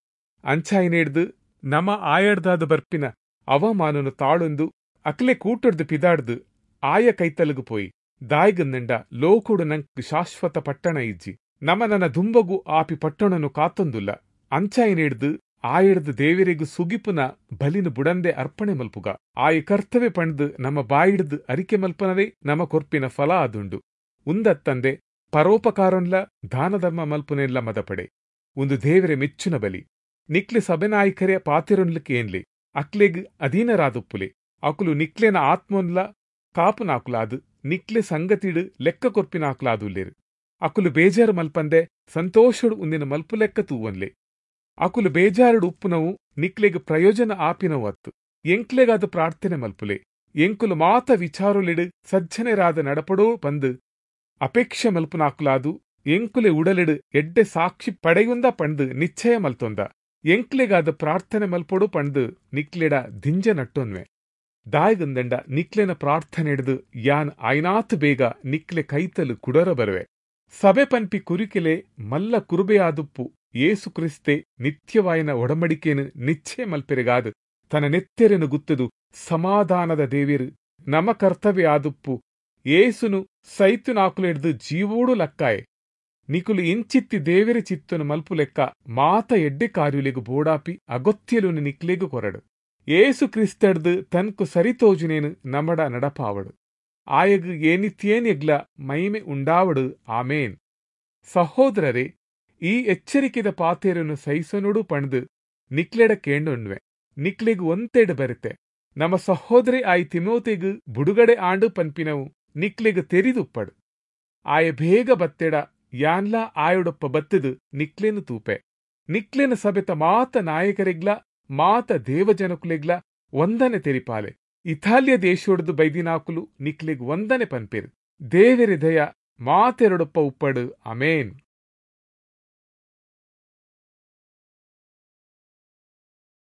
ಅಂಚಾಯಿನೇಡ್ದು ನಮ ಆಯಡ್ದಾದ ಬರ್ಪಿನ ಅವಮಾನನು ತಾಳೊಂದು ಅಕ್ಲೆ ಕೂಟೊಡ್ದು ಪಿದಾಡ್ದು ಆಯ ಕೈತಲಗು ಪೋಯಿ. ದಾಯ್ಗಂದಂಡ ಲೋಕೊಡು ನಂಕ್ ಶಾಶ್ವತ ಪಟ್ಟಣ ಇಜ್ಜಿ. ನಮ ನನ್ನ ದುಂಬಗು ಆಪಿ ಪಟ್ಟಣನು ಕಾತೊಂದುಲ್ಲ. ಅಂಚಾಯಿನೇಡ್ದು ಆಯಡ್ದು ದೇವರಿಗೂ ಸುಗಿಪುನ ಬಲಿನ ಬುಡಂದೆ ಅರ್ಪಣೆ ಮಲ್ಪುಗ. ಆಯ ಕರ್ತವ್ಯ ಪಂಡ್ದು ನಮ್ಮ ಬಾಯಿಡ್ದು ಅರಿಕೆ ಮಲ್ಪನವೇ ನಮ ಕೊರ್ಪಿನ ಫಲ ಆದುಂಡು. ಉಂದತ್ತಂದೆ ಪರೋಪಕಾರನ್ಲ ದಾನಧರ್ಮ ಮಲ್ಪುನೆಲ್ಲ ಮದಪಡೆ. ಒಂದು ದೇವರೆ ಮೆಚ್ಚುನ ಬಲಿ. ನಿಕ್ಲೆ ಸಭೆನಾಯಕರೇ ಪಾತಿರೊನ್ಲಿಕ್ಕೆ ಏನ್ಲಿ. ಅಕ್ಲೆಗ್ ಅಧೀನರಾದುಪ್ಪುಲೆ. ಅಕುಲು ನಿಕ್ಲೆನ ಆತ್ಮೊನ್ಲ ಕಾಪುನಾಕುಲಾದು ನಿಕ್ಲೆ ಸಂಗತಿಡು ಲೆಕ್ಕ ಕೊರ್ಪಿನಾಕುಲಾದುಲ್ಲೇರು. ಅಕುಲು ಬೇಜಾರು ಮಲ್ಪಂದೆ ಸಂತೋಷಡು ಉಂದಿನ ಮಲ್ಪು ಲೆಕ್ಕ ತೂವನ್ಲೆ. ಅಕುಲು ಬೇಜಾರುಡು ಉಪ್ಪುನವು ನಿಕ್ಲೆಗ್ ಪ್ರಯೋಜನ ಆಪಿನವು ಅತ್ತು. ಎಂಕ್ಲೆಗಾದ ಪ್ರಾರ್ಥನೆ ಮಲ್ಪುಲೆ. ಎಂಕುಲು ಮಾತ ವಿಚಾರುಲೆಡು ಸಜ್ಜನೆರಾದ ನಡಪಡೋ ಪಂದು ಅಪೇಕ್ಷೆ ಮಲ್ಪುನಾಕುಲಾದು ಎಂಕುಲೆ ಉಡಲೆಡು ಎಡ್ಡೆ ಸಾಕ್ಷಿ ಪಡೆಯುಂದ ಪಂದು ನಿಶ್ಚಯ ಮಲ್ತೊಂದ. ಎಂಕ್ಲೆಗಾದ ಪ್ರಾರ್ಥನೆ ಮಲ್ಪೊಡು ಪಂದು ನಿಕ್ಲೆಡ ದಿಂಜ ನಟ್ಟೊನ್ವೆ. ದಾಯಗಂದಂಡ ನಿಕ್ಲೆನ ಪ್ರಾರ್ಥನೆ ಹಿಡಿದು ಯಾನ್ ಆಯ್ನಾತ್ ಬೇಗ ನಿಕ್ಲೆ ಕೈತಲು ಕುಡರ ಬರುವೆ. ಸಭೆ ಪನ್ಪಿ ಕುರಿಕೆಲೆ ಮಲ್ಲ ಕುರುಬೆಯಾದುಪ್ಪು ಯೇಸು ಕ್ರಿಸ್ತೆ ನಿತ್ಯವಾಯಿನ ಒಡಂಬಡಿಕೆನು ನಿಶ್ಚಯ ಮಲ್ಪೆರೆಗಾದು ತನ್ನ ನೆತ್ತೆರೆನು ಗುತ್ತದು ಸಮಾಧಾನದ ದೇವಿರು ನಮ ಕರ್ತವ್ಯ ಆದುಪ್ಪು ಏಸುನು ಸೈತುನಾಕುಲೆಡ್ದು ಜೀವೋಡು ಲಕ್ಕಾಯೆ. ನಿಕುಲು ಇಂಚಿತ್ತಿ ದೇವೆರೆ ಚಿತ್ತನು ಮಲ್ಪು ಲೆಕ್ಕ ಮಾತ ಎಡ್ಡೆ ಕಾರ್ಯುಲೆಗು ಬೋಡಾಪಿ ಅಗತ್ಯಲುನು ನಿಕ್ಲೆಗು ಕೊರಡು. ಏಸು ಕ್ರಿಸ್ತಡ್ದು ತನ್ಕು ಸರಿತೋಜುನೇನು ನಮಡ ನಡಪಾವಡು. ಆಯಗು ಏನಿತ್ಯೇನೆಗ್ಲ ಮಹಿಮೆ ಉಂಡಾವಡು. ಆಮೇನ್. ಸಹೋದರರೇ, ಈ ಎಚ್ಚರಿಕೆದ ಪಾತೆರನ್ನು ಸಹಿಸನುಡು ಪಂಡ್ದು ನಿಕ್ಲೆಡ ಕೇಂಡೊಣ್ವೆ. ನಿಕ್ಲೆಗು ಒಂತೆಡು ಬರುತ್ತೆ. ನಮ್ಮ ಸಹೋದರಿ ಆಯಿ ತಿಮೋತೆಗು ಬುಡುಗಡೆ ಆಂಡು ಪನ್ಪಿನವು ನಿಕ್ಲೆಗು ತೆರಿದುಪ್ಪಡು. ಆಯ ಬೇಗ ಬತ್ತೆಡ ಯಾನ್ಲಾ ಆಯುಡೊಪ್ಪ ಬತ್ತದು ನಿಕ್ಲೇನು ತೂಪೆ. ನಿಕ್ಲೇನ ಸಭೆತ ಮಾತ ನಾಯಕರೆಗ್ಲ ಮಾತ ದೇವಜನಕುಲೆಗ್ಲ ವಂದನೆ ತೆರಿಪಾಲೆ. ಇತಾಲಿಯ ದೇಶೊಡ್ದು ಬೈದಿನಾಕುಲು ನಿಕ್ಲೆಗ್ ವಂದನೆ ಪನ್ಪೇರು. ದೇವೆರೆ ದಯ ಮಾತೆರೊಡೊಪ್ಪ ಉಪ್ಪಡು. ಆಮೇನ್.